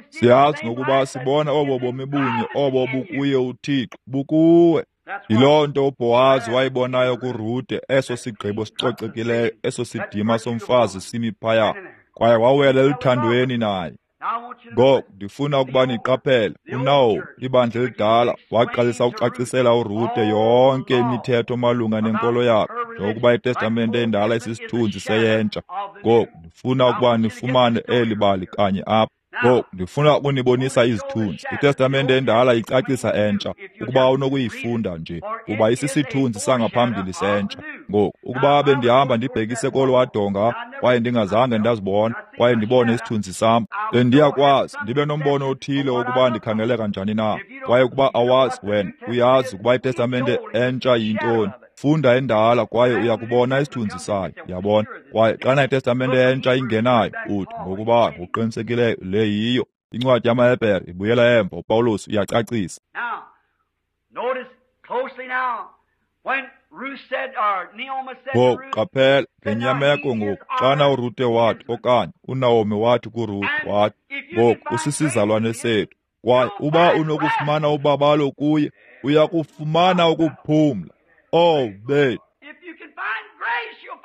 Siyazi ngokuba sibona obo bomi bunye obo bukuye uThixo, bukuwe. Yiloo nto uBhohazi wayibonayo kuRute, eso sigqibo sicocekileyo, eso sidima somfazi simi phaya, kwaye wawela eluthandweni naye. Ngoku ndifuna ukuba niqaphele, uNaomi, ibandla elidala, waqalisa ukucacisela uRute yonke imithetho malunga nenkolo yakhe, njengokuba iTestamente endala isisithunzi seyentsha. Ngoku ndifuna ukuba nifumane eli bali kanye apha. Ngoku ndifuna ukunibonisa izithunzi. iTestamente endala icacisa entsha, ukuba unokuyifunda nje, kuba isisithunzi sangaphambili sentsha. Ngoku ukuba bendihamba ndibhekise kolwaa donga kwaye ndingazange ndazibona, kwaye ndibone isithunzi sam, bendiyakwazi ndibe nombono othile wokuba ndikhangeleka njani na. Kwaye ukuba awazi wena, uyazi ukuba iTestamente entsha yintoni. Funda endala kwaye uyakubona isithunzi sayo, yabona. Kwaye xana iTestamente entsha ingenayo, uthi ngokuba ngokuqinisekileyo le yiyo. Incwadi yamaHebhere ibuyela emva, uPawulos uyacacisa. Ngoku qaphela ngenyameko ngoku, xana uRute wathi, okanye uNaomi wathi kuRute, wathi, ngoku usisizalwane sethu, kwaye uba unokufumana ubabalo kuye, uya kufumana ukuphumla. Oh, bethu!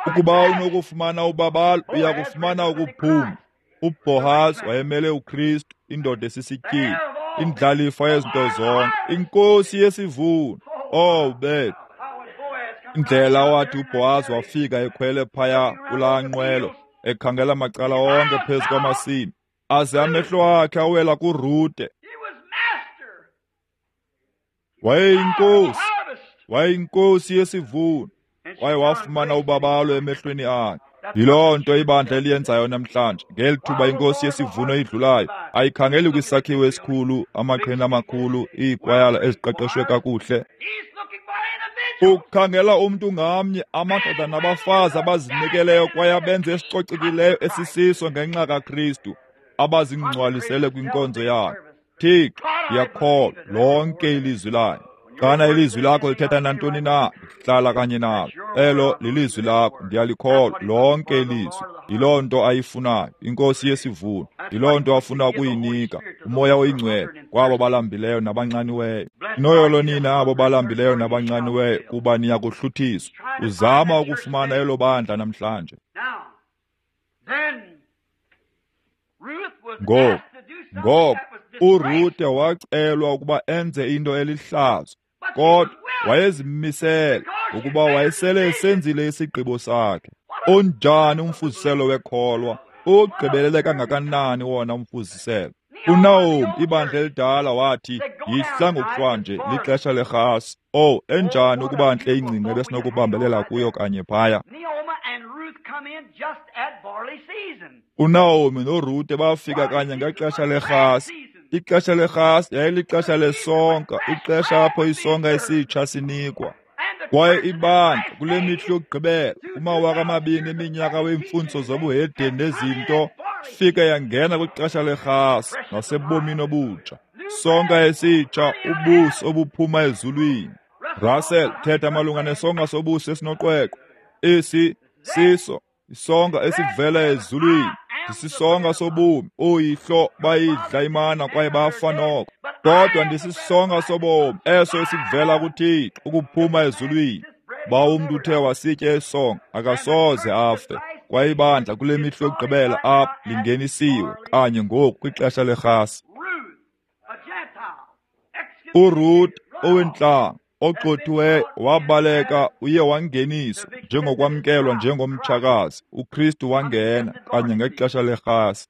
Ukuba unokufumana ubabalo, uya kufumana ukuphumla. UBhohazi wayemele uKristu, indoda esisityebi, indlalifa yezinto zonke, inkosi yesivuno. Oh, bethu! Indlela wathi uBhohazi wafika ekhwele phaya kulaa nqwelo, ekhangela macala onke phezu kwamasimi, aze amehlo akhe awela kuRute. Wayeyinkosi, wayeyinkosi yesivuno, kwaye wafumana ubabalo emehlweni akhe. Yiloo nto ibandla eliyenzayo namhlanje. Ngeli thuba inkosi yesivuno idlulayo, ayikhangeli kwisakhiwo esikhulu, amaqhina amakhulu, iikwayala eziqeqeshwe kakuhle. Ukhangela umntu ngamnye, amadoda nabafazi abazinikeleyo kwaye abenze esicocekileyo esisiso ngenxa kaKristu, abazingcwalisele kwinkonzo yakhe. Thixo, ndiyakholwa lonke ilizwi lakhe. Xana ilizwi lakho lithetha nantoni na, hlala kanye nalo. Elo lilizwi lakho, ndiyalikholwa lonke ilizwi. Yiloo nto ayifunayo inkosi yesivuno, yiloo nto afuna ukuyinika uMoya oyiNgcwele kwabo balambileyo nabanxaniweyo. Noyolo nina abo balambileyo nabanxaniweyo, kuba niya kuhluthiswa. Uzama ukufumana elo bandla namhlanje. Ngoku, ngoku uRute wacelwa ukuba enze into elihlazo, kodwa wayezimisele ukuba wayesele esenzile isigqibo sakhe. Onjani umfuziselo wekholwa? Ugqibelele kangakanani wona umfuziselo? uNaomi, ibandla elidala, wathi, yihla ngokuhlwanje, lixesha lerhasi. Oh, enjani ukuba ntle ingcinga ebesinokubambelela kuyo kanye phaya. uNaomi noRute bafika kanye ngexesha lerhasi. Ixesha lerhasi yayilixesha lesonka, ixesha apho isonka esitsha sinikwa. Kwaye ibandla kule mihla yokugqibela, kumawaka amabini eminyaka weemfundiso zobuhedeni nezinto, fika yangena kwixesha lerhasi nasebomini obutsha. Sonka esitsha, ubusi obuphuma ezulwini. Russell, thetha malunga nesonka sobusi esinoqweqwe. Esi siso isonka esivela ezulwini. Ndisisonka sobomi, ooyihlo bayidla imana kwaye bafa noko. Kodwa ndisisonka sobomi eso esivela kuThixo ukuphuma ezulwini. Ba umntu uthe wasitya esonka akasoze afe. Kwaye ibandla kule mihla yokugqibela apha lingenisiwe kanye ngoku kwixesha lerhasi. uRuth owentlanga ogxothiweyo wabaleka uye wangeniswa njengokwamkelwa njengomtshakazi. uKristu wangena kanye ngexesha lerhasi.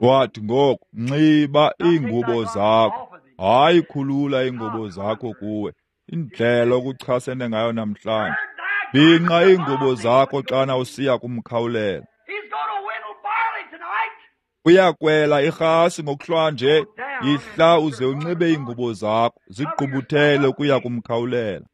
Wathi ngoku, nxiba iingubo zakho, hayi khulula iingubo zakho kuwe. Indlela okuchasene ngayo namhlanje. Bhinqa iingubo zakho xana usiya kumkhawulela. Uyakwela irhasi ngokuhlwanje, yihla uze unxibe iingubo zakho, zigqubuthele ukuya kumkhawulela.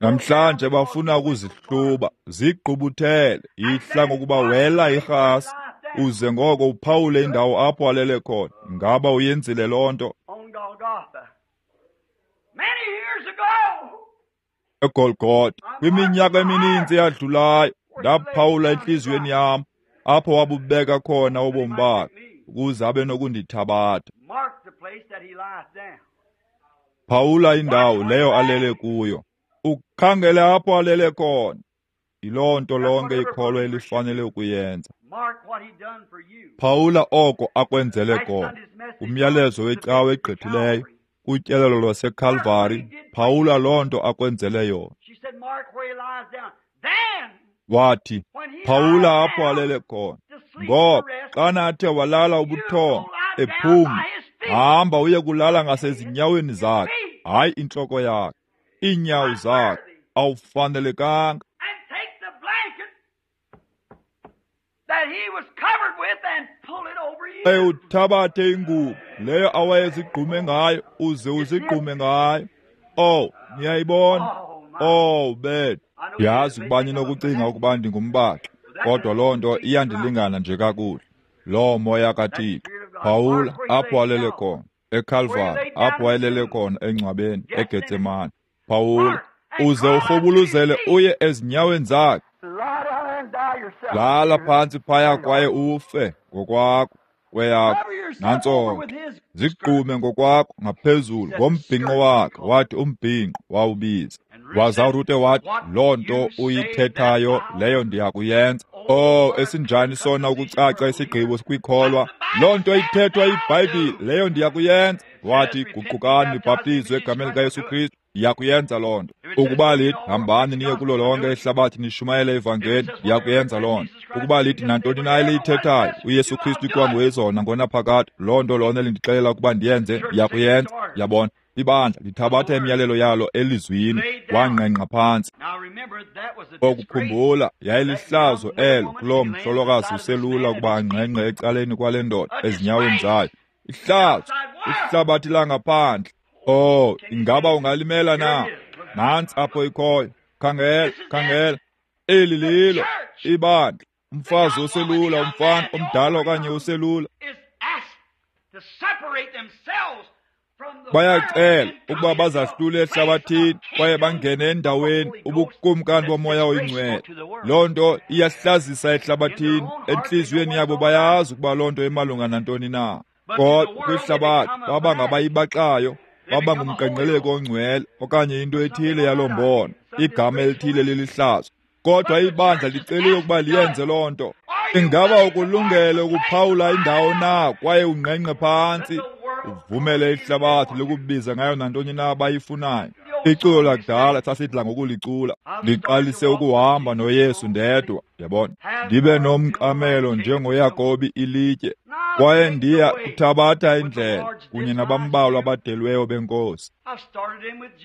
Namhlanje bafuna ukuzihluba, zigqubuthele, yihla ngokuba wela irhasi, uze ngoko uphawule indawo apho alele khona. Ngaba uyenzile loo nto? eGolgotha, kwiminyaka emininzi eyadlulayo, ndaphawula entliziyweni yam apho wabubeka khona ubomi bakhe ukuze abe nokundithabatha. Phawula indawo leyo alele kuyo, ukhangele apho alele khona. Yiloo nto lonke ikholwa elifanele ukuyenza. Phawula oko akwenzele kona. Umyalezo wecawa egqithileyo, kutyelelo lwaseKalvari, phawula loo nto akwenzele yona. Wathi, phawula apho alele khona. Ngoba xana athe walala ubuthongo ephumla, hamba uye kulala ngasezinyaweni zakhe, hayi intloko yakhe, iinyawo zakhe, awufanelekanga. Uthabathe ingubo leyo awayezigqume ngayo, uze uzigqume ngayo. Oh, niyayibona? Oh, bethu. Ndiyazi ukuba ninokucinga ukuba ndingumbaxi, kodwa loo nto iyandilingana nje kakuhle. Loo moya kaThixo. Phawula apho alele khona, eKalvari, apho wayelele khona engcwabeni, eGetsemane. Phawula, uze urhubuluzele uye ezinyaweni zakhe. Lala phantsi phaya kwaye ufe ngokwakho kweyakho. Nantso ke, zigqume ngokwakho ngaphezulu ngombhinqo wakhe. Wathi umbhinqo wawubiza. Waza uRute wathi, loo nto uyithethayo leyo ndiya kuyenza. Oh, esinjani sona ukucaca isigqibo kwikholwa. Loo nto ithethwa yiBhayibhile leyo ndiya kuyenza. Wathi, guqukani nibhaptizwe egameni likaYesu Kristu. Ndiya kuyenza loo nto. Ukuba lithi hambani niye kulo lonke ihlabathi nishumayele ivangeli, ndiya kuyenza loo nto. Ukuba lithi nantoni na eliyithethayo, uYesu Kristu ikwanguyezona ngonaphakade, loo nto lona elindixelela ukuba ndiyenze, ndiya kuyenza. Yabona, ibandla lithabatha imiyalelo yalo elizwini. Wangqengqa phantsi. Okukhumbula, yayilihlazo elo kuloo mhlolokazi uselula ukuba angqengqe ecaleni kwale ndoda ezinyaweni zayo. Ihlazo, ihlabathi langaphandle. Oh, ingaba ungalimela na? Nantsi apho ikhoyo. Khangela, khangela. Eli lilo ibandla. Umfazi oselula, umfana omdala okanye oselula. Bayacela ukuba bazahlule ehlabathini kwaye bangene endaweni ubukumkani bomoya oyingcwele. Loo nto iyahlazisa ehlabathini. Entliziyweni yabo bayazi ukuba loo nto imalunga nantoni na. Kodwa kwihlabathi baba ngabayibaxayo, baba ngumqenqeleko ongcwele okanye into ethile yaloo mbono, igama elithile lilihlazo. Kodwa ibandla liceliwe ukuba liyenze loo nto. Ingaba ukulungele ukuphawula indawo na kwaye ungqengqe phantsi, uvumele ihlabathi likubiza ngayo nantoni na abayifunayo? Iculo lakudala sasidla ngokulicula, ndiqalise ukuhamba noYesu ndedwa, yabona, ndibe nomqamelo njengoYakobi ilitye, kwaye ndiya kuthabatha indlela kunye nabambalwa abadelweyo benkosi.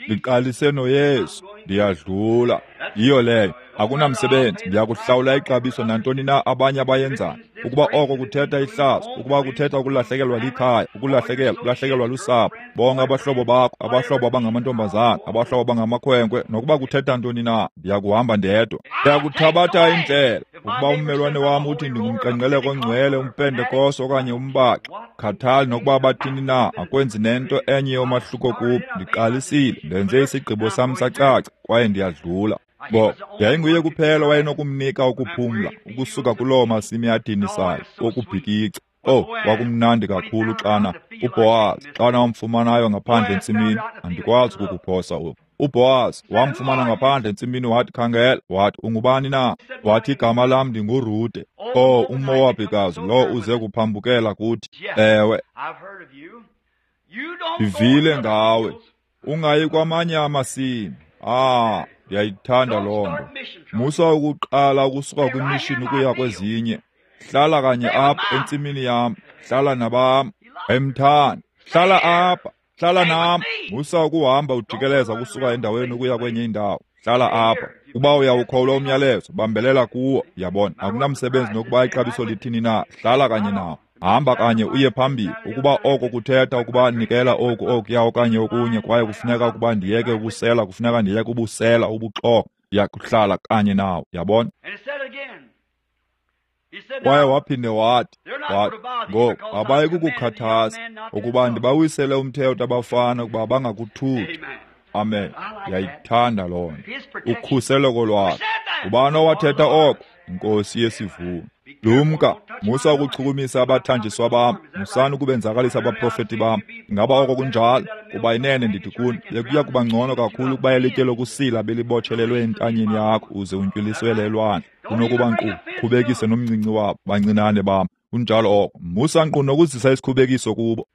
Ndiqalise noYesu, ndiyadlula. Yiyo leyo, akunamsebenzi, ndiya kuhlawula ixabiso nantoni na abanye abayenzayo. Ukuba oko kuthetha ihlazo, ukuba kuthetha ukulahlekelwa likhaya, ukulahlekelwa, ukulahlekelwa lusapho, bonke abahlobo bakho, abahlobo abangamantombazana, abahlobo abangamakhwenkwe, nokuba kuthetha ntoni na, ndiya kuhamba ndedwa. Ndiya kuthabatha indlela. Ukuba ummelwane wam uthi ndingumqenqeleko ongcwele, umpentekoste okanye umbaxi, khathali nokuba bathini na, akwenzi nento enye yomahluko kum. Ndiqalisile, ndenze isigqibo sam sacaca, kwaye ndiyadlula. Bo, yayinguye kuphela wayenokumnika ukuphumla ukusuka kuloo masimi adinisayo okubhikica. Oh, kwakumnandi kakhulu xana uBhowazi, xana wamfumanayo ngaphandle entsimini. Andikwazi ukukuphosa oku. UBhowazi wamfumana ngaphandle entsimini, wathi, khangela, wathi, ungubani na? Wathi, igama lam ndinguRute. Oh, uMowabhikazi lo uze kuphambukela kuthi. Ewe, ndivile ngawe. Ungayi kwamanye amasimi. Ah, ndiyayithanda loo nto. Musa ukuqala ukusuka kwimishini ukuya kwezinye. Hlala kanye apha entsimini yam, hlala nabam, emthanda. Hlala apha, hlala nam. Musa ukuhamba ujikeleza ukusuka endaweni ukuya kwenye indawo. Hlala apha. Uba uyawukholwa umyalezo, bambelela kuwo. Yabona, akunamsebenzi nokuba ixabiso lithini na, hlala kanye nawo. Hamba kanye uye phambili. Ukuba oko kuthetha ukuba nikela oku okuya okanye okunye, kwaye kufuneka ukuba ndiyeke ukusela, kufuneka ndiyeke ubusela, ubuxoka, ndiyakuhlala kanye nawo. Yabona? Kwaye waphinde wathi, wathi, ngoku abayi kukukhathaza ukuba ndibawisele umthetho abafana ukuba bangakuthuki. Amen. Ndiyayithanda loo nto. Ukhuseleko lwakhe. Ngubani owathetha oko? Inkosi yesivuno. Lumka, musa ukuchukumisa abathanjiswa bam, musani ukubenzakalisa abaprofeti bam. Ingaba oko kunjalo? Kuba inene ndithi kuni, bekuya kuba ngcono kakhulu ukuba ilitye lokusila belibotshelelwe entanyeni yakho uze untywiliswele elwandle, kunokuba nkqu khubekise nomncinci wabo bancinane bam. Kunjalo oko. Musa nkqu nokuzisa isikhubekiso kubo.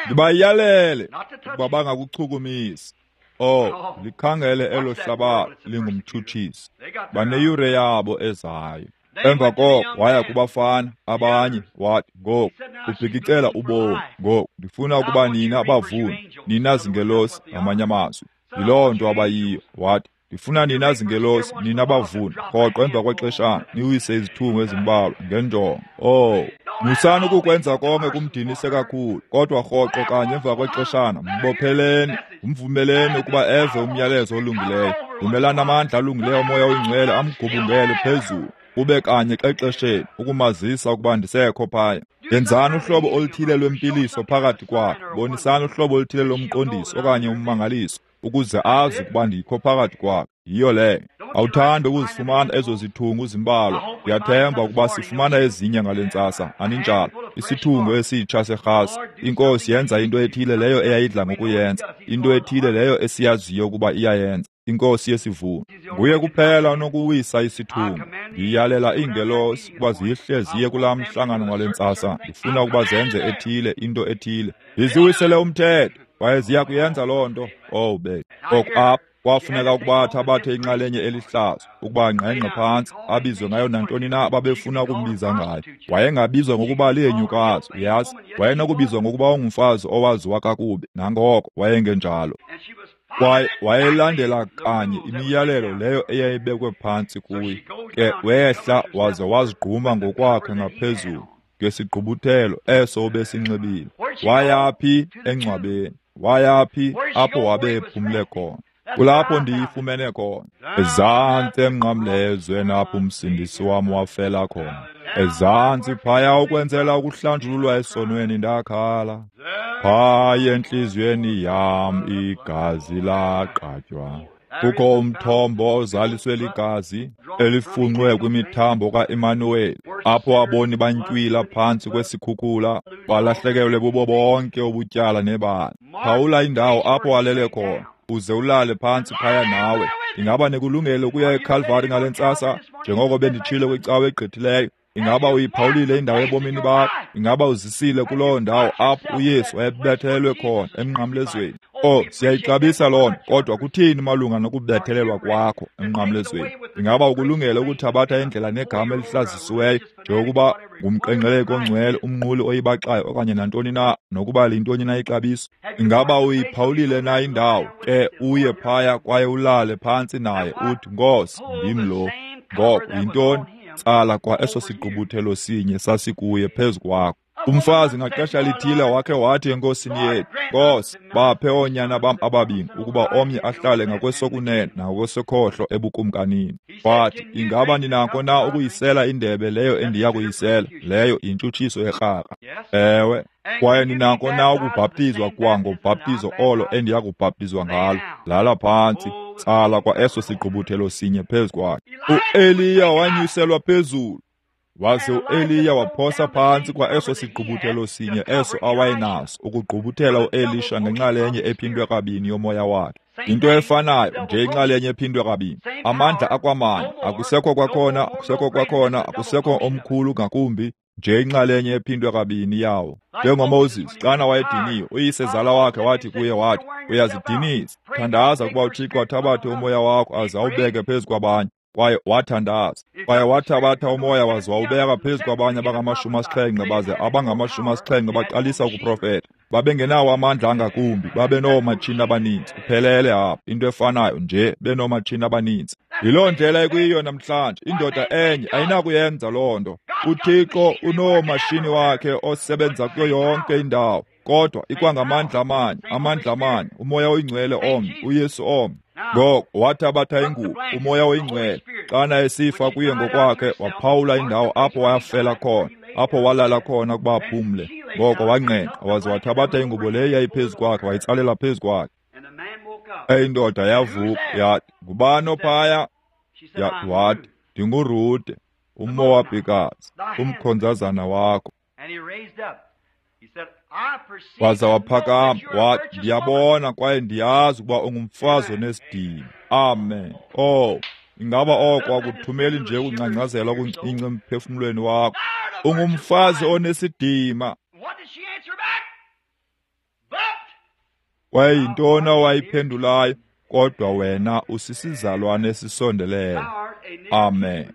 Ndibayalele ukuba bangakuchukumisi. Oh, likhangele elo hlabathi lingumtshutshisi. Baneyure yabo ezayo. Emva koko waya kubafana abanye, wathi, ngoku ubhikicela ubomi, ngoku ndifuna ukuba nina abavuni, nina zingelosi, ngamanye amazwi. Yiloo nto abayiyo. Wathi, ndifuna nina zingelosi, nina abavuni, rhoqo emva kwexeshana niwise izithungu ezimbalwa ngenjongo. Oh, musani ukukwenza konke kumdinise kakhulu, kodwa rhoqo kanye emva kwexeshana mbopheleni, umvumeleni ukuba eve umyalezo olungileyo. Vumelani amandla alungileyo oMoya oyiNgcwele amgubungele phezulu, kube kanye xexesheni, ukumazisa ukuba ndisekho phaya. Yenzani uhlobo oluthile lwempiliso phakathi kwakhe, bonisani uhlobo oluthile lomqondiso okanye ummangaliso, ukuze azi ukuba ndikho phakathi kwakhe. Yiyo leyo. Awuthandi ukuzifumana ezo zithungu zimbalwa. Ndiyathemba ukuba sifumana ezinye ngale ntsasa, aninjalo? Isithungu esitsha serhasi. INkosi yenza into ethile leyo eyayidla ngokuyenza, into ethile leyo esiyaziyo ukuba iyayenza. INkosi yesivuno. Nguye kuphela onokuwisa isithungu. Ndiyalela iingelosi ukuba zihle ziye kulaa mhlangano ngale ntsasa. Ndifuna ukuba zenze ethile, into ethile. Ndiziwisele umthetho, kwaye ziya kuyenza loo nto. Oh, babe. Oku apha kwafuneka ukuba athabathe inxalenye elihlazo, ukuba angqengqe phantsi, abizwe ngayo nantoni na ababefuna ukumbiza ngayo. Wayengabizwa ngokuba lihenyukazi, uyazi. Wayenokubizwa ngokuba ungumfazi owaziwa kakubi, nangoko wayengenjalo. Kwaye wayelandela kanye imiyalelo leyo eyayibekwe phantsi kuye. Ke wehla waze wazigquma ngokwakhe ngaphezulu ngesigqubuthelo eso ubesinxibile. Wayaphi? Engcwabeni. Wayaphi? Apho wabe ephumle khona. Kulapho ndiyifumene khona. Ezantsi emnqamlezweni apho uMsindisi wam wafela khona. Ezantsi phaya ukwenzela ukuhlanjululwa esonweni ndakhala. Phaya entliziyweni yam igazi laqatywa. Kukho umthombo ozaliswe ligazi elifunxwe kwimithambo ka-Emmanuel, apho aboni bantywila phantsi kwesikhukhula, balahlekelwe bubo bonke ubutyala nebala. Phawula indawo apho alele khona, uze ulale phantsi phaya nawe. Ingaba nikulungele ukuya eKhalvari ngale ntsasa, njengoko benditshilo kwicawa egqithileyo? Ingaba uyiphawulile indawo ebomini bakho? Ingaba uzisile kuloo ndawo apho uYesu wayebethelelwe khona emnqamlezweni? Oh, siyayixabisa loo nto, kodwa kuthini malunga nokubethelelwa kwakho emnqamlezweni? Ingaba ukulungele ukuthabatha indlela negama elihlazisiweyo, njengokuba ngumqengqeleki ongcwele, umnquli oyibaxayo, okanye nantoni na, nokuba liyintoni na ixabiso? Ingaba uyiphawulile na indawo? Ke uye phaya kwaye ulale phantsi naye, uthi, Nkosi, ndim lo. Ngoko yintoni? Tsala kwa eso sigqubuthelo sinye sasikuye phezu kwakho. Umfazi ngaxesha lithile wakhe wathi enkosini yethu, Nkosi, baphe oonyana bam ababini, ukuba omnye ahlale ngakwesokunene nakwesokhohlo ebukumkanini. Wathi, ingaba ninako na ukuyisela indebe leyo endiya kuyisela? Leyo yintshutshiso yerharha. Ewe. Kwaye ninako na ukubhaptizwa kwa ngobhaptizo olo endiya kubhaptizwa ngalo? Lala phantsi, tsala kwa eso sigqubuthelo sinye phezu kwakhe. U-Eliya wanyuselwa phezulu, waze u-Eliya waphosa phantsi kwa eso sigqubuthelo sinye eso awayenaso, ukugqubuthela u-Elisha ngenxalenye ephindwe kabini yomoya wakhe. Into efanayo nje, inxalenye ephindwe kabini. Amandla akwamanye, akusekho kwakhona, akusekho kwakhona, akusekho omkhulu ngakumbi, nje inxalenye ephindwe kabini yawo. NjengoMoses, xana wayediniwe, uyisezala wakhe wathi kuye, wathi, uyazidinisa, thandaza ukuba uThixo athabathe umoya wakho aze awubeke phezu kwabanye. Kwaye wathandaza, kwaye wathabatha umoya waze wawubeka phezu kwabanye abangamashumi asixhenxe, baze abangamashumi asixhenxe baqalisa ukuprofeta. Babengenawo amandla angakumbi, babenoomatshini abaninzi. Uphelele apho, into efanayo nje, benoomatshini abaninzi. Yiloo ndlela ekuyiyo namhlanje. Indoda enye ayinakuyenza loo nto. UThixo unoomashini wakhe osebenza kuyo yonke indawo, kodwa ikwangamandla amanye, amandla amanye, uMoya oyiNgcwele omnye, uYesu omnye. Ngoko wathabatha ingubo, uMoya oyiNgcwele, xana esifa kuye ngokwakhe, waphawula indawo apho wayafela khona, apho walala khona ukuba aphumle. Ngoko wangqengqa waze wathabatha ingubo leyo yayiphezu kwakhe, wayitsalela phezu kwakhe. Indoda yavuka yathi, ngubani ophaya? Yathi, wathi, ndinguRute, uMowabhikazi, umkhonzazana wakho. Waza waphakama wathi, ndiyabona kwaye ndiyazi ukuba ungumfazi onesidima. Amen. Oh, ingaba oko akuthumeli nje ukungcangcazela okuncinci emphefumlweni wakho? Ungumfazi onesidima. Kwaye yintoni awayiphendulayo? Kodwa wena usisizalwane esisondeleyo. Amen.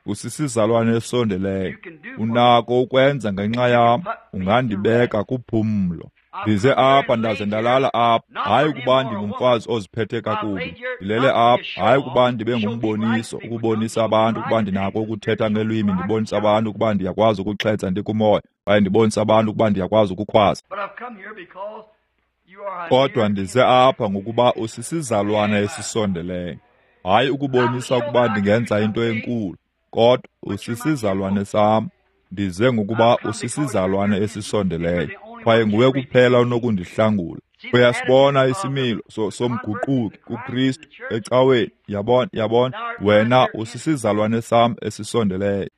Usisizalwane esisondeleyo. Unako ukwenza ngenxa yam, ungandibeka kuphumlo. Ndize apha ndaze ndalala apha, hayi ukuba ndingumfazi oziphethe kakubi. Ndilele apha, hayi ukuba ndibe ngumboniso, ukubonisa abantu ukuba ndinako ukuthetha ngelwimi, ndibonisa abantu ukuba ndiyakwazi ukuxhetsa ndikumoya, kwaye ndibonisa abantu ukuba ndiyakwazi ukukhwaza. Kodwa ndize apha ngokuba usisizalwane esisondeleyo. Hayi ukubonisa ukuba ndingenza into enkulu, kodwa usisizalwane sam. Ndize ngokuba usisizalwane esisondeleyo, kwaye nguwe kuphela onokundihlangula. Uyasibona isimilo so, somguquki kuKristu ecaweni. Yabona, yabona, wena usisizalwane sam esisondeleyo.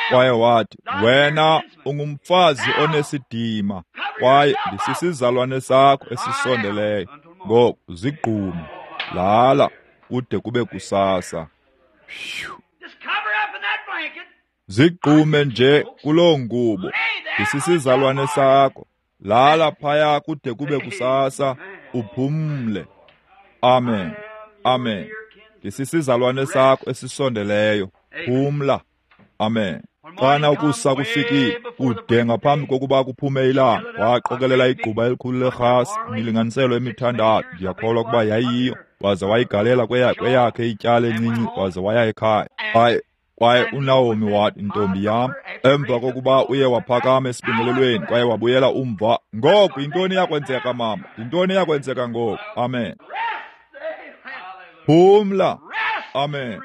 Kwaye wathi, wena ungumfazi onesidima, kwaye ndisisizalwane sakho esisondeleyo. Ngoku zigqume, lala kude kube kusasa. Zigqume nje kuloo ngubo, ndisisizalwane sakho. Lala phaya kude kube kusasa, uphumle. Amen, amen. Ndisisizalwane sakho esisondeleyo, phumla. Amen. Xana ukusa kufikile, kude ngaphambi kokuba kuphume ilanga, waqokelela igquba elikhulu lerhasi, imilinganiselo emithandathu, ndiyakholwa ukuba yayiyo, waze wayigalela kweyakhe ityala encinci, waze waya ekhaya. Kwaye kwaye uNaomi wathi, ntombi yam, emva kokuba uye waphakama esibingelelweni kwaye wabuyela umva, ngoku yintoni eyakwenzeka mama? Yintoni eyakwenzeka ngoku? Amen. Phumla. Amen.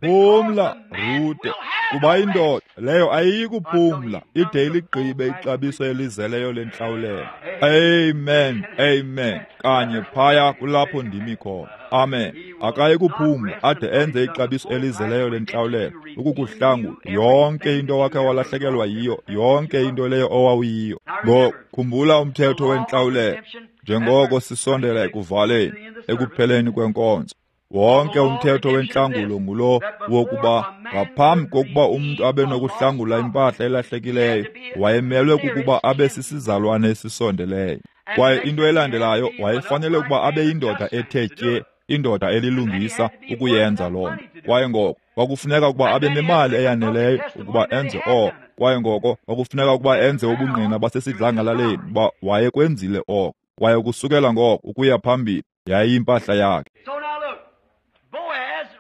Phumla, Rute, kuba indoda leyo ayiyi kuphumla ide iligqibe ixabiso elizeleyo lentlawulelo. Amen, amen. Kanye phaya kulapho ndimi khona. Amen. Akayi kuphumla ade enze ixabiso elizeleyo lentlawulelo, ukukuhlangula yonke into wakhe walahlekelwa yiyo, yonke into leyo owawuyiyo. Ngoku khumbula umthetho wentlawulelo njengoko sisondela ekuvaleni, ekupheleni kwenkonzo. Wonke umthetho wentlangulo ngulo wokuba ngaphambi kokuba umntu abe nokuhlangula impahla elahlekileyo, wayemelwe kukuba abe sisizalwane esisondeleyo. Kwaye into elandelayo, wayefanele ukuba abe yindoda ethe tye, indoda elilungisa ukuyenza loo nto. Kwaye ngoko kwakufuneka ukuba abe nemali eyaneleyo ukuba enze oko. Kwaye ngoko kwakufuneka ukuba enze ubungqina basesidlangalaleni uba wayekwenzile oko. Kwaye ukusukela ngoko ukuya phambili yayiyimpahla yakhe.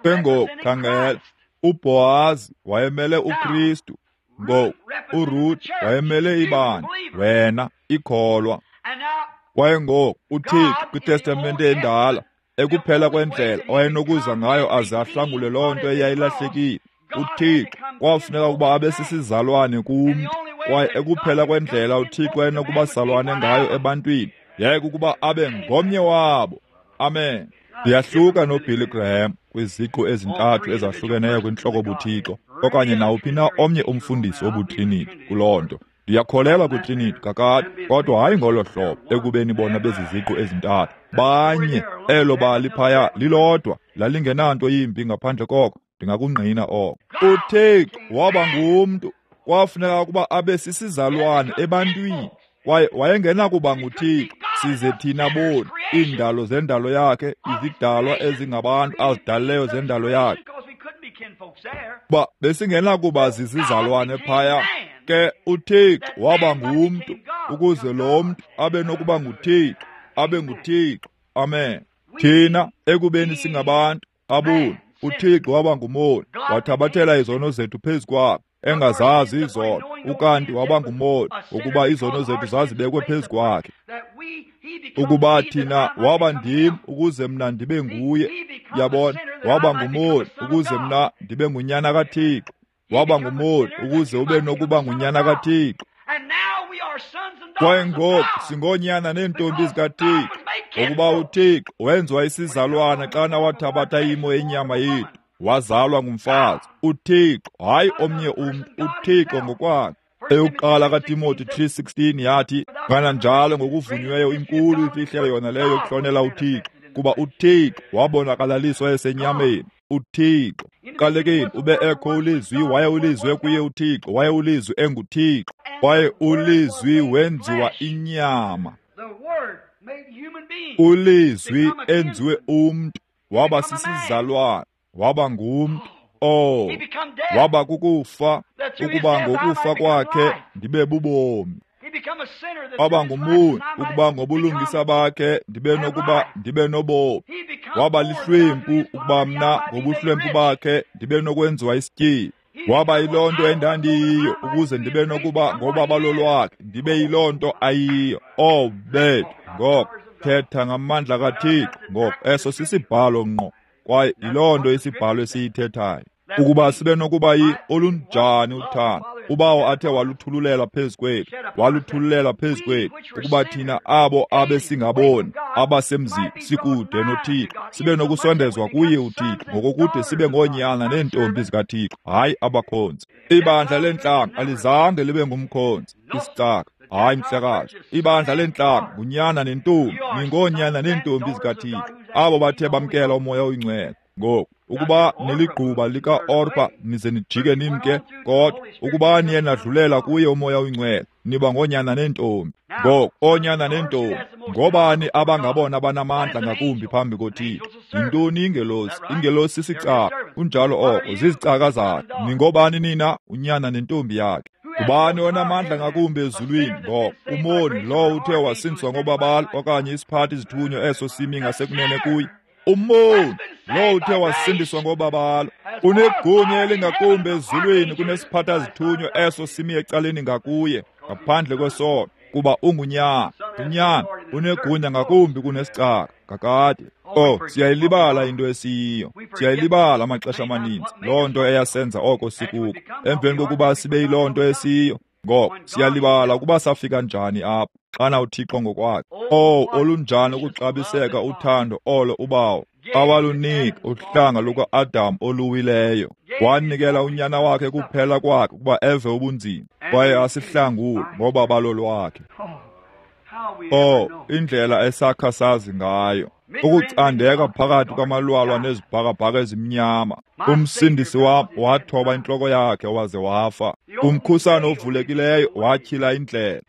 Ke ngoku khangela, uBhowazi wayemele uKristu, ngoku uRuth wayemele ibandla, wena ikholwa. Kwaye ngoku uThixo kwiTestamente endala, ekuphela kwendlela owayenokuza ngayo aze ahlangule loo nto eyayilahlekile, uThixo kwafuneka ukuba abe sisizalwane kumntu. Kwaye ekuphela kwendlela uThixo wayenokuba salwane ngayo ebantwini yayikukuba abe ngomnye wabo. Amen. Ndiyahluka noBilly Graham kwiziqu ezintathu ezahlukeneyo kwintloko buThixo, okanye nawuphi na omnye umfundisi wobutriniti kuloo nto. Ndiyakholelwa kwitriniti kakade, kodwa hayi ngolo hlobo ekubeni bona beziziqu ezintathu. Banye, elo bali phaya lilodwa, lalingenanto yimbi ngaphandle koko, ndingakungqina oko. UThixo waba ngumntu, kwafuneka ukuba abe sisizalwane ebantwini. Kwaye wayengenakuba nguThixo size thina boni, iindalo zendalo yakhe, izidalwa ezingabantu azidalileyo zendalo yakhe. Ba besingenakuba zizizalwane phaya. Ke uThixo waba ngumntu ukuze lo mntu abe nokuba nguThixo, abe nguThixo. Amen. Thina ekubeni singabantu aboni, uThixo waba ngumoni, wathabathela izono zethu phezu kwakhe, engazazi izono, ukanti waba ngumoni ukuba izono zethu zazibekwe phezu kwakhe. Ukuba thina waba ndim ukuze mna ndibe nguye, yabona, waba ngumoni ukuze mna ndibe ngunyana kaThixo, waba ngumoni ukuze ube nokuba ngunyana kaThixo. Kwaye ngoku singoonyana neentombi zikaThixo, ngokuba uThixo wenziwa isizalwana xana wathabatha imo yenyama yethu, wazalwa ngumfazi. uThixo, hayi omnye umntu, uThixo ngokwakhe. Eyokuqala kaTimothy three sixteen yathi, kananjalo ngokuvunyiweyo inkulu imfihlelo yona leyo yokuhlonela uThixo, kuba uThixo wabonakalaliswa esenyameni. uThixo qalekeni ube ekho ulizwi, waye ulizwi kuye uThixo, waye ulizwi enguThixo, kwaye ulizwi wenziwa inyama. Ulizwi enziwe umntu, waba sisizalwane, waba ngumntu. Oh, waba kukufa, ukuba ngokufa kwakhe ndibe bubomi. Waba ngumoni, ukuba ngobulungisa bakhe ndibe nokuba ndibe nobomi. Waba lihlwempu, ukuba mna ngobuhlwempu bakhe ndibe nokwenziwa isityebi. Waba yiloo nto endandiyiyo, ukuze ndibe nokuba ngobabalo lwakhe ndibe yiloo nto ayiyo. Oh bethu, ngoko Ndithetha ngamandla kaThixo. Ngoko eso sisibhalo ngqo, kwaye yiloo nto isibhalo esiyithethayo. Ukuba sibe nokuba yi olunjani uthando uBawo athe waluthululela phezu kwethu, waluthululela phezu kwethu, ukuba thina abo abesingaboni abasemzini sikude noThixo sibe nokusondezwa kuye uThixo, ngokokude sibe ngoonyana neentombi zikaThixo, hayi abakhonzi. Ibandla lentlanga alizange libe ngumkhonzi, isicaka. Hayi mhlekazi, ibandla lentlanga ngunyana nentombi, ningoonyana neentombi zikaThixo, abo bathe bamkela uMoya oyiNgcwele. Ngoku ukuba niligquba lika-Orpa nize nijike nimke, kodwa ukuba niye nadlulela kuye uMoya oyiNgcwele, niba ngoonyana neentombi. Ngoku oonyana neentombi ngobani abangabona banamandla ngakumbi phambi koThixo? Yintoni ingelosi? Ingelosi sisicaka, kunjalo oko, zizicaka zakhe. Ningobani nina? Unyana nentombi yakhe. Ngubani onamandla ngakumbi ezulwini? Ngoko umoni lowo uthe wasindiswa ngobabalo, okanye isiphathi izithunywa eso simi ngasekunene kuye. Umoni lowo uthe wasindiswa ngobabalo unegunya elingakumbi ezulwini kunesiphatha zithunywa eso simi ecaleni ngakuye, ngaphandle kwesono, kuba ungunyana. Unyana unegunya ngakumbi kunesicaka kakade. Oh, siyayilibala into esiyiyo, siyayilibala amaxesha amaninzi loo nto eyasenza oko sikuko. Emveni kokuba sibe yiloo nto esiyiyo, ngoko siyalibala ukuba safika njani apha xana uThixo ngokwakhe. Oh, olunjani ukuxabiseka uthando olo uBawo awalunika uhlanga luka-Adam oluwileyo. Wanikela unyana wakhe kuphela kwakhe ukuba eve ubunzima kwaye asihlangule ngobabalo lwakhe. Oh, indlela esakha sazi ngayo ukucandeka phakathi kwamalwalwa nezibhakabhaka ezimnyama. Umsindisi wam wathoba intloko yakhe waze wafa. Umkhusane ovulekileyo watyhila indlela,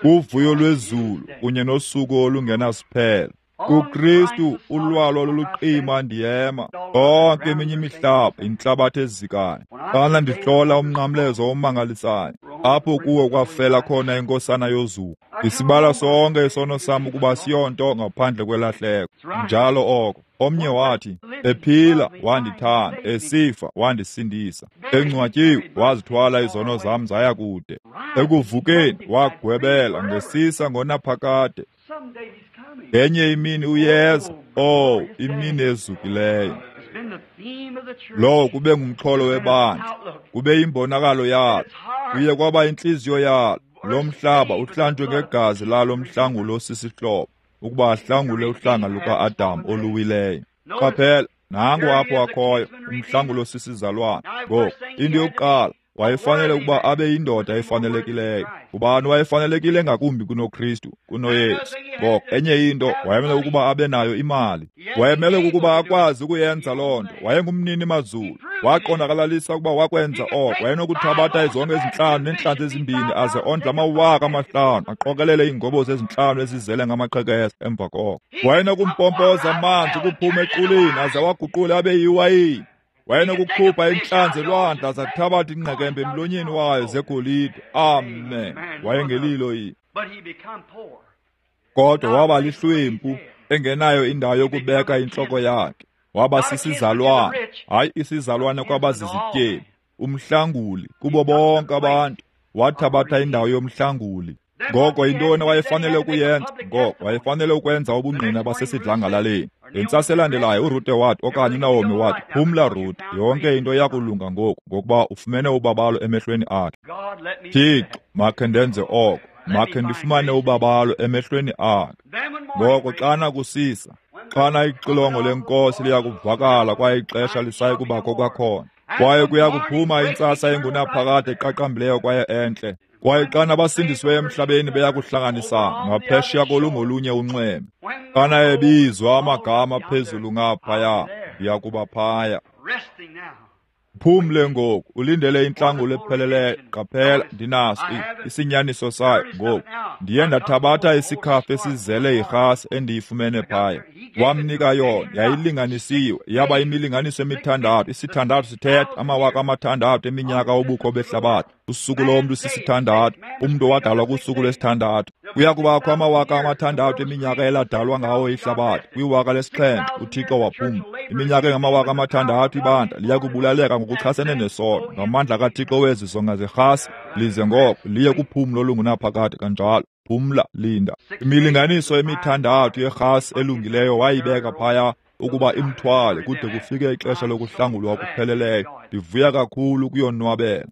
uvuyo lwezulu kunye nosuku olungenasiphelo. KuKristu ulwalwa loluqima ndiyema, yonke eminye imihlaba intlabathi ezikayo. Xana ndihlola umnqamlezo omangalisayo, apho kuwo kwafela khona inkosana yozuko, ndisibala sonke isono sam ukuba siyonto ngaphandle kwelahleko. Njalo oko. Omnye wathi, ephila wandithanda, esifa wandisindisa, engcwatyiwe wazithwala izono zam zaya kude, ekuvukeni wagwebela ngesisa ngonaphakade. Ngenye imini uyeza, oh, imini ezukileyo. Lowo kube ngumxholo webandla, kube yimbonakalo yalo, kuye kwaba intliziyo yalo. Lo mhlaba uhlanjwe ngegazi lalo mhlangulo osisihlobo, ukuba ahlangule uhlanga luka-Adam oluwileyo. Qaphela, nangu apho akhoyo umhlangulo osisizalwane. Ngoku into yokuqala, wayefanele ukuba abe yindoda efanelekileyo. Ubani wayefanelekile ngakumbi kunoKristu, kunoYesu? Ngoko enye into, wayemele ukuba abe nayo imali. Wayemele ukuba akwazi ukuyenza loo nto. Wayengumnini mazulu. Waqondakalalisa ukuba wakwenza oko. Wayenokuthabatha izonke ezintlanu neentlanzi ezimbini aze ondle amawaka amahlanu, aqokelele iingobozi ezintlanu ezizele ngamaqhekeza emva koko. Wayenokumpompoza amanzi ukuphuma equleni aze awaguqule abe yiwayini. Wayenokukhupha intlanzi elwandle aze athabathe ingqekembe emlonyeni wayo zegolide. Amen. Wayengelilo yini? Kodwa waba lihlwempu, engenayo indawo yokubeka intloko yakhe. Waba sisizalwane, hayi isizalwane kwabazizityebi, umhlanguli kubo bonke abantu. Wathabatha indawo yomhlanguli. Ngoko yintoni wayefanele ukuyenza? Ngoko wayefanele ukwenza ubungqina basesidlangalaleni. Ngentsasa elandelayo uRute wathi, okanye uNaomi wathi, phumla Rute, yonke into iyakulunga ngoku, ngokuba ufumene ubabalo emehlweni akhe. Thixo, makhe ndenze oko, makhe ndifumane ubabalo emehlweni akhe. Ngoko xana kusisa, xana ixilongo lenkosi liyakuvakala kwaye ixesha lisayi kubakho kwakhona, kwaye kuya kuphuma intsasa engunaphakade eqaqambileyo kwaye entle. Kwaye xana abasindisiweyo emhlabeni beya kuhlanganisana ngaphesheya kolungolunye unxweme, xana ebizwa amagama phezulu ngaphaya, ndiya kuba phaya. Phumle ngoku, ulindele intlangulo epheleleyo. Qaphela, ndinaso isinyaniso sayo ngoku. Ndiye ndathabatha isikhafu esizele yirhasi endiyifumene phaya. Wamnika yona, yayilinganisiwe, yaba imilinganiso emithandathu. Isithandathu sithetha amawaka amathandathu eminyaka obukho behlabathi. Usuku lomntu sisithandathu, umntu owadalwa kusuku lwesithandathu. Kuya kubakho amawaka amathandathu eminyaka eladalwa ngawo ihlabathi. Kwiwaka lesixhenxe uThixo waphumla. Iminyaka engamawaka amathandathu ibandla liya kubulaleka ngokuchasene nesono ngamandla kaThixo wezi zonga zerhasi, lize ngoko liye kuphumlo olungunaphakade kanjalo. Phumla, linda. Imilinganiso emithandathu yerhasi elungileyo wayibeka phaya ukuba imthwale kude kufike ixesha lokuhlangulwa okupheleleyo. Ndivuya kakhulu ukuyonwabela.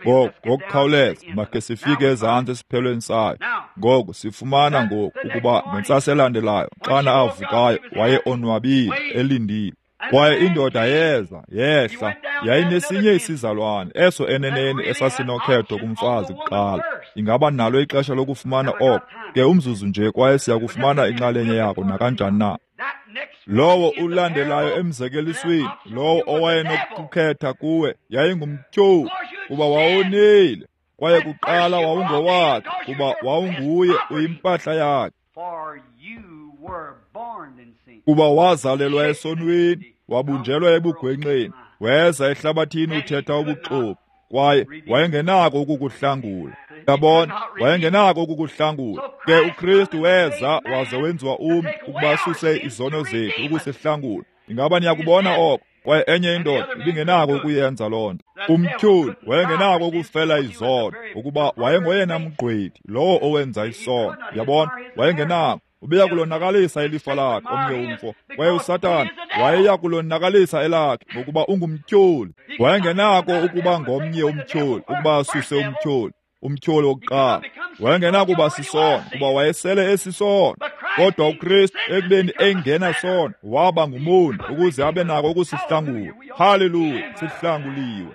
Ngoku ngokukhawuleza makhe sifike ezantsi esiphelweni sayo. Ngoku sifumana ngoku ukuba ngentsasa elandelayo xana avukayo waye onwabile elindile. Kwaye indoda yeza yehla, yayinesinye isizalwane eso eneneni esasinokhetho kumfazi kuqala. Ingaba nalo ixesha lokufumana oko? Ke umzuzu nje, kwaye siya kufumana inxalenye yako nakanjani na. Lowo ulandelayo emzekelisweni, lowo owayenokukhetha kuwe, yayingumtyholi, kuba wawonile, kwaye kuqala wawungowakhe, kuba wawunguye uyimpahla yakhe. Kuba wazalelwa esonweni, wabunjelwa ebugwenxeni, weza ehlabathini uthetha ubuxoki, kwaye wayengenako ukukuhlangula. Yabona, wayengenako ukukuhlangula. Ke uKristu weza waze wenziwa umntu ukuba asuse izono zethu ukusihlangula. Ingaba niyakubona oko? Kwaye enye indoda ibingenako ukuyenza loo nto. Umtyholi wayengenako ukufela izono, ukuba wayengoyena mgqwethi, lowo owenza isono. Yabona, wayengenako. Ubeya kulonakalisa ilifa lakhe omnye umfo. Kwaye uSathana wayeya kulonakalisa elakhe ngokuba ungumtyholi. Wayengenako ukuba ngomnye umtyholi, ukuba asuse umtyholi, umtyholi wokuqala. Wayengenakuba sisono, kuba wayesele esisono. Kodwa uKristu ekubeni engena sono, waba ngumoni ukuze abe nako ukusihlangula. Haleluya, sihlanguliwe.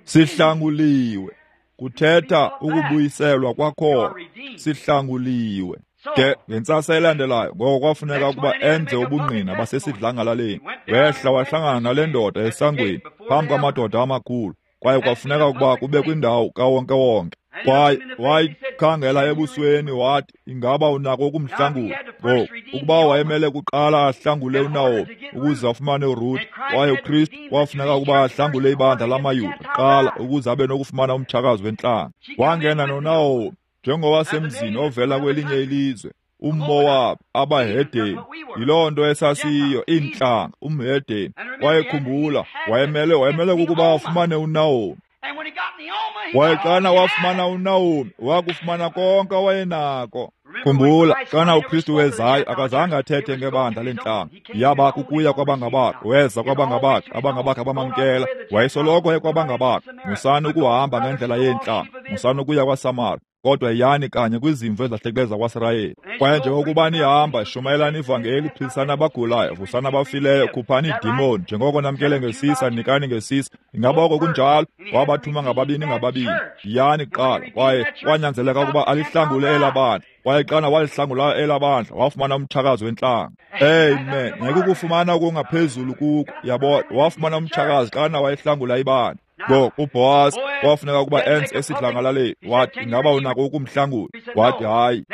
Sihlanguliwe. Kuthetha ukubuyiselwa kwakhona. Sihlanguliwe. Ke ngentsasa elandelayo ngoko kwafuneka ukuba enze ubungqina basesidlangalaleni. Wehla wahlangana nale ndoda esangweni phambi kwamadoda amakhulu, kwaye kwafuneka ukuba kube kwindawo kawonkewonke. Kwaye wayikhangela ebusweni wathi, ingaba unako ukumhlangula? Ngoku ukuba wayemele kuqala ahlangule uNaomi ukuze afumane uRuth, kwaye uKristu kwafuneka ukuba ahlangule ibandla lamaYuda kuqala ukuze abe nokufumana umtshakazi wentlanga. Wangena noNaomi njengowasemzini ovela kwelinye ilizwe, umMowabi, abahedeni. Yiloo nto esasiyiyo, iintlanga, umhedeni. Kwaye khumbula, wayemele wayemele kukuba afumane uNaomi. Kwaye xana wafumana uNaomi, wakufumana konke awayenako. Khumbula, xana uKristu wezayo, akazange athethe ngebandla lentlanga. Yaba kukuya kwabangabakhe, weza kwabangabakhe, abangabakhe abamamkela. Wayesoloko ekwabangabakhe. Musani ukuhamba ngendlela yeentlanga, musani ukuya kwaSamari, kodwa yani kanye kwizimvu ezahlekileyo zakwaSirayeli. Kwaye njengokuba nihamba, shumayelani ivangeli, philisani abagulayo, vusani abafileyo, khuphani iidimoni, njengoko namkele ngesisa, nikani ngesisa. Ingaba oko kunjalo? Wabathuma ngababini ngababini. Yani kuqala, kwaye kwanyanzeleka ukuba alihlangule elaa bandla. Kwaye xana walihlangula elaa bandla, wafumana umtshakazi wentlanga. Amen. Ngeke ukufumana okungaphezulu kuko, yabona. Wafumana umtshakazi xana wayehlangula ibandla. Ngoku uBhowazi kwafuneka ukuba enze esidlangalaleni. Wathi, ingaba unako ukumhlangula? Wathi, hayi.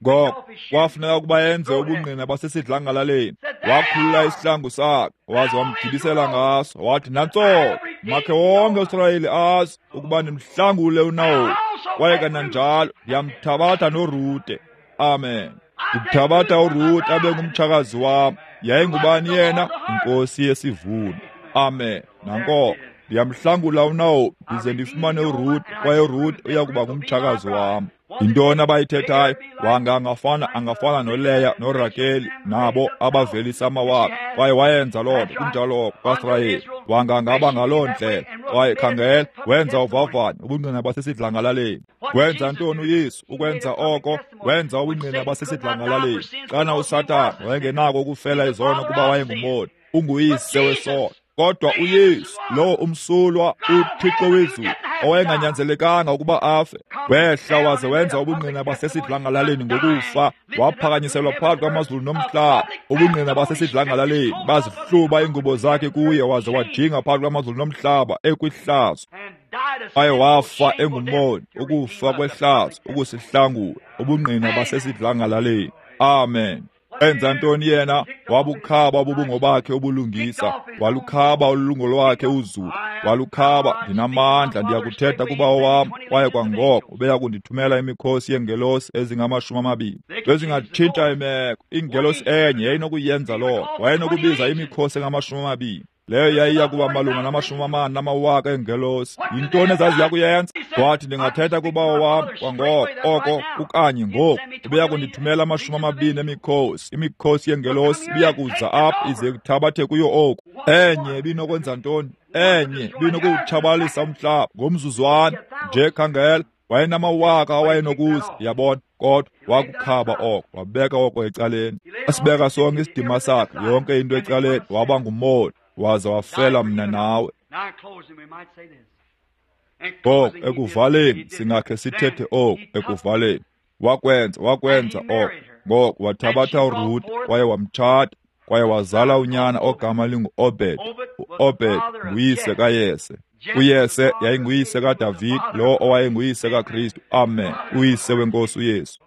Ngoko kwafuneka ukuba enze ubungqina basesidlangalaleni. Wakhulula isihlangu sakhe waze wamgibisela ngaso. Wathi, nantso, makhe wonke uSirayeli azi ukuba ndimhlangule uNaomi, kwaye kananjalo ndiyamthabatha noRute. Amen. Ndimthabatha uRute abe ngumtshakazi wam. Yayingubani yena? Inkosi yesivuno. Amen. Nanko, ndiyamhlangula uNaomi ndize ndifumane uRuth, kwaye uRuth uya kuba ngumtshakazi wam. Yintoni abayithethayo? Wanga angafana angafana noLeya noRakeli nabo abavelisa amawabo, kwaye wayenza loo nto kunjalo kwaSirayeli. Wanga angaba ngaloo ndlela. Kwaye khangela, wenza uvavanyo, ubungqina basesidlangalaleni. Wenza ntoni uYesu? Ukwenza oko, wenza ubungqina basesidlangalaleni. Xana uSathana wayengenako ukufela izono kuba wayengumoni, unguyise wesono. Kodwa uYesu, lo umsulwa, uThixo wezulu, owayenganyanzelekanga ukuba afe, wehla waze wenza ubungqina basesidlangalaleni ngokufa, waphakanyiselwa phakathi kwamazulu nomhlaba. Ubungqina basesidlangalaleni bazihluba iingubo zakhe kuye, waze wajinga phakathi kwamazulu nomhlaba ekwihlazo. Kwaye wafa engumoni, ukufa kwehlazo, ukusihlangula. Ubungqina basesidlangalaleni. Amen. Enza ntoni yena? Wabukhaba ububungo bakhe ubulungisa, walukhaba ulungo lwakhe uzuko, walukhaba. Ndinamandla, ndiyakuthetha kubawo wam, kwaye kwangoko ubeya kundithumela imikhosi yeengelosi ezingamashumi amabini. Bezingatshintsha imeko. Ingelosi enye yayinokuyenza loo nto, wayenokubiza imikhosi engamashumi amabini. Leyo yayiya kuba malunga namashumi amane namawaka eengelosi. Yintoni ezaziya kuyenza? Wathi, ndingathetha kubawo wam kwangoko oko kukanye ngoku, ubeya kundithumela amashumi amabini emikhosi. Imikhosi yengelosi ibiya kuza apha ize kuthabathe kuyo oku. Enye ibinokwenza ntoni? Enye ibinokuwutshabalalisa umhlaba ngomzuzwana nje. Khangela, wayenamawaka awayenokuza, yabona, kodwa wakukhaba oko, wabeka oko ecaleni. Asibeka sonke isidima sakhe, yonke into ecaleni, waba ngumoni, waza wafela mna nawe. Ngoku ekuvaleni singakhe sithethe oku, ekuvaleni wakwenza, wakwenza oko. Ngoku wathabatha uRute kwaye wamtshata, kwaye wazala unyana ogama lingu-Obed. U-Obed nguyise kaYese. UYese yayinguyise kaDavid, lo owayenguyise kaKristu. Amen. Uyise wenkosi uYesu.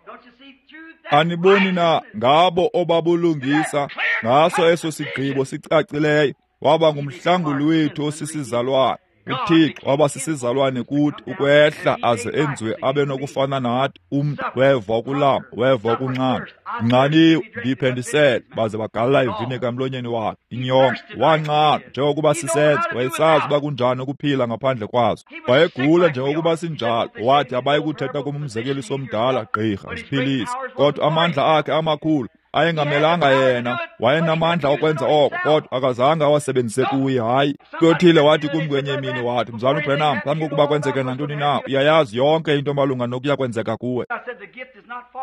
Aniboni na ngabo obabulungisa ngaso eso sigqibo sicacileyo, waba ngumhlanguli wethu osisizalwane. UThixo waba sisizalwane kuthi ukwehla aze enziwe abe nokufana nathi. Umntu weva ukulamba, weva ukunxanwa. Nxaniwe, ndiphendisele, baze bagalela ivinika emlonyeni wakhe. Inyongo, wanxanwa njengokuba sisenza, wayesazi uba kunjani ukuphila ngaphandle kwazo. Wayegula njengokuba sinjalo, wathi abayi kuthetha kum umzekeliso omdala, gqirha, ziphilise. Kodwa amandla akhe amakhulu ayengamelanga yena, wayenamandla okwenza oko, kodwa akazange awasebenzise kuye. Hayi. Kuyothile wathi kum kwenye imini, wathi, Mzalwana uBranham, phambi kokuba kwenzeke nantoni na, uyayazi yonke into malunga nokuya kwenzeka kuwe.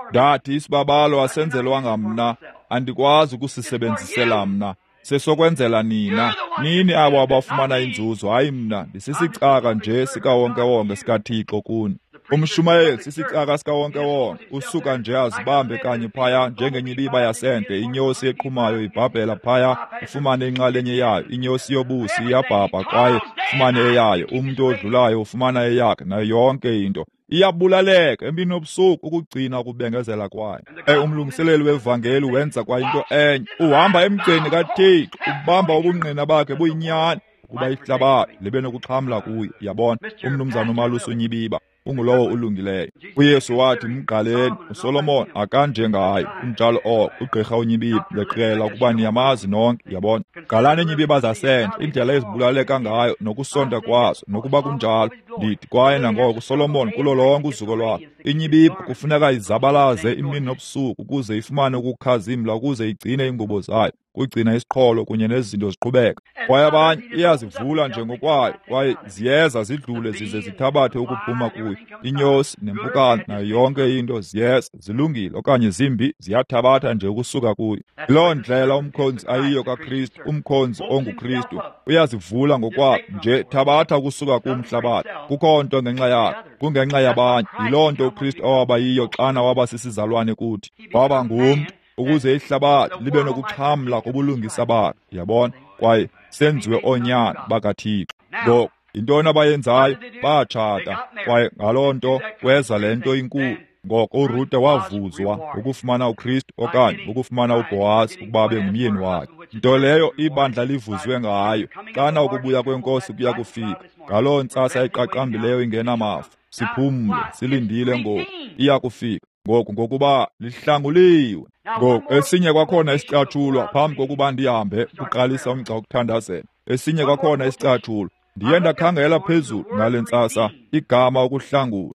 Ndathi, isibabalo asenzelwanga mna, andikwazi ukusisebenzisela mna, sesokwenzela nina. Nini abo abafumana inzuzo, hayi mna, ndisisicaka nje sikawonkewonke sikaThixo kuni. Umshumayeli sisicaka sikawonkewonke, usuka nje azibambe kanye phaya njengenyibiba yasendle, inyosi eqhumayo ibhabhela phaya, ufumane inxalenye yayo, inyosi yobusi iyabhabha kwaye ufumane eyayo, umntu odlulayo ufumana eyakhe, nayo yonke into. Iyabulaleka empini yobusuku ukugcina ukubengezela kwayo. E umlungiseleli wevangeli wenza kwa into enye, uhamba emgceni kaThixo, ubamba ubungqina bakhe buyinyani, ukuba ihlabathi libe nokuxhamla kuye. Yabona, umnumzana uMalusi uNyibiba ungulowo ulungileyo. UYesu wathi, mgqaleni, uSolomon akanjengaye, unjalo oko, ugqirha uNyibiba, ndiyaqikelwa ukuba niyamazi nonke, yabona. Gqalani iinyibiba zasendle, indlela ezibulaleka ngayo nokusonta kwazo, nokuba kunjalo, ndithi kwaye nangoko uSolomon kulo lonke uzuko lwakhe. Inyibiba kufuneka izabalaze imini nobusuku ukuze ifumane ukukhazimla, ukuze igcine iingubo zayo, kugcina isiqholo kunye nezinto ziqhubeka. Kwaye abanye iyazivula nje ngokwayo, kwaye ziyeza zidlule zize zithabathe ukuphuma kuyo. Inyosi nempukane nayo yonke into ziyeza, zilungile okanye zimbi, ziyathabatha nje ukusuka kuyo. Loo ndlela umkhonzi ayiyo kaKristu, umkhonzi onguKristu uyazivula ngokwakhe nje, thabatha ukusuka kumhlabathi. Kukho nto ngenxa yakhe, kungenxa yabanye. Yiloo nto uKristu awaba yiyo xana waba sisizalwane kuthi. Waba ngumntu ukuze ihlabathi libe nokuxhamla kubulungisa bakhe, yabona, kwaye senziwe oonyana bakaThixo. Ngoku yintoni abayenzayo? Batshata, kwaye ngaloo nto kweza le nto inkulu. Ngoko uRute wavuzwa ukufumana uKristu okanye ukufumana uBhowazi ukuba abe ngumyeni wakhe. Nto leyo ibandla livuzwe ngayo xana ukubuya kwenkosi kuya kufika. Ngaloo ntsasa iqaqambileyo ingenamafu, siphumle, silindile ngoku, iya kufika. Ngoku ngokuba lihlanguliwe. Ngoku esinye kwakhona isicatshulwa phambi kokuba ndihambe kuqalisa umgca wokuthandazela. Esinye kwakhona isicatshulwa. Ndiye ndakhangela phezulu ngale ntsasa igama ukuhlangula.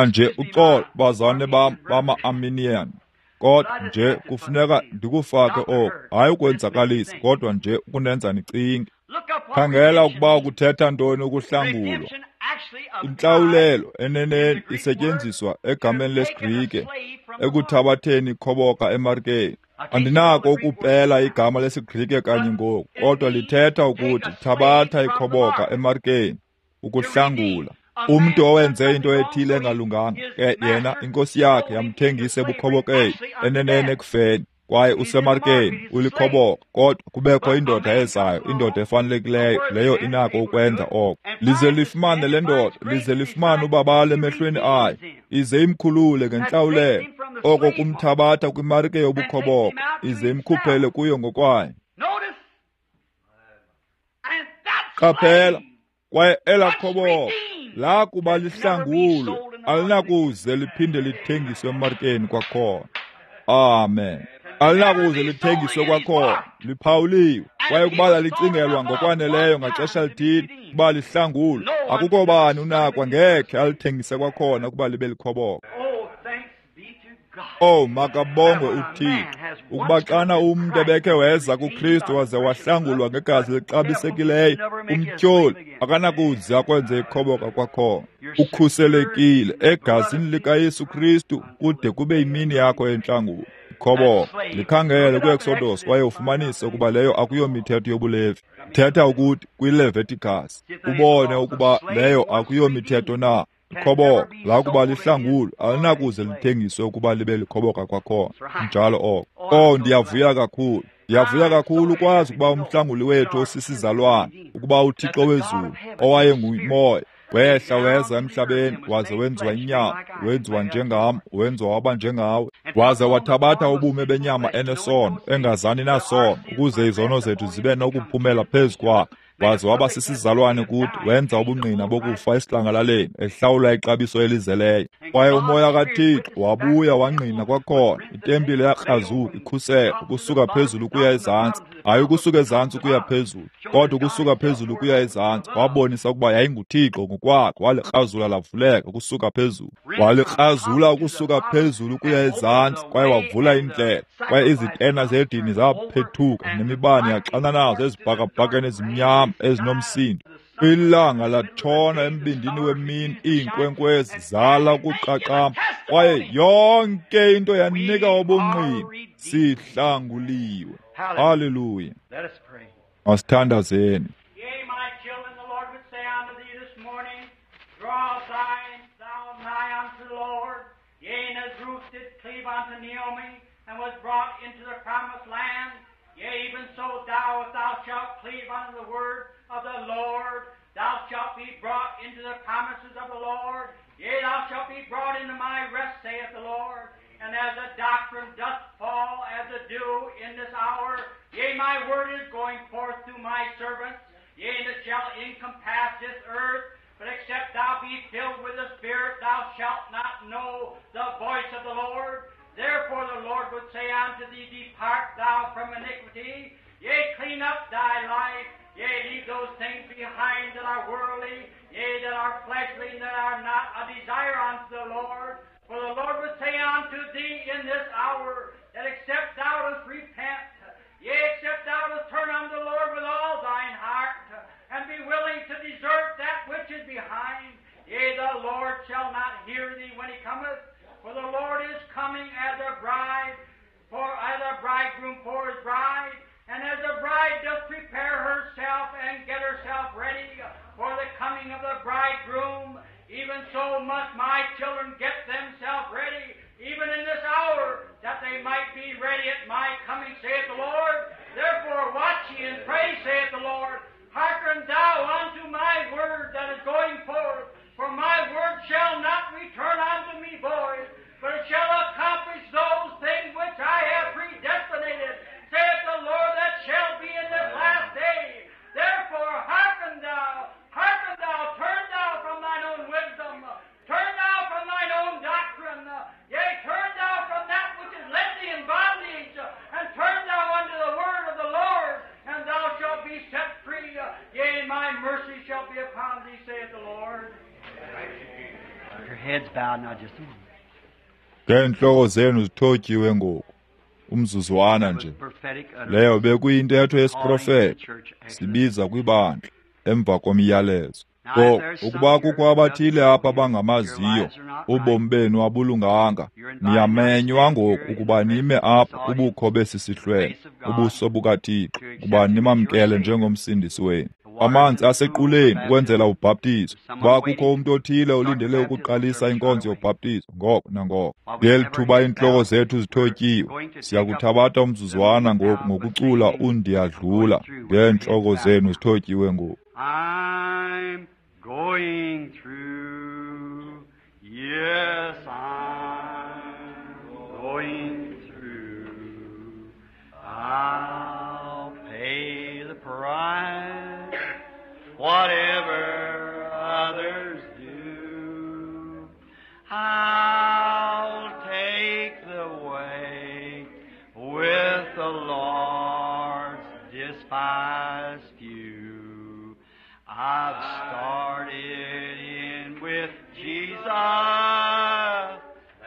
Nje uxolo bazalwane bam bama-Arminian, kodwa nje kufuneka ndikufake oko, hayi ukwenzakalisa, kodwa nje ukunenza nicinge. Khangela ukuba kuthetha ntoni ukuhlangulwa. Intlawulelo eneneni isetyenziswa egameni lesiGrike ekuthabatheni ikhoboka emarikeni. Andinako ukupela igama lesiGrike kanye ngoku, kodwa lithetha ukuthi thabatha ikhoboka emarikeni, ukuhlangula. Umntu owenze into ethile engalunganga, ke yena inkosi yakhe yamthengisa ebukhobokeni, eneneni ekufeni, kwaye usemarikeni, ulikhoboka, kodwa kubekho indoda ezayo, indoda efanelekileyo, leyo inako ukwenza oko. Lize lifumane le ndoda, lize lifumane ubabalo emehlweni ayo, ize imkhulule ngentlawulelo, oko kumthabatha kwimarike yobukhoboka, ize imkhuphele kuyo ngokwayo. Qaphela, kwaye elaa khoboka lakuba lihlangulwe, alinakuze liphinde lithengiswe emarikeni kwakhona. Amen. Alinakuze lithengiswe kwakhona, liphawuliwe. Kwaye ukuba lalicingelwa ngokwaneleyo ngaxesha lithile ukuba lihlangulwe, akukho bani unakwa ngekhe alithengise kwakhona ukuba libe likhoboka. Oh, makabongwe uThixo, ukuba xana umntu ebekhe weza kuKristu waze wahlangulwa ngegazi elixabisekileyo, umtyholi akanakuze akwenze ikhoboka kwakhona. Ukhuselekile egazini likaYesu Kristu kude kube yimini yakho yentlangulo. Ikhoboka likhangele kwi-Exodus kwaye ufumanise ukuba leyo akuyomithetho yobuLevi. Thetha ukuthi kwiLeviticus ubone ukuba leyo akuyomithetho na. Ikhoboka lakuba lihlangulwe alinakuze lithengiswe ukuba libe likhoboka kwakhona. Njalo oko. Oh, ndiyavuya kakhulu. Ndiyavuya kakhulu ukwazi ukuba umhlanguli wethu osisizalwane, ukuba uThixo wezulu owayengumoya wehla weza emhlabeni waze wenziwa inyama, wenziwa njengam, wenziwa waba njengawe, waze wathabatha ubume benyama enesono, engazani nasono, ukuze izono zethu zibe nokuphumela phezu kwakhe. Waze waba sisizalwane kuthi, wenza ubungqina bokufa esidlangalaleni, ehlawula ixabiso elizeleyo. Kwaye umoya kaThixo wabuya wangqina kwakhona, itempile yakrazuka ikhusela ukusuka phezulu ukuya ezantsi, hayi ukusuka ezantsi ukuya phezulu, kodwa ukusuka phezulu ukuya ezantsi. Wabonisa ukuba yayinguThixo ngokwakhe, walikrazula lavuleka ukusuka phezulu, walikrazula ukusuka phezulu ukuya ezantsi, kwaye wavula indlela, kwaye izitena zedini zaphethuka nemibane yaxananazo ezibhakabhakeni ezimnyama ezinomsindo. Ilanga latshona embindini wemini, iinkwenkwezi zala ukuqaqamba, kwaye yonke into yanika ubungqina, sihlanguliwe. Haleluya. Masithandazeni. Yea, my children, the Lord would say unto thee this morning, draw thine thou nigh unto the Lord. Yea, and as Ruth did cleave unto Naomi, and was brought into the promised land, yea, even so thou, if thou shalt cleave unto the word of the Lord, thou shalt be brought into the promises of the Lord. Yea, thou shalt be brought into my rest, saith the Lord. And as the doctrine doth fall as the dew in this hour, yea, my word is going forth through my servants, yea, and it shall encompass this earth. But except thou be filled with the Spirit, thou shalt not know the voice of the Lord. Therefore the Lord would say unto thee, depart thou from iniquity, yea, clean up thy life, yea, leave those things behind that are worldly, yea, that are fleshly, and that are not a desire unto the Lord. For the Lord would say unto thee in this hour, that except thou dost repent, yea, except thou dost turn unto the Lord with all thine heart, and be willing to desert that which is behind, yea, the Lord shall not hear thee when he cometh. For the Lord is coming as a bride, for as a bridegroom for his bride, and as a bride doth prepare herself and get herself ready for the coming of the bridegroom, even so must my children get themselves ready, even in this hour, that they might be ready at my coming, saith the Lord. Therefore watch ye and pray, saith the Lord. Hearken thou unto my word that is going forth, for my word shall not return unto me void, but it shall accomplish those things which I have predestinated, saith the Lord, that shall be in this last day. Therefore hearken thou, hearken thou, turn thou from thine own wisdom, turn thou from thine own doctrine, yea, turn thou from that which has led thee in bondage, and turn thou unto the word of the Lord, and thou shalt be set free. Yea, my mercy shall be upon thee, saith the Lord. Your heads bowed now just a moment. Ngeentloko zenu zithotyiwe ngoku, umzuzwana nje. Leyo bekuyintetho yesiprofeto, sibiza kwibandla emva komyalezo. Ngoku, ukuba kukho abathile apha abangamaziyo, ubomi benu abulunganga, niyamenywa ngoku ukuba nime apha kubukho besi sihlwele, ubuso bukaThixo, ukuba nimamkele njengomsindisi wenu. Amanzi asequleni ukwenzela ubhaptizo. Kuba kukho umntu othile olindele ukuqalisa inkonzo yobhaptizo ngoko nangoko. Ngeli thuba iintloko zethu zithotyiwe, siyakuthabatha umzuzwana ngoku ngokucula uNdiyadlula ngeentloko zenu zithotyiwe ngoku. I'm going through. Yes, I'm going through. I'll pay the price, whatever others do. I'll take the way with the Lord's disguise. last few. I've started in with Jesus,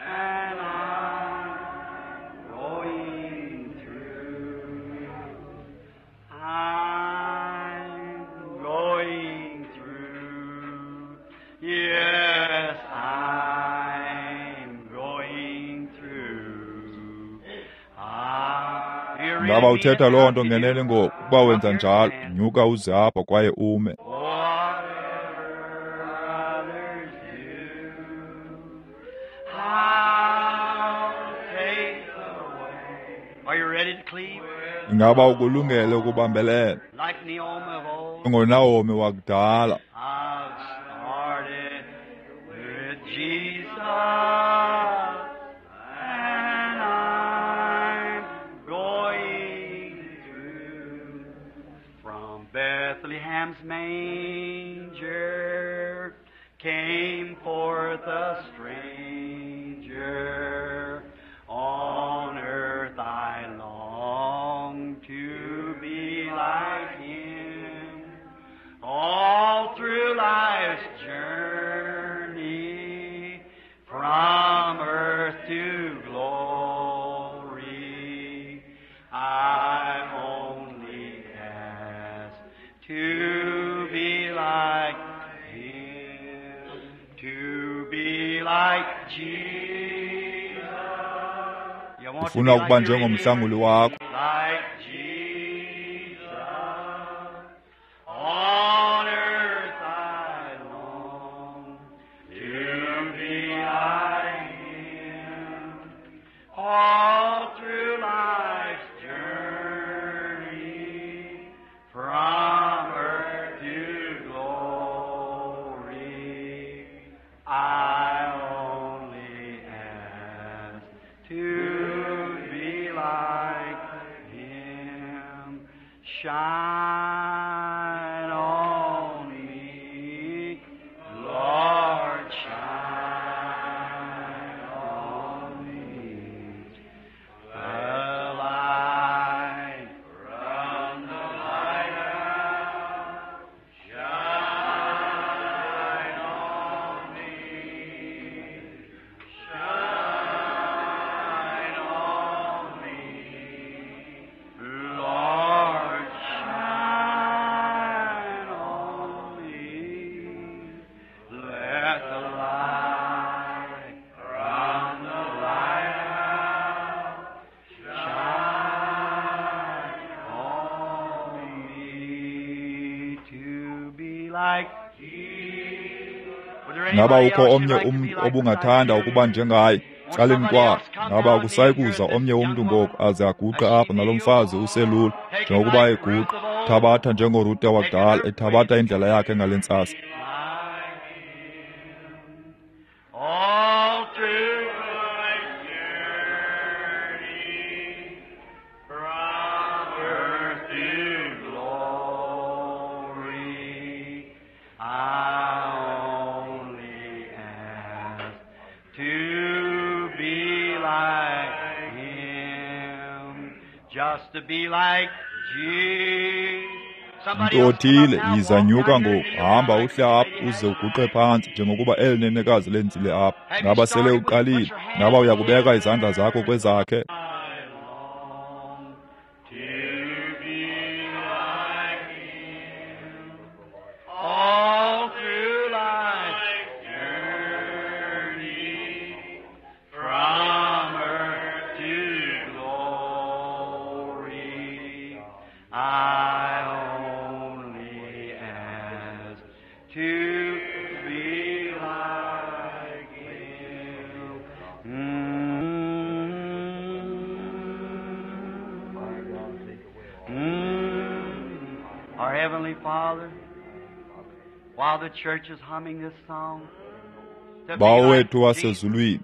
and I'm going through. I'm going through. Yes, I'm going through. Ah, you Ngaba really uthetha mean loo it? nto ngenene ngoku? Ukuba wenza njalo, nyuka uze apha kwaye ume. Whatever others do, I'll take the way. Are you ready to cleave? Ingaba ukulungele ukubambelela? Like Naomi of old, NjengoNahomi wakudala, I've started with Jesus, and I'm going through. From Bethlehem's manger came forth a stranger. On earth I long to be like him. All through life's journey, from earth to glory, I only ask to be like him, to be like Jesus. You want to ufuna be ukuba like your Redeemer? njengomhlanguli wakho. Like Jesus. On earth I long to be like him. All through life's journey, from earth to glory, I only ask to be like him. Shine on me, Lord, shine on me. The light from the lighthouse, shine on me, shine on me, Lord, shine on me. Let the light from the lighthouse shine on me to be like Jesus. Would there Ngaba anybody ukho else you'd omnye like to be umntu like besides obungathanda you? ukuba njengaye? Won't Caleni somebody kwakhe. else come Ngaba now and akusayi kneel here kuza at this omnye young umntu woman ngoku aze aguqe as she apha nalo kneels, mfazi uselula taking njengokuba like Ruth eguqa, of old, thabatha njengoRute taking wakudala her ethabatha place. indlela yakhe ngale ntsasa. Like him. All through life's journey, from earth to glory, I only ask to be like him, just to be like Jesus. Somebody Mntu else come up othile, now, yiza walk nyuka down here, ngoku, kneel hamba down like uhle this apha lady uze has. uguqe phantsi njengokuba eli nenekazi lenzile apha. Have you Ngaba sele started? Would you put uqalile? your hand Ngaba on uyakubeka his? izandla zakho kwezakhe? I long to be like him. All through life's journey, from earth to glory, I only ask to be like him. Mm. Mm. Our Heavenly Father, while the church is humming this song, to be Bawo like wethu Jesus, wasezulwini,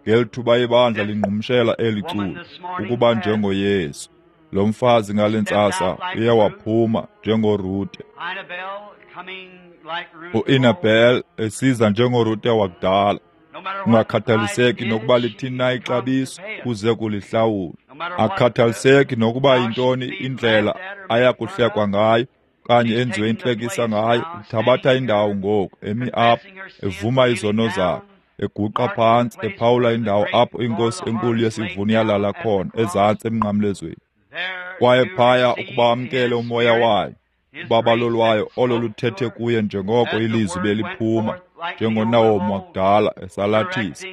ngeli thuba ibandla this lingqumshela eli woman culo this morning ukuba has njengoYesu. Lo mfazi ngale stepped ntsasa out like uye Ruth, waphuma njengoRute. Annabelle coming like Ruth of old. U-Inabel esiza njengoRute wakudala. No matter what the price Kungakhathaliseki is, nokuba she lithini na comes to ixabiso pay it. uze kulihlawula. No matter what the Akukhathaliseki nokuba how yintoni she's being indlela laughed at or made fun ayakuhlekwa of, ngayo kanye enziwe intlekisa ngayo, uthabatha indawo ngoku, emi apha, evuma izono zakhe, eguqa phantsi, ephawula indawo apho inkosi enkulu yesivuno yalala khona, ezantsi emnqamlezweni. Kwaye phaya ukuba amkele umoya wayo, ubabalo lwayo olo luthethe kuye njengoko ilizwi beliphuma, njengoNawomi wakudala esalathisa.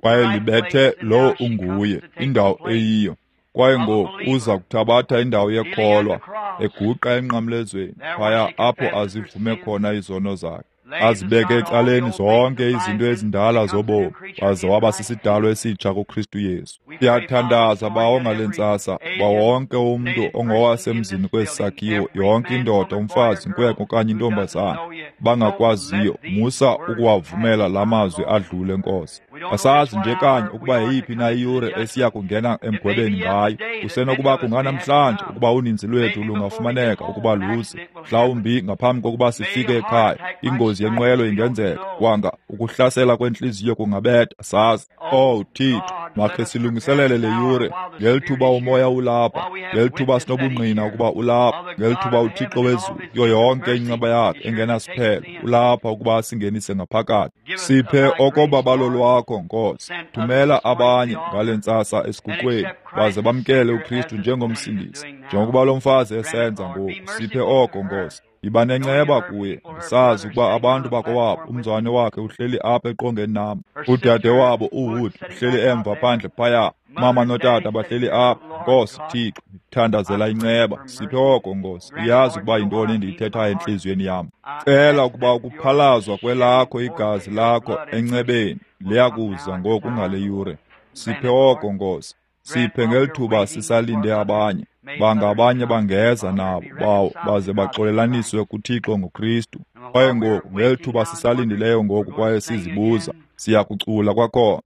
Kwaye libethe lowo unguye, indawo eyiyo. Kwaye ngoku uza kuthabatha indawo yekholwa, eguqa emnqamlezweni, phaya apho azivume khona izono zakhe, azibeke ecaleni zonke izinto ezindala zobomi, waze waba sisidalwa esitsha kuKristu Yesu. Siyathandaza Bawo ngale ntsasa, uba wonke umntu ongowasemzini kwesi sakhiwo, yonke indoda, umfazi, inkwenkwe okanye intombazana, bangakwaziyo, musa ukuwavumela la mazwi adlule, Nkosi. Asazi nje kanye ukuba yeyiphi na iyure esiya kungena emgwebeni ngayo. Kusenokuba kunganamhlanje ukuba uninzi lwethu lungafumaneka ukuba luze, mhlawumbi ngaphambi kokuba sifike ekhaya, ingozi yenqwelo ingenzeka, kwanga ukuhlasela kwentliziyo kungabetha, sazi. Oh Thixo, makhe silungiselele le yure, ngelithuba umoya ulapha, ngelithuba sinobungqina ukuba ulapha, ngelithuba uThixo wezulu kuyo yonke inceba yakhe engenasiphelo ulapha ukuba asingenise ngaphakathi. Siphe okobabalo lwakho, Nkosi. Thumela abanye ngale ntsasa esiguqweni, baze bamkele uKristu njengomsindisi, njengokuba lo mfazi esenza ngoku. Siphe oko, Nkosi. Yiba nenceba kuye, ndisazi ukuba abantu bakowabo, umzwane wakhe uhleli apha eqongeni nam, udade wabo uWood uhleli emva phandle phaya, mama notata bahleli apha. Nkosi Thixo, ndithandazela inceba. Siphe oko, Nkosi. Uyazi ukuba yintoni endiyithethayo entliziyweni yam. Cela ukuba ukuphalazwa kwelakho igazi lakho encebeni liyakuza ngoku ngale yure. Siphe oko, Nkosi. Siphe ngelithuba sisalinde abanye, banga abanye bangeza nabo bawo baze baxolelaniswe kuThixo ngoKristu. Kwaye ngoku ngelithuba sisalindileyo ngoku kwaye sizibuza, siyakucula kwakhona.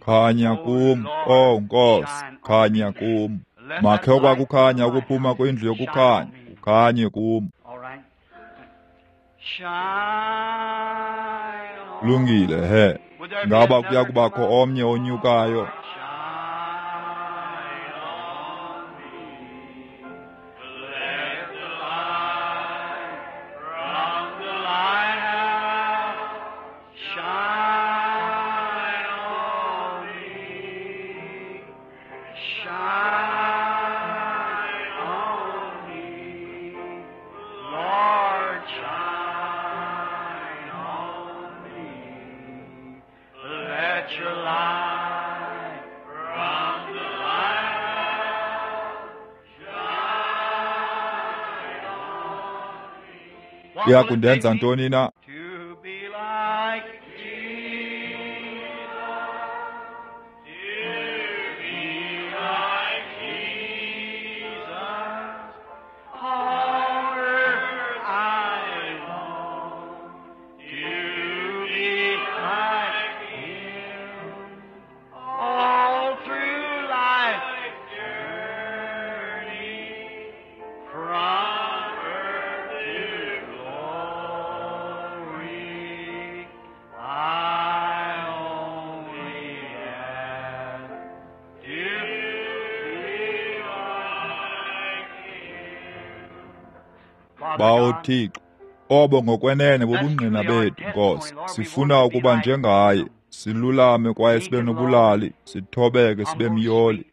Khanya kum, oh Nkosi, khanya kum. Makhe okwakukhanya ukuphuma kwindlu yokukhanya, kukhanye kum. Lungile, he. Ngaba kuya kubakho omnye onyukayo? Iya kundenza ntoni na? Bawo Thixo, obo ngokwenene bubungqina bethu, Nkosi. Sifuna ukuba njengaye, silulame kwaye sibe nobulali, sithobeke sibe myoli.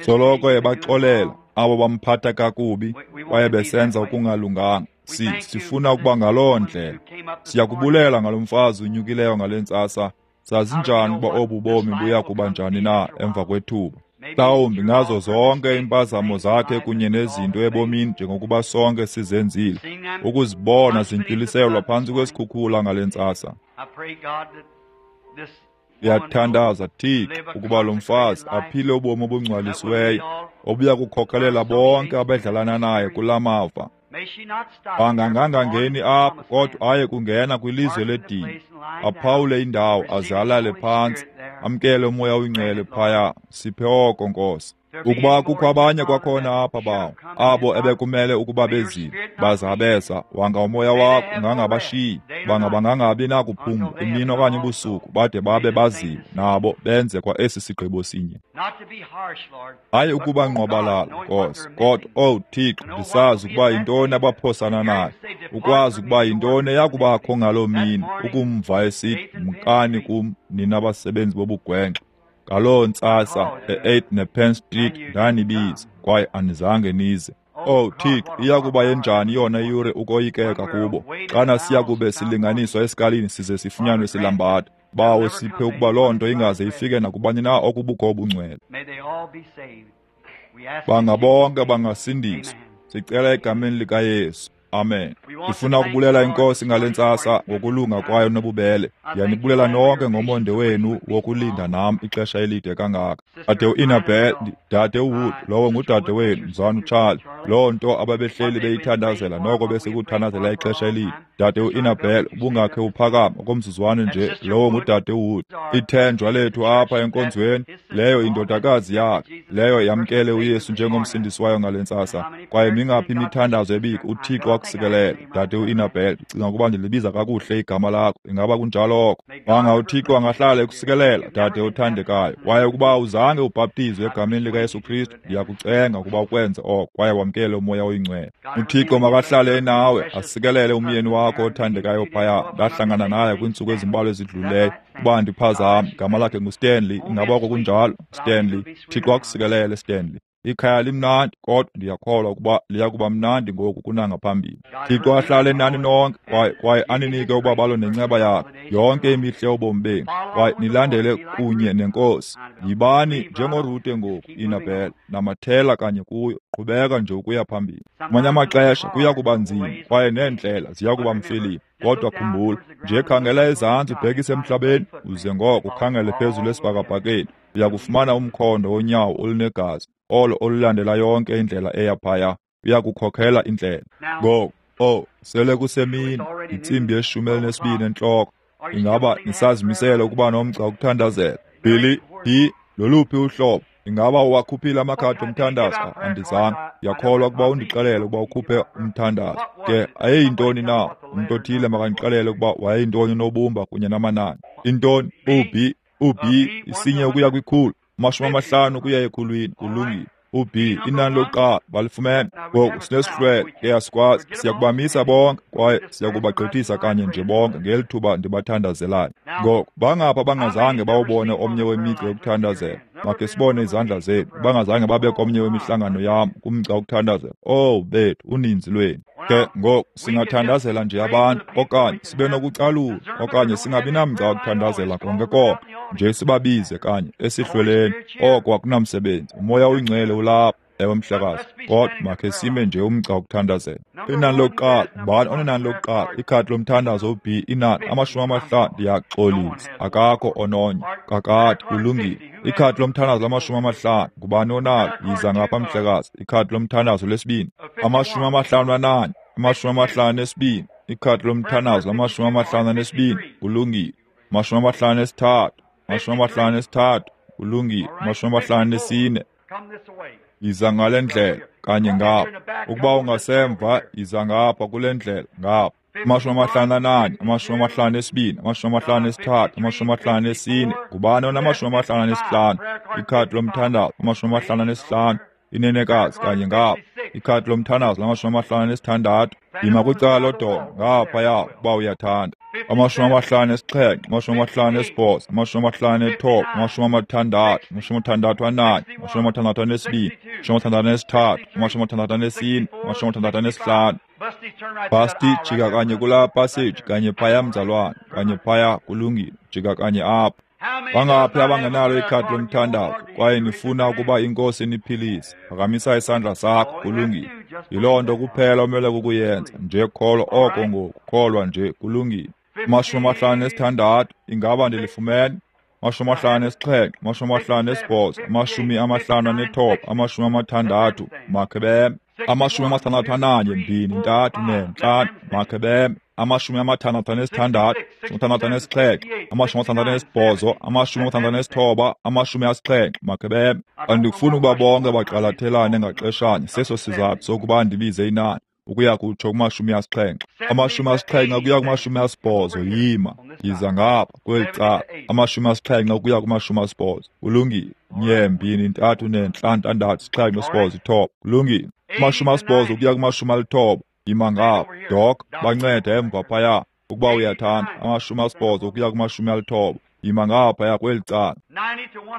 Soloko ebaxolela abo bamphatha kakubi kwaye besenza okungalunganga. Si, sifuna ukuba ngaloo ndlela. Siyakubulela ngalo mfazi unyukileyo ngale ntsasa. Sazi njani ukuba obu bomi buya kuba njani na emva kwethuba? Mhlawumbi ngazo zonke iimpazamo zakhe kunye nezinto ebomini njengokuba sonke sizenzile, ukuzibona zintywiliselwa phantsi kwesikhukhula ngale ntsasa. Ndiyathandaza, Thixo, ukuba lo mfazi aphile ubomi obungcwalisiweyo obuya kukhokelela bonke abadlalana naye kula mava. Angangangeni apho kodwa aye kungena kwilizwe ledini, aphawule indawo aze alale phantsi, amkele umoya oyingcwele phaya. Siphe oko, Nkosi. Ukuba kukho abanye kwakhona apha bawo, abo ebekumele ukuba bezile, bazabeza, wanga umoya wakho ungangabashiyi, banga bangangabi nakuphumla imini okanye ubusuku, bade babe bazile, nabo benze kwa esi sigqibo sinye. Hayi ukuba ngqwabalala, Nkosi, kodwa, owu Thixo, ndisazi ukuba yintoni abaphosana nayo, ukwazi ukuba yintoni eyakubakho ngaloo mini, ukumva esithi, mkani kum, nina basebenzi bobugwenxa. Ngaloo ntsasa e-eighth nePenn Street ndanibiza, kwaye anizange nize. Oh Thixo, iyakuba yenjani yona iyure ukoyikeka kubo, xana siyakube silinganiswa esikalini size sifunyanwe silambatha. Bawo, siphe ukuba loo nto ingaze ifike nakubani na okubukho obungcwele. Banga bonke bangasindiswa. Sicela egameni likaYesu. Amen. Ndifuna ukubulela iNkosi ngale ntsasa ngokulunga kwayo nobubele. Ndiyanibulela nonke ngomonde wenu wokulinda nam ixesha elide kangaka. Dade uInabel, dade uWood, lowo ngudade wenu, mzwana uCharlie. Loo nto ababehleli beyithandazela noko besekuthandazela ixesha elide. Dade uInabel, ubungakhe uphakama okomzuzwana nje, lowo ngudade uWood. Ithenjwa lethu apha enkonzweni, leyo indodakazi yakhe, leyo yamkele uYesu njengomsindisi wayo ngale ntsasa. Kwaye mingaphi imithandazo ebikho, uThixo akusikelele. Dade uInabel, ndicinga ukuba ndilibiza kakuhle igama lakho. Ingaba kunjalo oko? Wanga uThixo angahlala ekusikelela, dade othandekayo. Kwaye ukuba uzange ubhaptizwe egameni likaYesu Kristu, ndiyakucenga ukuba ukwenze oko, kwaye wamkele uMoya oyiNgcwele. UThixo makahlale enawe, asikelele umyeni wakho othandekayo phaya. Ndahlangana naye kwiintsuku ezimbalwa ezidlulileyo. Uba ndiphazama, igama lakhe nguStanley. Ingaba oko kunjalo? Stanley. Thixo akusikelele, Stanley. Ikhaya limnandi, kodwa ndiyakholwa ukuba liya kuba mnandi ngoku kunangaphambili. Thixo ahlale nani nonke, kwaye kwaye aninike ubabalo nenceba yakhe yonke imihla yobomi benu, kwaye nilandele kunye neNkosi. Yibani njengoRute ngoku, Inabel, namathela kanye kuyo, qhubeka nje ukuya phambili. Ngamanye amaxesha kuya kuba nzima, kwaye neendlela ziya kuba mfiliba. Kodwa khumbula, nje khangela ezantsi ubhekise emhlabeni, uze ngoko ukhangele phezulu esibhakabhakeni. Uya kufumana umkhondo wonyawo olunegazi, olo olulandela yonke indlela eya phaya. Uya kukhokhela indlela. Ngoku, oh, sele kusemini, intsimbi yeshumi elinesibini entloko. Ingaba nisazimisele ukuba nomgca wokuthandazela? Billy, P, loluphi uhlobo? Ingaba uwakhuphile amakhadi omthandazo? Andizange. Ndiyakholwa ukuba undixelele ukuba ukhuphe umthandazo. Ke ayeyintoni na? Umntu othile makandixelele ukuba wayeyintoni unobumba kunye namanani. Intoni? U-B, U-B, isinye ukuya kwikhulu, amashumi amahlanu ukuya ekhulwini. Kulungile. U-B, inani lokuqala, balifumene. Ngoku sinesihlwele, ke asikwazi. Siyakubamisa bonke, kwaye siyakubagqithisa kanye nje bonke ngeli thuba ndibathandazelayo. Ngoku bangapha bangazange bawubone omnye wemigca yokuthandazela. Makhe sibone izandla zenu. Bangazange babe komnye wemihlangano yam kumgca wokuthandazela. Oh bethu, uninzi lwenu. Ke ngoku singathandazela nje abantu, okanye sibe nokucalula, okanye singabi namgca wokuthandazela konke konke. Nje sibabize kanye esihlweleni. Oko akunamsebenzi. Umoya oyingcwele ulapha, ewe mhlekazi. Kodwa makhe sime nje umgca wokuthandazela. Inani lokuqala, ngubani onenani lokuqala? Ikhadi lomthandazo u-B, inani amashumi amahlanu. Ndiyaxolisa, akakho ononye. Kakade, kulungile. Ikhadi lomthandazo lamashumi amahlanu, ngubani onalo? Yiza ngapha mhlekazi. Ikhadi lomthandazo lesibini, amashumi amahlanu ananye, amashumi amahlanu nesibini. Ikhadi lomthandazo lamashumi amahlanu anesibini, kulungile. Amashumi amahlanu nesithathu, amashumi amahlanu nesithathu, kulungile. Amashumi amahlanu nesine. Yiza ngale ndlela kanye ngapha. Ukuba ungasemva, yiza ngapha kule ndlela ngapha. Amashumi amahlanu ananye, amashumi amahlanu esibini, amashumi amahlanu esithathu, amashumi amahlanu esine. Ngubani onamashumi amahlanu anesihlanu? Ikhadi lomthandazo, amashumi amahlanu anesihlanu. Inenekazi kanye ngapha. Ikhadi lomthandazo lamashumi amahlanu anesithandathu. Yima kwicala lodonga ngaphaya ukuba uyathanda. Amashumi amahlanu esixhenxe, amashumi amahlanu esibhozo, amashumi amahlanu ethoba, amashumi amathandathu, amashumi amathandathu ananye, amashumi amathandathu anesibini, amashumi amathandathu anesithathu, amashumi amathandathu anesine, amashumi amathandathu anesihlanu. Basti, jika kanye kulaa passage, kanye phaya mzalwane, kanye phaya, kulungile, jika kanye apha. Bangaphi abangenalo ikhadi lomthandazo kwaye nifuna ukuba iNkosi iniphilise? Phakamisa isandla sakho, kulungile. Yiloo nto kuphela omele kukuyenza. Nje kholwa oko ngoku, kholwa nje, kulungile. Amashumi amahlanu nesithandathu, ingaba ndilifumene? Amashumi amahlanu nesixhenxe, amashumi amahlanu nesibhozo, amashumi amahlanu anethoba, amashumi amathandathu, makhe beme. Amashumi amathandathu ananye, mbini, ntathu, ne, ntlanu, makhe beme. amashumi amathandathu anesithandathu, amathandathu anesixhenxe, amashumi amathandathu anesibhozo, amashumi amathandathu anesithoba, amashumi asixhenxe. Makhe beme. Andifuni ukuba bonke bagxalathelane ngaxeshanye. Seso sizathu sokuba ndibize inani ukuya kutsho kumashumi asixhenxe. Amashumi asixhenxe ukuya kumashumi asibhozo. Yima, yiza ngapha kweli cala. Amashumi asixhenxe ukuya kumashumi asibhozo. Kulungile. Nye, mbini, ntathu, ne, ntlanu, ntandathu, sixhenxe, sibhozo, ithoba. Kulungile. Amashumi asibhozo ukuya kumashumi alithoba. Yima ngapha. Dok, bancede emva phaya ukuba uyathanda. Amashumi asibhozo ukuya kumashumi alithoba. Yima ngaphaya kweli cala.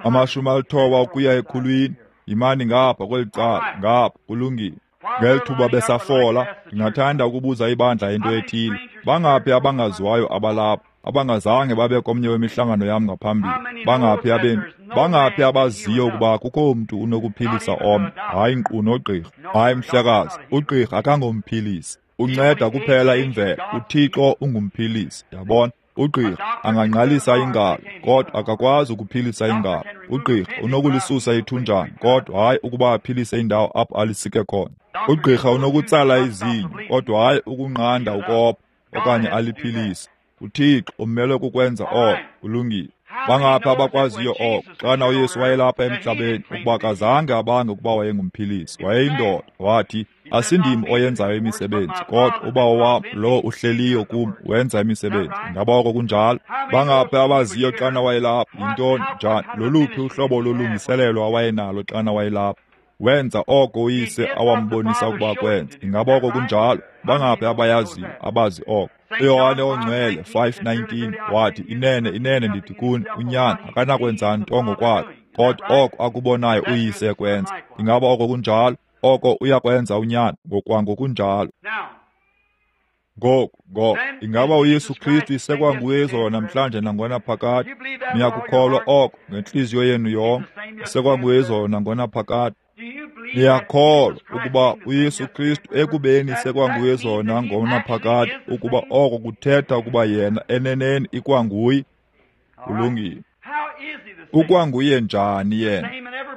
Amashumi alithoba ukuya ekhulwini. Yimani ngapha kweli cala. Ngapha. Kulungile. Ngeli thuba besafola, ndingathanda ukubuza ibandla into ethile. Bangaphi abangaziwayo abalapha, abangazange babe komnye wemihlangano yam ngaphambili? Bangaphi abemi? Bangaphi abaziyo ukuba kukho mntu unokuphilisa omnye? Hayi nkqu nogqirha. Hayi mhlekazi, ugqirha akangomphilisi. Unceda kuphela imvelo. UThixo ungumphilisi. Yabona? Ugqirha angangqalisa ingalo, kodwa akakwazi ukuphilisa ingalo. Ugqirha unokulisusa ithunjana, kodwa hayi ukuba aphilise indawo apho alisike khona. Ugqirha unokutsala izinyo, kodwa hayi ukunqanda ukopha okanye aliphilise. UThixo umelwe kukwenza oko. Kulungile. Bangaphi abakwaziyo oko? Xana uYesu wayelapha emhlabeni, ukuba akazange abange ukuba wayengumphilisi, wayeyindoda. Wathi, asindim oyenzayo imisebenzi, kodwa uBawo wam lo uhleliyo kum wenza imisebenzi. Ingaba oko kunjalo? Bangaphi abaziyo xana wayelapha? Yintoni? Njani? Loluphi uhlobo lolungiselelo awayenalo xana wayelapha? Wenza oko uyise awambonisa ukuba kwenza. Ingaba oko kunjalo? Bangaphi abayaziyo abazi oko? uYohane oNgcwele five nineteen wathi, inene, inene ndithi kuni, unyana akanakwenza nto ngokwakhe, kodwa oko akubonayo uyise ekwenza. Ingaba oko kunjalo? Oko uyakwenza unyana ngokwangokunjalo. Ngoku, ngoku, ingaba uYesu Kristu isekwanguye izolo namhlanje nangona phakade? Niyakukholwa oko ngentliziyo yenu yonke? Isekwanguye izolo nangona phakade. Niyakholwa ukuba uYesu Kristu ekubeni sekwanguye izolo nangona phakade, ukuba oko kuthetha ukuba yena eneneni ikwanguye? Kulungile. Ukwanguye njani yena?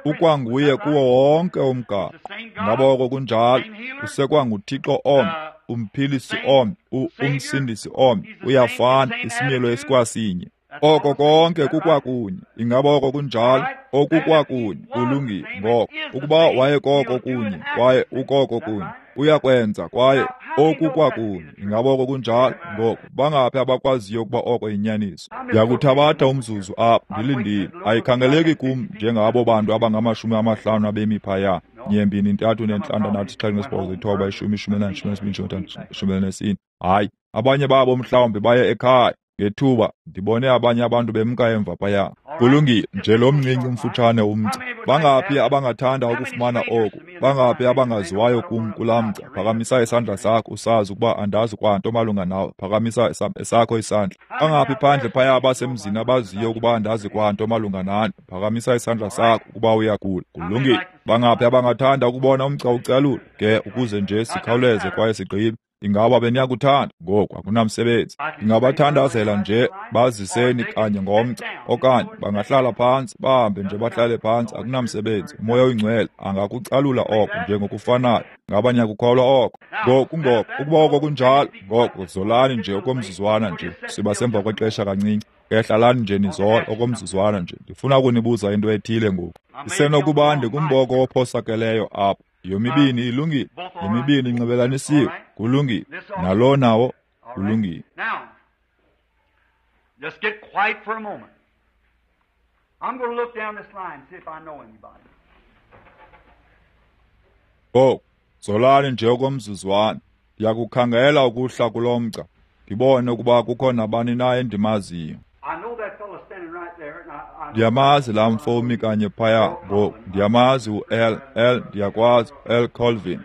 Ukwanguye kuwo wonke umgaqo. Ingaba oko kunjalo? UsekwanguThixo omnye, umphilisi omnye, umsindisi omnye, uyafana, isimilo esikwasinye. Oko konke kukwakunye. Ingaba oko kunjalo? Okukwakunye. Kulungile. Ngoko ukuba wayekoko kunye kwaye ukoko kunye, uyakwenza kwaye okukwakunye. Ingaba oko kunjalo? Ngoko bangaphi abakwaziyo ukuba oko yinyaniso? Ndiyakuthabatha umzuzu apha, ndilindile. Ayikhangeleki kum njengabo bantu abangamashumi amahlanu abemi phaya. Nye, mbini, ntathu, nentlandathu, sixhenxe, sibhozo, ithoba, ishumi, ishumi elinanye, ishumi elinesibini, ishumi elintathu, ishumi elinesine. Hayi, abanye babo mhlawumbi baye ekhaya. Ngethuba ndibone abanye abantu bemka emva phaya. Kulungile, nje lo mncinci umfutshane umgca. Bangaphi abangathanda ukufumana oku? Bangaphi abangaziwayo kum kulaa mgca? Phakamisa isandla sakho usazi ukuba andazi kwanto malunga nawe. Phakamisa esakho isandla. Bangaphi phandle phaya abasemzini abaziyo ukuba andazi kwanto malunga nani? Phakamisa isandla sakho ukuba uyagula. Kulungile. Bangaphi abangathanda ukubona umgca ucalula? Ke ukuze nje sikhawuleze kwaye sigqibe. Ingaba beniyakuthanda? Ngoku akunamsebenzi. Ndingabathandazela nje baziseni kanye ngomgca, okanye bangahlala phantsi, bahambe nje bahlale phantsi, akunamsebenzi. Umoya oyingcwele angakucalula oko njengokufanayo. Ngaba niyakukholwa oko? Ngoku, ngoku, ukuba oko kunjalo, ngoko zolani nje okomzuzwana nje. Siba semva kwexesha kancinci. Ke hlalani nje nizole okomzuzwana nje. Ndifuna ukunibuza into ethile ngoku. Isenokuba ndikumboko ophosakeleyo apha. Yomibini ilungile, yomibini inxibelanisiwe. Kulungile. Nalo nawo kulungile. Just get quiet for a moment. I'm going to look down this line and see if I know anybody. Ngoku, zolani nje okomzuzwana. Ndiyakukhangela ukuhla kulo mgca, ndibone ukuba kukho nabani na endimaziyo. Ndiyamazi laa mfo umi kanye phaya ngoku. Ndiyamazi u-L, L, ndiyakwazi, L Colvin.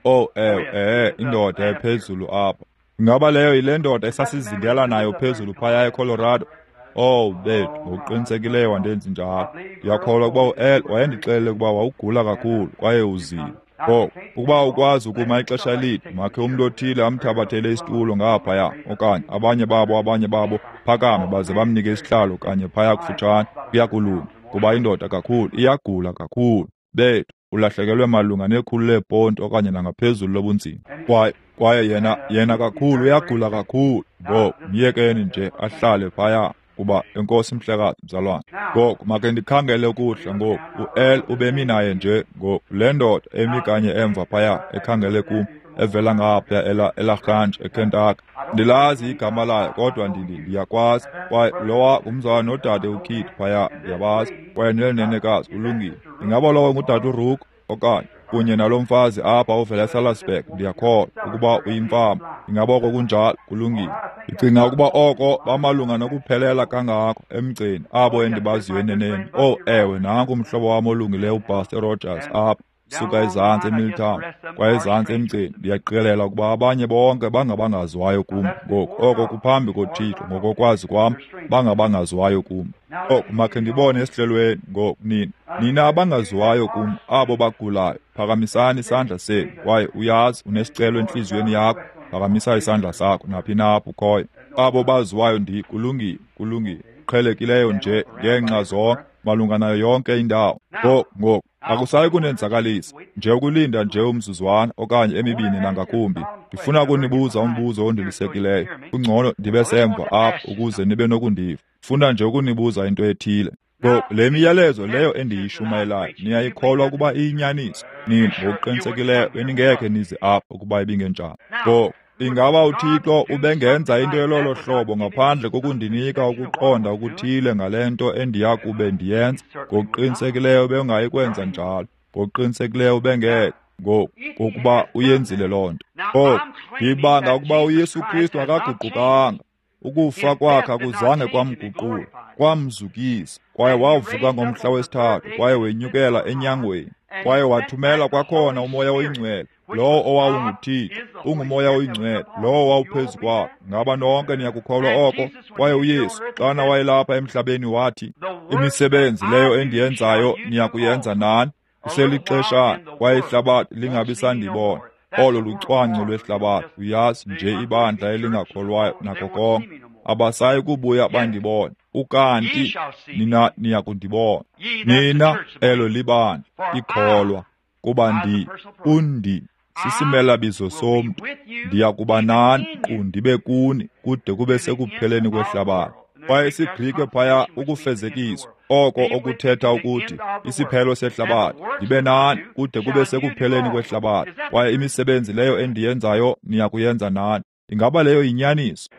Oh, ewe, ehe, indoda ephezulu apha. Ingaba leyo yile ndoda esasizingela nayo phezulu phaya eColorado? Oh, bethu, ngokuqinisekileyo wandenzi njalo. Ndiyakholwa ukuba u-L wayendixelele ukuba wawugula kakhulu kwaye uzile. Ngoku, ukuba ukwazi ukuma ixesha elide, makhe umntu othile amthabathele isitulo ngaphaya, okanye abanye babo abanye babo phakame baze bamnike isihlalo kanye phaya kufutshane. Kuyakulunga, kuba indoda kakhulu iyagula kakhulu. Bethu, ulahlekelwe malunga nekhulu leeponti okanye nangaphezulu lobunzima. Kwaye Kwaye yena yena kakhulu uyagula kakhulu. Ngoku myekeni nje ahlale phaya kuba enkosi mhlekazi mzalwane. Ngoku make ndikhangele ukuhla ngoku. U-L ubemi naye nje ngoku. Le ndoda emi kanye emva phaya ekhangele kum evela ngaphaya ela eLagrange eKentucky. Ndilazi igama layo kodwa ndindi ndiyakwazi. Kwaye lowa ngumzalwane nodade uKid phaya ndiyabazi. Kwaye neli nenekazi ulungile. Ingaba lowo ngudade uRook okanye kunye nalo mfazi apha ovela eSalisburg ndiyakholwa ukuba uyimfama. Ingaba oko kunjalo? Kulungile. Ndicinga ukuba oko bamalunga nokuphelela kangako emgceni abo endibaziyo eneneni. Oh ewe, nanku umhlobo wam olungileyo uPastor Rogers apha suka ezantsi eMilltown kwaye ezantsi emgceni. Ndiyaqikelela ukuba abanye bonke bangabangaziwayo kum ngoku. Oko kuphambi koThixo ngokokwazi kwam bangabangaziwayo kum. Oku makhe ndibone esihlelweni ngoku nina. Nina abangaziwayo kum abo bagulayo, phakamisani isandla senu. Kwaye uyazi unesicelo entliziyweni yakho, phakamisa isandla sakho naphi na apho ukhoyo. Abo baziwayo ndi kulungile, kulungile. Qhelekileyo nje ngeenxa zonke malunga nayo yonke indawo. Ngoku ngoku akusayi kunenzakalisa nje ukulinda nje umzuzwana okanye emibini nangakumbi. Ndifuna ukunibuza umbuzo ondilisekileyo. Kungcono ndibe semva apha ukuze nibe nokundiva. Funa nje ukunibuza into ethile. Ngoku le miyalezo leyo endiyishumayelayo niyayikholwa ukuba iyinyaniso? Nina ngokuqinisekileyo beningekhe nize apha ukuba ibingenjalo. Ngoku ingaba uThixo ubengenza into elolo hlobo ngaphandle kokundinika ukuqonda okuthile ngale nto endiya kube ndiyenza? Ngokuqinisekileyo bengayikwenza njalo. Ngokuqinisekileyo bengeke. Ngoku ngokuba uyenzile loo nto. Ngoku ndibanga ukuba uYesu Kristu akaguqukanga. Ukufa kwakhe akuzange kwamguqula, kwamzukisa. Kwaye wavuka ngomhla wesithathu, kwaye wenyukela enyangweni, kwaye wathumela kwakhona uMoya oyiNgcwele, lowo owawunguThixo, unguMoya oyiNgcwele, lowo wawuphezu kwakhe. Ngaba nonke niyakukholwa oko? Kwaye uYesu xana wayelapha emhlabeni wathi, imisebenzi leyo endiyenzayo niyakuyenza nani, kuselixeshana, kwaye ihlabathi lingabi sandibona. Olo lucwangco lwehlabathi, uyazi nje ibandla elingakholwayo nako konke. Abasayi kubuya bandibone. Ukanti nina niyakundibona. Nina elo libandla ikholwa kuba ndi undi sisimelabizo somntu. Ndiyakuba nani nkqu ndibe kuni kude kube sekupheleni kwehlabathi. Kwaye isiGrike phaya ukufezekiswa, oko okuthetha ukuthi isiphelo sehlabathi. Ndibe nani kude kube sekupheleni kwehlabathi. Kwaye imisebenzi leyo endiyenzayo niyakuyenza nani. Ingaba leyo yinyaniso?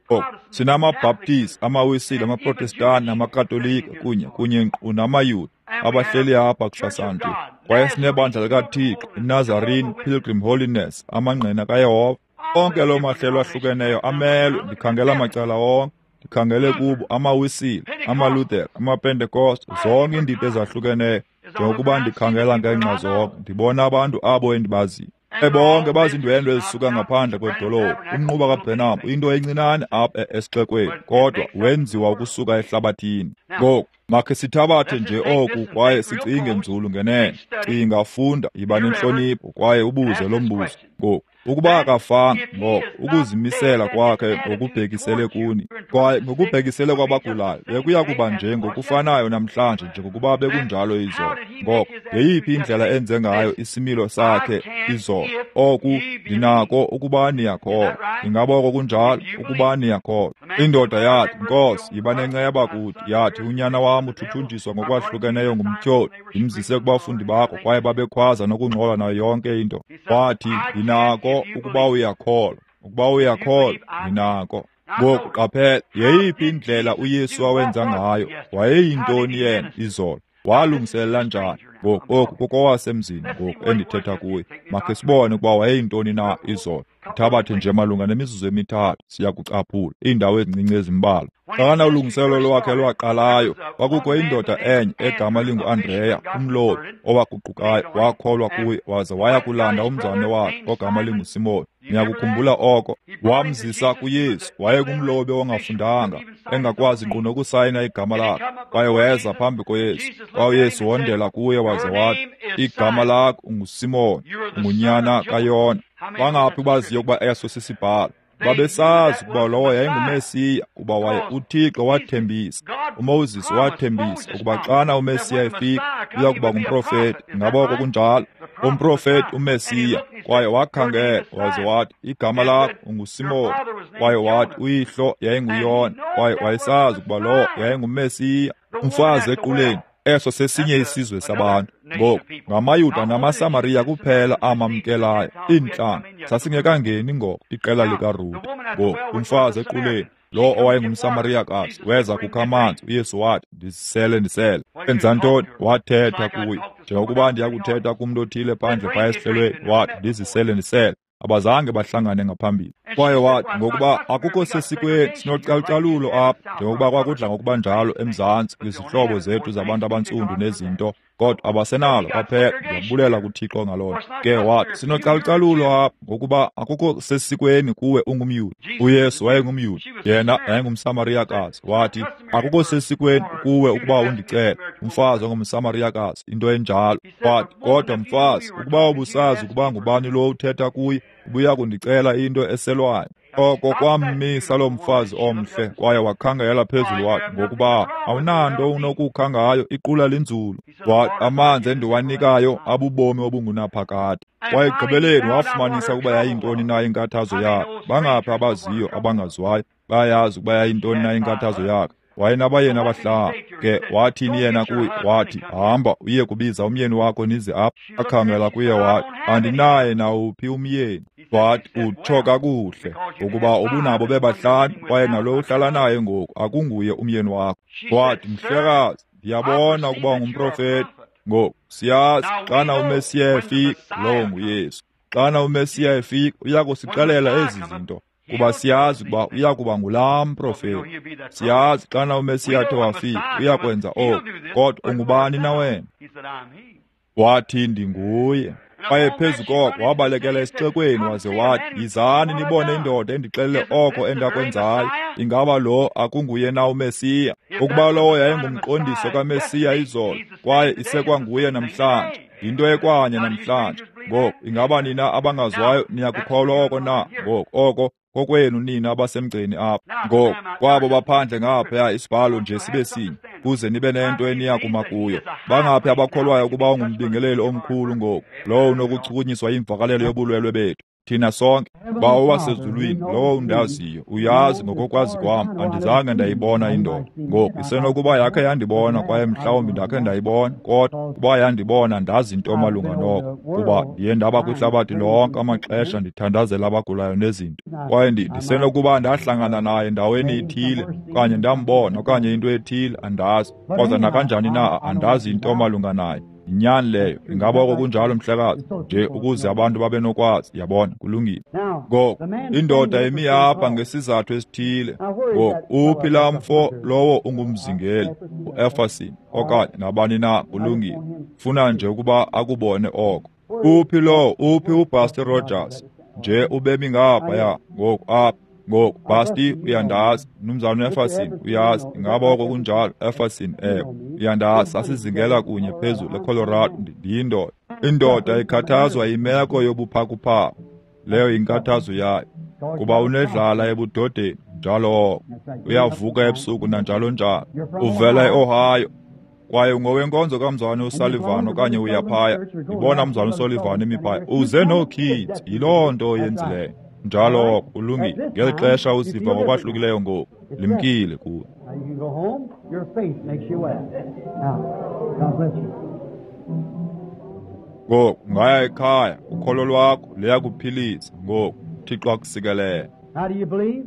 Oh, sinamaBaptist, amaWisile, amaProtestani namaKatolika kunye kunye nkqu namaYuda abahleli apha kusasa nje. Kwaye sinebandla likaThixo, iNazarene, Pilgrim Holiness, amaNgqina kaYehova. Onke loo mahlelo ahlukeneyo amelwe. Ndikhangela macala onke, ndikhangele kubo amaWisile, amaLuther, amaPentecost, zonke iindidi ezahlukeneyo. Njengokuba ndikhangela ngeenxa zonke, ndibona abantu abo endibaziyo. Bonke bazindwendwe ezisuka ngaphandle kwedolophu. Umnquba kaBrenham uyinto encinane apha esixekweni, kodwa wenziwa ukusuka ehlabathini. Ngoku makhe sithabathe nje oku kwaye sicinge nzulu ngenene. Cinga, funda, yiba nentlonipho kwaye ubuze lo mbuzo. Ngoku ukuba akafanga, ngoko ukuzimisela kwakhe ngokubhekisele kuni kwaye ngokubhekisele kwabagulayo bekuya kuba nje ngokufanayo namhlanje njengokuba bekunjalo izolo. Ngoko yeyiphi indlela enze ngayo isimilo sakhe izolo? Oku ndinako ukuba niyakholwa. Ingaba oko kunjalo? Ukuba niyakholwa. Indoda yathi, Nkosi, yiba nenceba kuthi. Yathi, unyana wam uthuthunjiswa ngokwahlukeneyo ngumtyholi. Ndimzise kubafundi bakho kwaye babekhwaza nokungxola nayo yonke into. Wathi, ndinako ukuba uyakholwa. Ukuba uyakholwa, ndinako. Ngoku qaphela, yeyiphi indlela uYesu awenza ngayo? Wayeyintoni yena izolo? Walungiselela njani? Ngoku oku kokowasemzini ngoku endithetha kuye. Makhe sibone ukuba wayeyintoni na izolo. Thabathe nje malunga nemizuzu emithathu siyakucaphula iindawo ezincinci ezimbalwa. Xana ulungiselelo lwakhe lwaqalayo, kwakukho indoda enye egama linguAndreya, umlobi owaguqukayo, wakholwa kuye waze waya kulanda umzalwane wakhe ogama linguSimoni. Niyakukhumbula oko? Wamzisa kuYesu. Wayengumlobi ongafundanga, engakwazi nkqu nokusayina igama lakhe. Kwaye weza phambi koYesu. Kwaye uYesu wondela kuye waze wathi, igama lakho unguSimoni, ungunyana kaYona. Bangaphi baziyo ukuba eso sisibhalo? Babesazi ukuba lowo yayinguMesiya, kuba waye uThixo wathembisa, uMoses wathembisa ukuba xana uMesiya efika uya kuba ngumprofeti. Ingaba oko kunjalo? Umprofeti uMesiya. Kwaye wakhangela waze wathi, igama lakho unguSimon. Kwaye wathi, uyihlo yayinguYona. Kwaye wayesazi ukuba lowo yayinguMesiya. Umfazi equleni, eso sesinye isizwe sabantu. Ngoku ngamaYuda namaSamariya kuphela amamkelayo iintlanga. Sasingekangeni ngoko iqela likaRute. Ngoku umfazi equleni, lo owayengumSamariyakazi, weza kukha amanzi. UYesu wathi, ndisele, ndisele. Enza ntoni? Wathetha kuye njengokuba ndiyakuthetha kumntu othile phandle phaya esihlelweni. Wathi, ndizisele, ndisele. Abazange bahlangane ngaphambili. Kwaye wathi, ngokuba akukho sesikweni, sinocalucalulo apha, njengokuba kwakudla ngokuba njalo eMzantsi kwizihlobo zethu zabantu abantsundu nezinto, kodwa abasenalo kwaphela. Ndiyabulela kuThixo ngaloo nto. Ke wathi, sinocalucalulo apha, ngokuba akukho sesikweni kuwe ungumYuda. UYesu wayengumYuda, yena yayingumSamariyakazi. Wathi, akukho sesikweni kuwe ukuba undicele, umfazi ongumSamariyakazi, into enjalo. Wathi, kodwa mfazi, ukuba ubusazi ukuba ngubani lo uthetha kuye, ubuya kundicela into eselwayo. Oko kwammisa lo mfazi omhle, kwaye wakhangela phezulu wathi, ngokuba awunanto unokukha ngayo, iqula linzulu. Wathi, amanzi endiwanikayo abubomi obungunaphakade. Kwaye ekugqibeleni wafumanisa ukuba yayintoni na inkathazo yakhe. Bangaphi abaziyo abangaziwayo bayayazi ukuba yayintoni na inkathazo yakhe. Wayenabayeni abahlanu. Ke wathini yena kuye? Wathi, hamba uye kubiza umyeni wakho nize apha. Akhangela kuye wathi, andinaye nawuphi umyeni. Wathi, utsho kakuhle, ukuba ubunabo bebahlanu, kwaye nalo uhlala naye ngoku akunguye umyeni wakho. Wathi, mhlekazi, ndiyabona ukuba ungumprofeti. Ngoku siyazi xana uMesiya efika, lowo nguYesu. Xana uMesiya efika, uya kusixelela ezi zinto, kuba siyazi ukuba uya kuba ngulaa mprofeti. Siyazi xana uMesiya athe wafika, uya kwenza oku, kodwa ungubani na wena? Wathi, ndinguye. Kwaye phezu koko wabalekela esixekweni waze wathi, yizani nibone indoda endixelele oko endakwenzayo. Ingaba lo akunguye na uMesiya? Ukuba lowo yayingumqondiso kaMesiya izolo, kwaye isekwanguye namhlanje, yinto ekwanye namhlanje. Ngoku ingaba nina abangazwayo niyakukholwa oko na? Ngoku oko kokwenu nina abasemgceni apha. Ngoku kwabo baphandle ngaphaya, isibhalo nje sibe sinye, kuze nibe nento eniya kuma kuyo. Bangaphi abakholwayo ukuba ungumbingeleli omkhulu ngoku, lowo unokuchukunyiswa yimvakalelo yobulwelwe bethu? Thina sonke. Bawo wasezulwini, lowo undaziyo, uyazi ngokokwazi kwam, andizange ndayibona indoda. Ngoku isenokuba yakhe yandibona, kwaye mhlawumbi ndakhe ndayibona, kodwa kuba yandibona ndazi into malunga noko, kuba ndiye ndaba kwihlabathi lonke amaxesha ndithandazela abagulayo nezinto. Kwaye ndisenokuba ndahlangana naye ndaweni ithile, okanye ndambona, okanye into ethile, andazi. Kodwa nakanjani na, andazi into malunga naye. Inyani leyo. Ingaba oko kunjalo, mhlekazi? Nje ukuze abantu babe nokwazi. Yabona, kulungile. Ngoku indoda imi apha ngesizathu esithile. Ngoku uphi laa mfo lowo ungumzingeli, uEfferson okanye nabani na? Kulungile. Funa nje ukuba akubone oko. Uphi lowo? Uphi uPastor Rogers? Nje ubemi ngaphaya ngoku apha. Ngoku Basti, uyandazi. Mnumzana Efferson, uyazi. Ingaba oko kunjalo? Efferson, ewe, uyandazi. Sasizingela kunye phezulu eColorado. Ndiyindoda. Indoda ikhathazwa yimeko yobuphakuphaku. Leyo yinkathazo yayo, kuba unedlala ebudodeni njalo oko. Uyavuka ebusuku nanjalo njalo. Uvela eOhio, kwaye ungowenkonzo kamzwana uSullivan, okanye uyaphaya. Ndibona mzwana uSullivan emi phaya. Uze nookids, yiloo nto oyenzileyo. Njalo oko, ulungile. Ngeli xesha uziva ngokwahlukileyo ngoku, limkile kuwe. Now you can go home. Your faith makes you well. Now, God bless you. Ngoku ungaya ekhaya, ukholo lwakho luyakuphilisa. Ngoku Thixo akusikelele. How do you believe?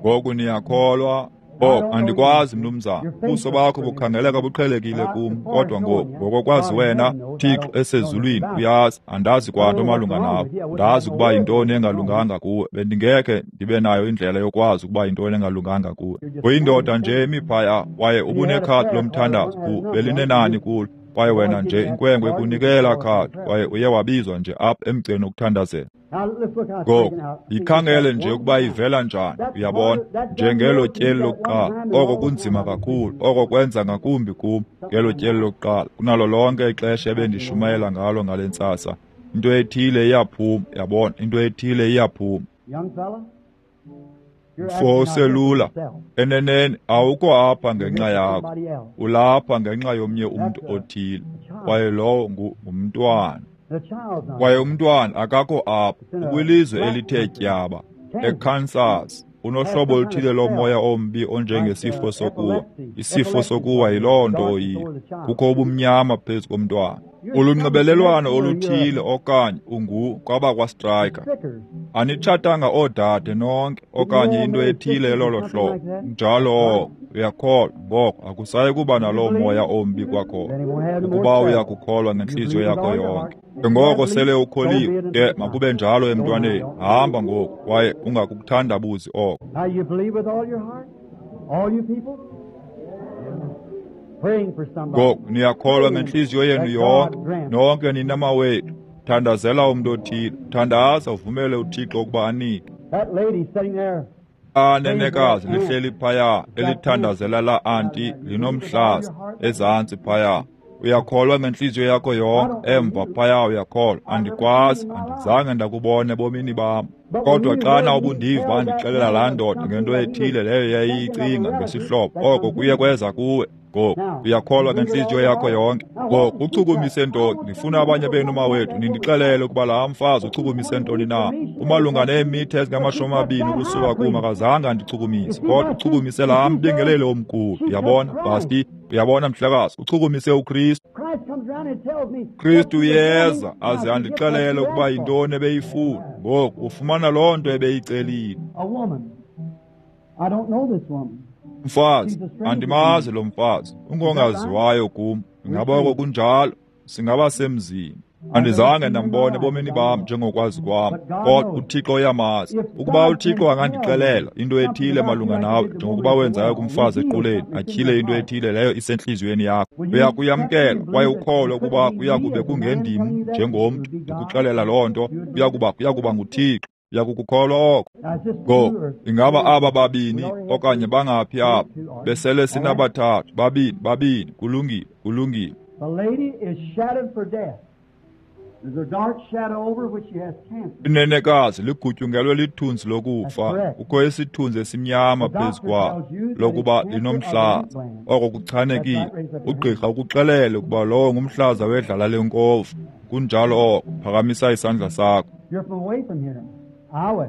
Ngoku niyakholwa? Oh, andikwazi mnumzana. Ubuso bakho bukhangeleka buqhelekile kum, kodwa ngoku ngokokwazi wena, Thixo esezulwini uyazi, andazi kwanto malunga nawe. Ndazi ukuba yintoni engalunganga kuwe. Bendingekhe ndibe nayo indlela yokwazi ukuba yintoni engalunganga kuwe. Uyindoda nje emi phaya, kwaye ubunekhadi lomthandazo ku belinenani kulo. Kwaye wena nje inkwenkwe ikunikela khadi, kwaye uye wabizwa nje apha emgceni wokuthandazela. Now let's look how it's Ngoku taken out. yikhangele nje ukuba ivela njani, uyabona, njengelo tyeli lokuqala. Oko kunzima kakhulu, oko kwenza ngakumbi kum ngelo tyeli lokuqala kunalo lonke ixesha ebendishumayela ngalo ngale ntsasa. Into ethile iyaphuma, yabona, into ethile iyaphuma. Young fella, you're Mfo acting out oselula, yourself. eneneni awukho apha ngenxa You're yakho, somebody else. ulapha ngenxa yomnye umntu othile, kwaye lowo ngu- ngumntwana. Kwaye umntwana akakho apha, ukwilizwe elithe tyaba, eKansas. Unohlobo oluthile lomoya ombi onjengesifo sokuwa. Isifo sokuwa yiloo nto oyiyo. Kukho ubumnyama phezu komntwana. Ulunxibelelwano oluthile okanye ungu kwabakwaStriker. Anitshatanga oodade nonke okanye into ethile elolo hlobo. Njalo oko, uyakholwa, ngoko akusayi kuba naloo moya ombi kwakhona, ukuba uyakukholwa ngentliziyo yakho yonke. Ngoko sele ukholiwe, ke makube njalo emntwaneni. Hamba ngoku kwaye ungakukuthandabuzi oko. Now you believe with all your heart? All you people? Praying for somebody. Ngoku niyakholwa ngentliziyo yenu yonke, nonke nina mawethu. Thandazela umntu othile, thandaza uvumele uThixo ukuba anike. That lady sitting there, Anenekazi lihleli phaya, elithandazela la anti linomhlaza ezantsi phaya. Uyakholwa ngentliziyo yakho yonke, emva phaya uyakholwa. Andikwazi, andizange ndakubona ebomini bam. Kodwa xana ubundiva ndixelela laa ndoda ngento ethile leyo yayiyicinga ngesihlobo, oko kuye kweza kuwe. Ngoku uyakholwa ngentliziyo yakho yonke. Ngoku uchukumise ntoni? Ndifuna abanye benu mawethu nindixelele ukuba laa mfazi uchukumise ntoni na. Umalunga neemitha ezingamashumi amabini ukusuka kum akazange andichukumise, kodwa uchukumise laa mbingeleli omkhulu. Uyabona, Basti? Uyabona, mhlekazi? Uchukumise uKristu. Christ comes round and tells me, Kristu uyeza aze andixelele ukuba yintoni ebeyifuna. Ngoku ufumana loo nto ebeyicelile. A woman. I don't know this woman. Mfazi, andimazi lo mfazi, ungongaziwayo kum. Ingaba oko kunjalo? Singaba semzini. Andizange ndambona ebomini bam njengokwazi kwam, kodwa uThixo uyamazi. Ukuba uThixo angandixelela into ethile malunga nawe, njengokuba wenzayo kumfazi equleni, atyhile into ethile leyo isentliziyweni yakho, uyakuyamkela kwaye ukholwe ukuba kuyakube kungendim njengomntu ndikuxelela loo nto, kuyakuba kuyakuba nguThixo. Uyakukukholwa oko? Now, is this two Ngoku or ingaba aba babini okanye bangaphi apha? Besele sinabathathu, babini, babini. Kulungile, kulungile. The lady is shadowed for death. There's a dark shadow over which she has cancer. Inenekazi ligutyungelwe lithunzi lokufa. Kukho isithunzi esimnyama phezu kwalo lokuba linomhlaza. Oko kuchanekile. Ugqirha ukuxelele ukuba lowo ngumhlaza wedlala lenkovu. Kunjalo oko. Phakamisa isandla sakho. You're from away from here. Iowa.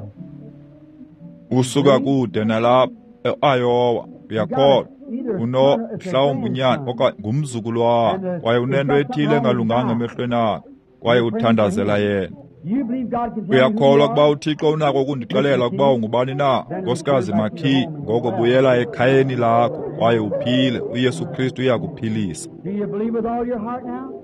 Usuka kude nalapha e-Iowa. Uyakholwa. Uno mhlawumbi unyana okanye ngumzukulwana, kwaye unento ethile engalunganga emehlweni akhe, kwaye uthandazela yena. You believe God can tell you who you Uyakholwa ukuba are? uThixo unako ukundixelela ukuba ungubani na, Nkosikazi McKee? Ngoko buyela ekhayeni lakho kwaye uphile. uYesu Kristu uyakuphilisa. Do you believe with all your heart now?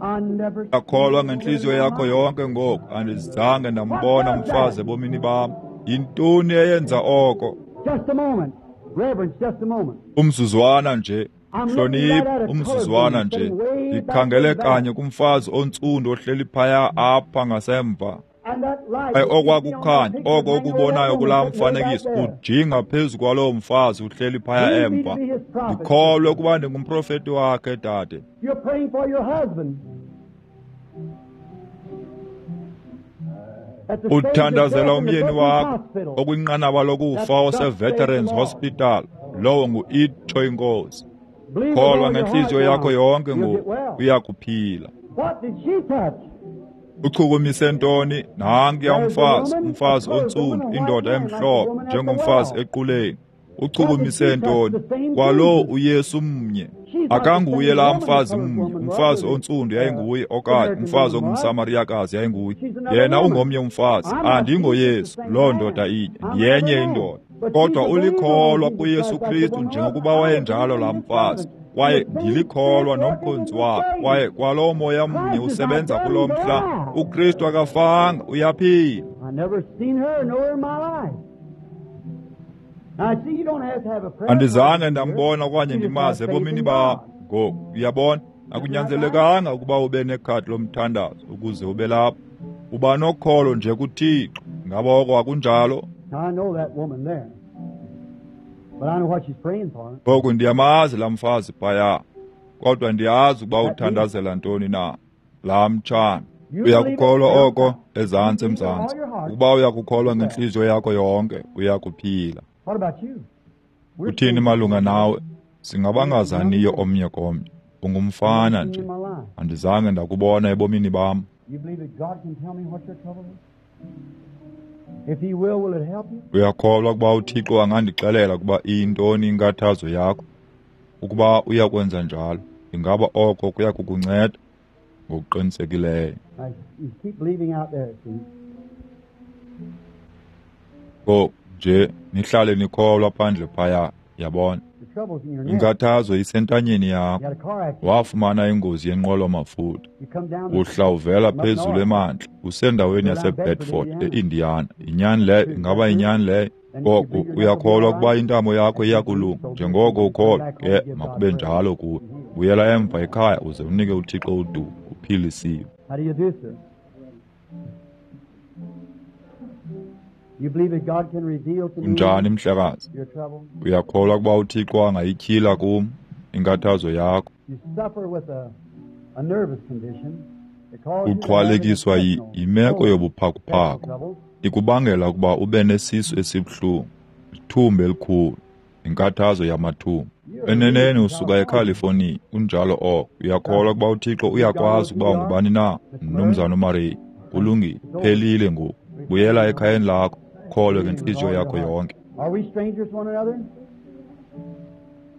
I never Uyakholwa ngentliziyo yakho yonke ngoku? Andizange ndambona umfazi ebomini bam. Yintoni eyenza oko? Just a moment. Reverence, just a moment. Umzuzwana nje, hlonipha, umzuzwana nje. Ndikhangele kanye kumfazi ontsundu ohleli phaya apha ngasemva. And that light Kwaye okwakukhanya, oko ukubonayo kulaa mfanekiso ujinga phezu kwaloo mfazi uhleli phaya emva. Ndikholwe ukuba ndingumprofeti wakhe, dade. You're praying for your husband. At the stage of Uthandazela death in the umyeni Veterans wakho Hospital. okwinqanaba lokufa ose-Veterans Hospital. Lowo ngu-itsho inkosi. Believe with Kholwa all your ngentliziyo heart yakho now. yonke You'll get ngoku, well. uyakuphila. What did she touch? Uchukumise ntoni? Nankuya umfazi, umfazi ontsundu, indoda emhlophe, njengomfazi equleni. Uchukumise ntoni? Kwalo uYesu mnye. Akanguye laa mfazi mnye, umfazi ontsundu yayinguye, okanye umfazi ongumSamariyakazi yayinguye. Yena ungomnye umfazi. Andingoyesu, loo ndoda inye, ndiyenye indoda. Kodwa ulikholwa kuYesu Kristu njengokuba wayenjalo laa mfazi. Kwaye ndilikholwa nomkhonzi wakhe, kwaye kwaloo moya mnye usebenza kulo mhla. uKristu akafanga, uyaphila. I never seen her nowhere in my life. Now, see, you don't have to have a prayer. Andizange ndambona okanye ndimazi ebomini bam. Ngoku uyabona, akunyanzelekanga ukuba ube nekhadi lomthandazo ukuze ube lapha. Uba nokholo nje kuThixo. Ngaba oko akunjalo? Now, I know that woman there. But I know what she's praying for. Ngoku ndiyamazi laa mfazi phaya, kodwa ndiyazi ukuba uthandazela ntoni na. Laa mtshana. Uyakukholwa oko ezantsi emzantsi? Ukuba uyakukholwa ngentliziyo yakho yonke, uyakuphila. What about you? We're Uthini malunga nawe? Singabangazaniyo omnye komnye. Ungumfana nje. in my life. Andizange ndakubona ebomini bam. You believe that God can tell me what your trouble is? If he will, will it help you? Uyakholwa ukuba uThixo angandixelela ukuba iyintoni inkathazo yakho? Ukuba uyakwenza njalo, ingaba oko kuya kukunceda? Ngokuqinisekileyo. Now, you keep believing out there, see? Ngoku nje nihlale nikholwa phandle phaya, yabona. The trouble's in your neck. Inkathazo isentanyeni You yakho. had a car accident. Wafumana ingozi yenqwelo-mafutha. You come down the Uhla uvela phezulu emantla, usendaweni yaseBedford eIndiana. Yinyani leyo? Ingaba yinyani leyo? Ngoko uyakholwa ukuba intamo yakho iyakulunga? Njengoko ukholwa, ke makube njalo kuwe. Buyela emva ekhaya uze unike uThixo udumo, uphilisiwe. How do you do, sir? You believe that God can reveal to me Unjani mhlekazi? your trouble? Uyakholwa ukuba uThixo angayityhila kum inkathazo yakho? You suffer with a, a nervous condition that causes you to have Uxhwalekiswa yi- intestinal yimeko yobuphakuphaku. troubles. Ikubangela ukuba ube nesisu esibuhlungu, ithumba elikhulu, inkathazo yamathumba. Eneneni usuka eCalifornia, kunjalo oko. Uyakholwa ukuba uThixo uyakwazi ukuba ungubani na, Mnumzana uMurray? Kulungile, phelile ngoku. Buyela ekhayeni lakho, kholwe ngentliziyo yakho yonke. Are we strangers to one another?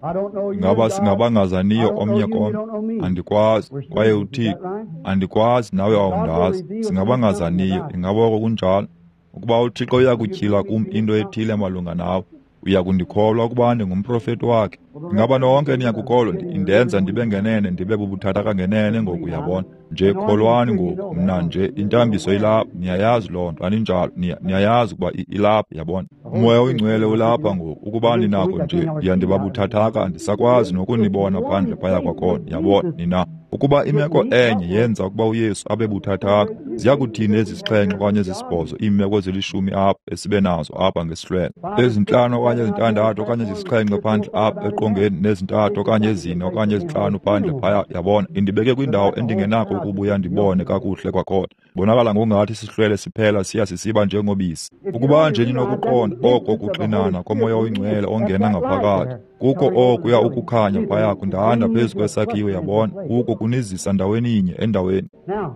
I don't know you. Ngaba God. I singabangazaniyo don't know omnye you, you komnye? don't know me. Andikwazi, We're kwaye strangers, is that uThixo right? andikwazi, nawe awundazi. Singabangazaniyo, ingaba oko kunjalo? Ukuba uThixo uyakutyhila kum into ethile malunga nawe, uyakundikholwa ukuba ndingumprofeti wakhe? Ingaba nonke niyakukholwa? Indenza ndibe ngenene, ndibe bubuthathaka ngenene ngoku, uyabona. Nje kholwani ngoku, mna nje intambiso ilapha, niyayazi loo nto, aninjalo? Niya- Niyayazi ukuba i- ilapha, yabona. Umoya oyingcwele ulapha ngoku. Ukuba ninako nje, ndiya ndiba buthathaka, andisakwazi nokunibona phandle phaya kwakhona, yabona. Nina ukuba imeko enye yenza ukuba uYesu abe buthathaka, ziya kuthini ezi zixhenxe okanye ezisibhozo iimeko ezilishumi apha esibe nazo apha ngesihlwele? Ezintlanu okanye ezintandathu okanye ezisixhenxe phandle apha eqongeni, nezintathu okanye ezine okanye ezintlanu phandle phaya, yabona. Indibeke kwindawo endingenako ukubuya ndibone kakuhle kwakhona. Bonakala ngokungathi isihlwele siphela siya sisiba njengobisi. Ukuba nje ninokuqonda oko kuxinana komoya oyingcwele ongena ngaphakathi, kukho okuya ukukhanya phaya kundanda phezu kwesakhiwo, yabona. Kuko kunizisa ndaweni inye endaweni. Now,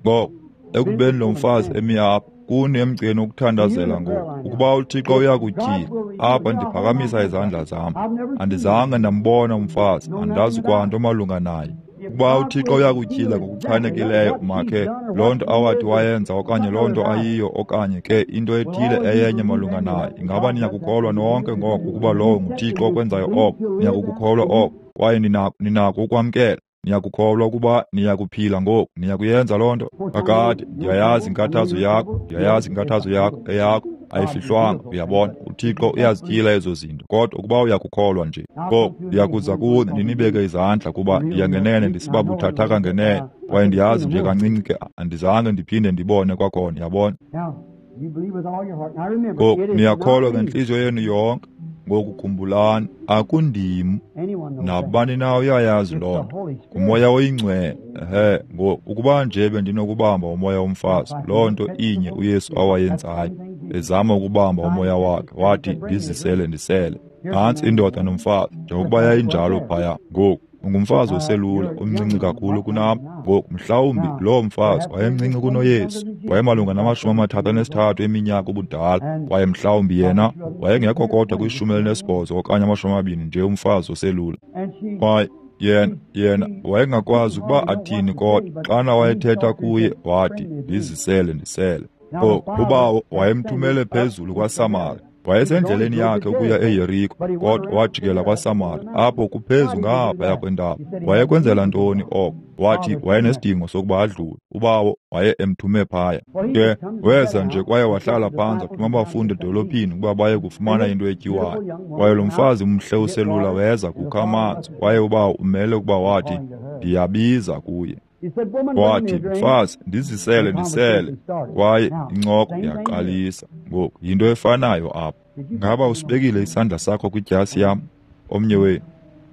Ngoko ekubeni lo mfazi emi apha kuni emgceni wokuthandazela ngoku, ukuba uThixo uyakutyhila apha, ndiphakamisa izandla zam. Andizange ndambona umfazi, andazi kwanto malunga naye. Ukuba uThixo uyakutyhila ngokuchanekileyo, makhe loo nto awathi wayenza okanye loo nto ayiyo okanye ke into ethile eyenye malunga naye, ingaba niyakukholwa nonke ngoko ukuba lowo nguThixo okwenzayo oko? Niyakukukholwa oko kwaye ninako ninako ukwamkela. Niyakukholwa ukuba niyakuphila ngoku? Niyakuyenza loo nto? Kakade ndiyayazi inkathazo yakho, ndiyayazi inkathazo yakho, eyakho ayifihlwanga, uyabona. uThixo uyazityhila ezo zinto, kodwa ukuba uyakukholwa nje ngoku, ndiyakuza kuni ndinibeke izandla, kuba ndiya ngenene ndisiba buthathaka ngenene, kwaye ndiyazi nje kancinci ke andizange ndiphinde ndibone kwakhona, yabona. now, you believe with all your heart. Now remember, Ngoku it is niyakholwa not me. ngentliziyo yenu yonke. Ngoku khumbulani, akundim, Anyone knows that. nabani na uyayazi It's loo the nto. Holy Spirit. Ngumoya oyingcwele. Ehe, ngoku ukuba nje bendinokubamba umoya womfazi, loo nto inye uYesu awayenzayo, ezama ukubamba umoya wakhe, wathi, ndizisele ndisele. Nantsi indoda nomfazi, njengokuba yayinjalo phaya. Ngoku ungumfazi oselula, omncinci kakhulu kunam. Ngoku mhlawumbi loo mfazi wayemncinci kunoYesu, wayemalunga namashumi amathathu anesithathu eminyaka ubudala, kwaye mhlawumbi yena wayengekho kodwa kwishumi elinesibhozo okanye amashumi amabini, nje umfazi oselula. And she, Kwaye yena yena wayengakwazi ukuba athini, kodwa xana wayethetha kuye wathi, ndizisele ndisele. Oh, ubawo wayemthumele phezulu kwaSamari. Wayesendleleni yakhe ukuya eYeriko, kodwa wajikela kwaSamari, apho kuphezu ngaphaya kwentaba. Wayekwenzela ntoni oko? Wathi wayenesidingo sokuba adlule. Ubawo waye emthume phaya. Ke weza nje kwaye wahlala phantsi, wathuma abafundi edolophini ukuba baye kufumana into etyiwayo. Kwaye lo mfazi mhle uselula weza kukha amanzi, kwaye ubawo umele ukuba wathi, ndiyabiza kuye. he said, Woman, bring me Wathi, a drink. mfazi, ndizisele ndisele. Kwaye incoko yaqalisa. Ngoku yinto efanayo apha. Ngaba usibekile isandla sakho kwidyasi yam? Omnye wenu?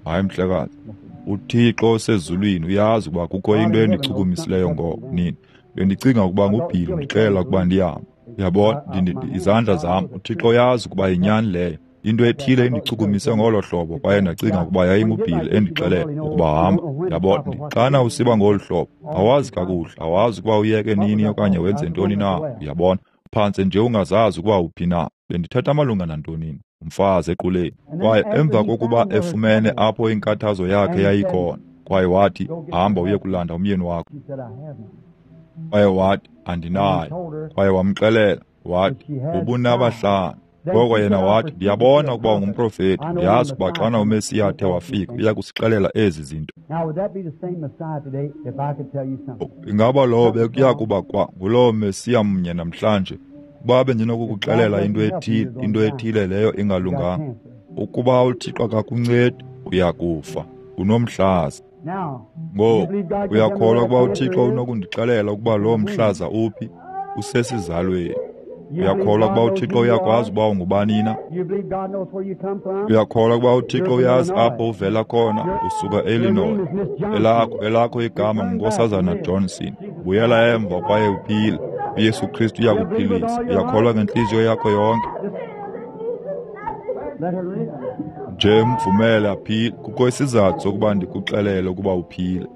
Hayi mhlekazi. uThixo osezulwini uyazi ukuba kukho into endichukumisileyo ngoko nini. Bendicinga ukuba nguBhili undixelela ukuba ndihambe. Uyabona, ndi- ndi- izandla zam, uThixo uyazi ukuba yinyani leyo. Into ethile indichukumise ngolo hlobo, kwaye ndacinga ukuba yayinguBill endixelela ukuba hamba. Yabona, xana usiba ngolu hlobo, awazi kakuhle, awazi ukuba uyeke nini okanye wenze ntoni na, uyabona. Phantse nje ungazazi ukuba uphi na. Bendithetha malunga nantoni? Umfazi equleni. Kwaye emva kokuba efumene apho inkathazo yakhe yayikhona, kwaye wathi, hamba uye kulanda umyeni wakho. Kwaye wathi, andinayo. Kwaye wamxelela, wathi, ubunabahlanu. Ngoko yena wathi, ndiyabona ukuba ungumprofeti, ndiyazi ukuba xana uMesiya athe wafika, uya kusixelela ezi zinto. Ingaba lowo bekuya kuba kwa ngulowo Mesiya mnye namhlanje? Ukuba bendinokukuxelela into ethile, into ethile leyo ingalunganga. Ukuba uThixo akakuncedi, uya kufa. Unomhlaza. Ngoku, uyakholwa ukuba uThixo unokundixelela ukuba loo mhlaza uphi? Usesizalweni. Uyakholwa ukuba uThixo uyakwazi ukuba ungubani na? Uyakholwa ukuba uThixo uyazi apho uvela khona? Usuka e-Illinois. Elakho, elakho igama nguNkosazana Johnson. Buyela emva kwaye uphile. uYesu Kristu uyakuphilisa. Uyakholwa ngentliziyo yakho yonke? Nje mvumele aphile. Kukho isizathu sokuba ndikuxelele ukuba uphile.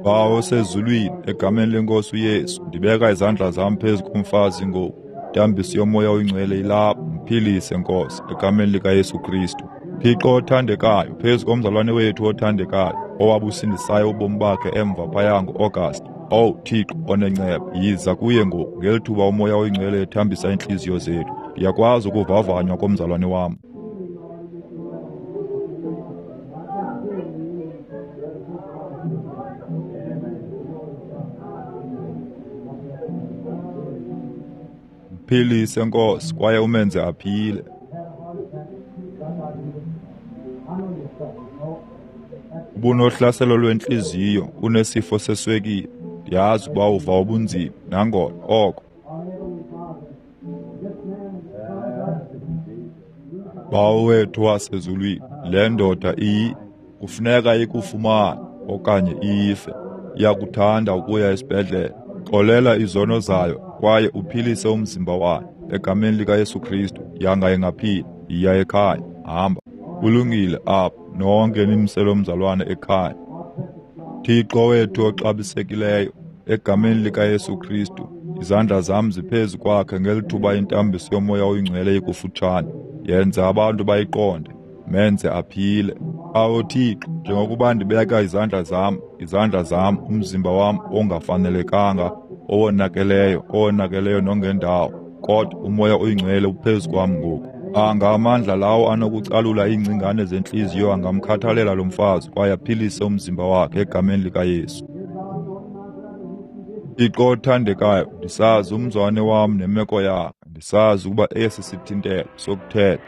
Bawo osezulwini, egameni leNkosi uYesu, ndibeka izandla zam phezu komfazi ngoku. Intambiso yoMoya oyiNgcwele ilapha. Mphilise, Nkosi, egameni likaYesu Kristu. Thixo othandekayo, phezu komzalwane wethu othandekayo, owabusindisayo ubomi bakhe emva phaya ngo-Agasti. Owu Thixo onenceba, yiza kuye ngoku ngeli thuba uMoya oyiNgcwele ethambisa iintliziyo zethu. Ndiyakwazi ukuvavanywa komzalwane wam. Mphilise, Nkosi, kwaye umenze aphile. Ubunohlaselo lwentliziyo, unesifo seswekile. Ndiyazi ukuba uva ubunzima, nangona oko. Bawo wethu wasezulwini, le ndoda iyi kufuneka ikufumane okanye ife. Iyakuthanda ukuya esibhedlele. Xolela izono zayo kwaye uphilise umzimba wayo. Egameni likaYesu Kristu, yanga ingaphila. Yiya ekhaya, hamba. Kulungile apho, nonke nimse lo mzalwane ekhaya. Thixo wethu oxabisekileyo, egameni likaYesu Kristu, izandla zam ziphezu kwakhe ngeli thuba intambiso yoMoya oyiNgcwele ikufutshane. Yenza abantu bayiqonde, menze aphile. Awu Thixo, njengokuba ndibeka izandla zam, izandla zam, umzimba wam ongafanelekanga, owonakeleyo, owonakeleyo nongendawo, kodwa uMoya oyiNgcwele uphezu kwam ngoku. Anga amandla lawo anokucalula iingcingane zentliziyo angamkhathalela lo mfazi kwaye aphilise umzimba wakhe egameni likaYesu. Thixo othandekayo, ndisazi umzwane wam nemeko yakhe, ndisazi ukuba esi sithintelo sokuthetha.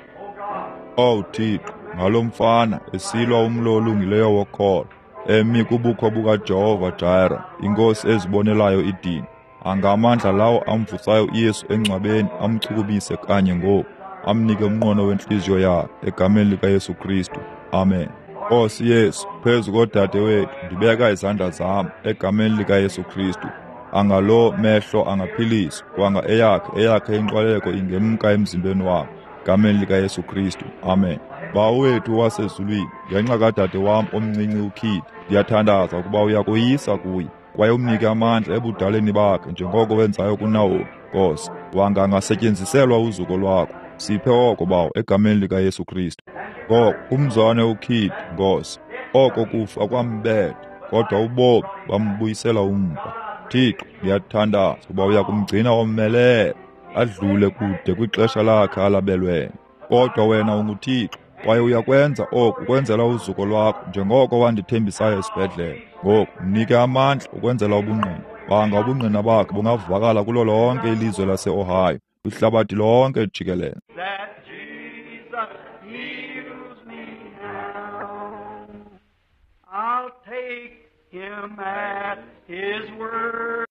Owu Thixo, ngalo mfana esilwa umlo olungileyo wokholo, emi kubukho bukaJehova Jireh, iNkosi ezibonelayo idini. Anga amandla lawo amvusayo uYesu engcwabeni amchukumise kanye ngoku, amnike umnqweno wentliziyo yakhe, egameni likaYesu Kristu. Amen. Nkosi Yesu, phezu kodade wethu ndibeka izandla zam egameni likaYesu Kristu. Anga lo mehlo angaphiliswa, kwanga eyakhe eyakhe inqwaleko ingemka emzimbeni wakhe, egameni likaYesu Kristu. Amen. Bawo wethu wasezulwini, ngenxa kadade wam omncinci uKid, ndiyathandaza ukuba uyakoyisa kuye kwaye umnike amandla ebudaleni bakhe njengoko wenzayo kuNawomi. Nkosi, wanga angasetyenziselwa uzuko lwakho. Siphe oko, Bawo, egameni likaYesu Kristu. Ngoko umzwane uKid, Nkosi, oko kufa kwambetha, kodwa ubomi bambuyisela umva. Thixo, ndiyathandaza ukuba uya kumgcina omelele adlule kude kwixesha lakhe alabelweyo. Kodwa wena unguThixo, kwaye uyakwenza oku ukwenzela uzuko lwakho njengoko wandithembisayo esibhedlele. Ngoku mnike amandla ukwenzela ubungqina. Banga ubungqina bakhe bungavakala kulo lonke ilizwe lase-Ohio, kwihlabathi lonke jikelele. That Jesus heals me now. I'll take him at his word.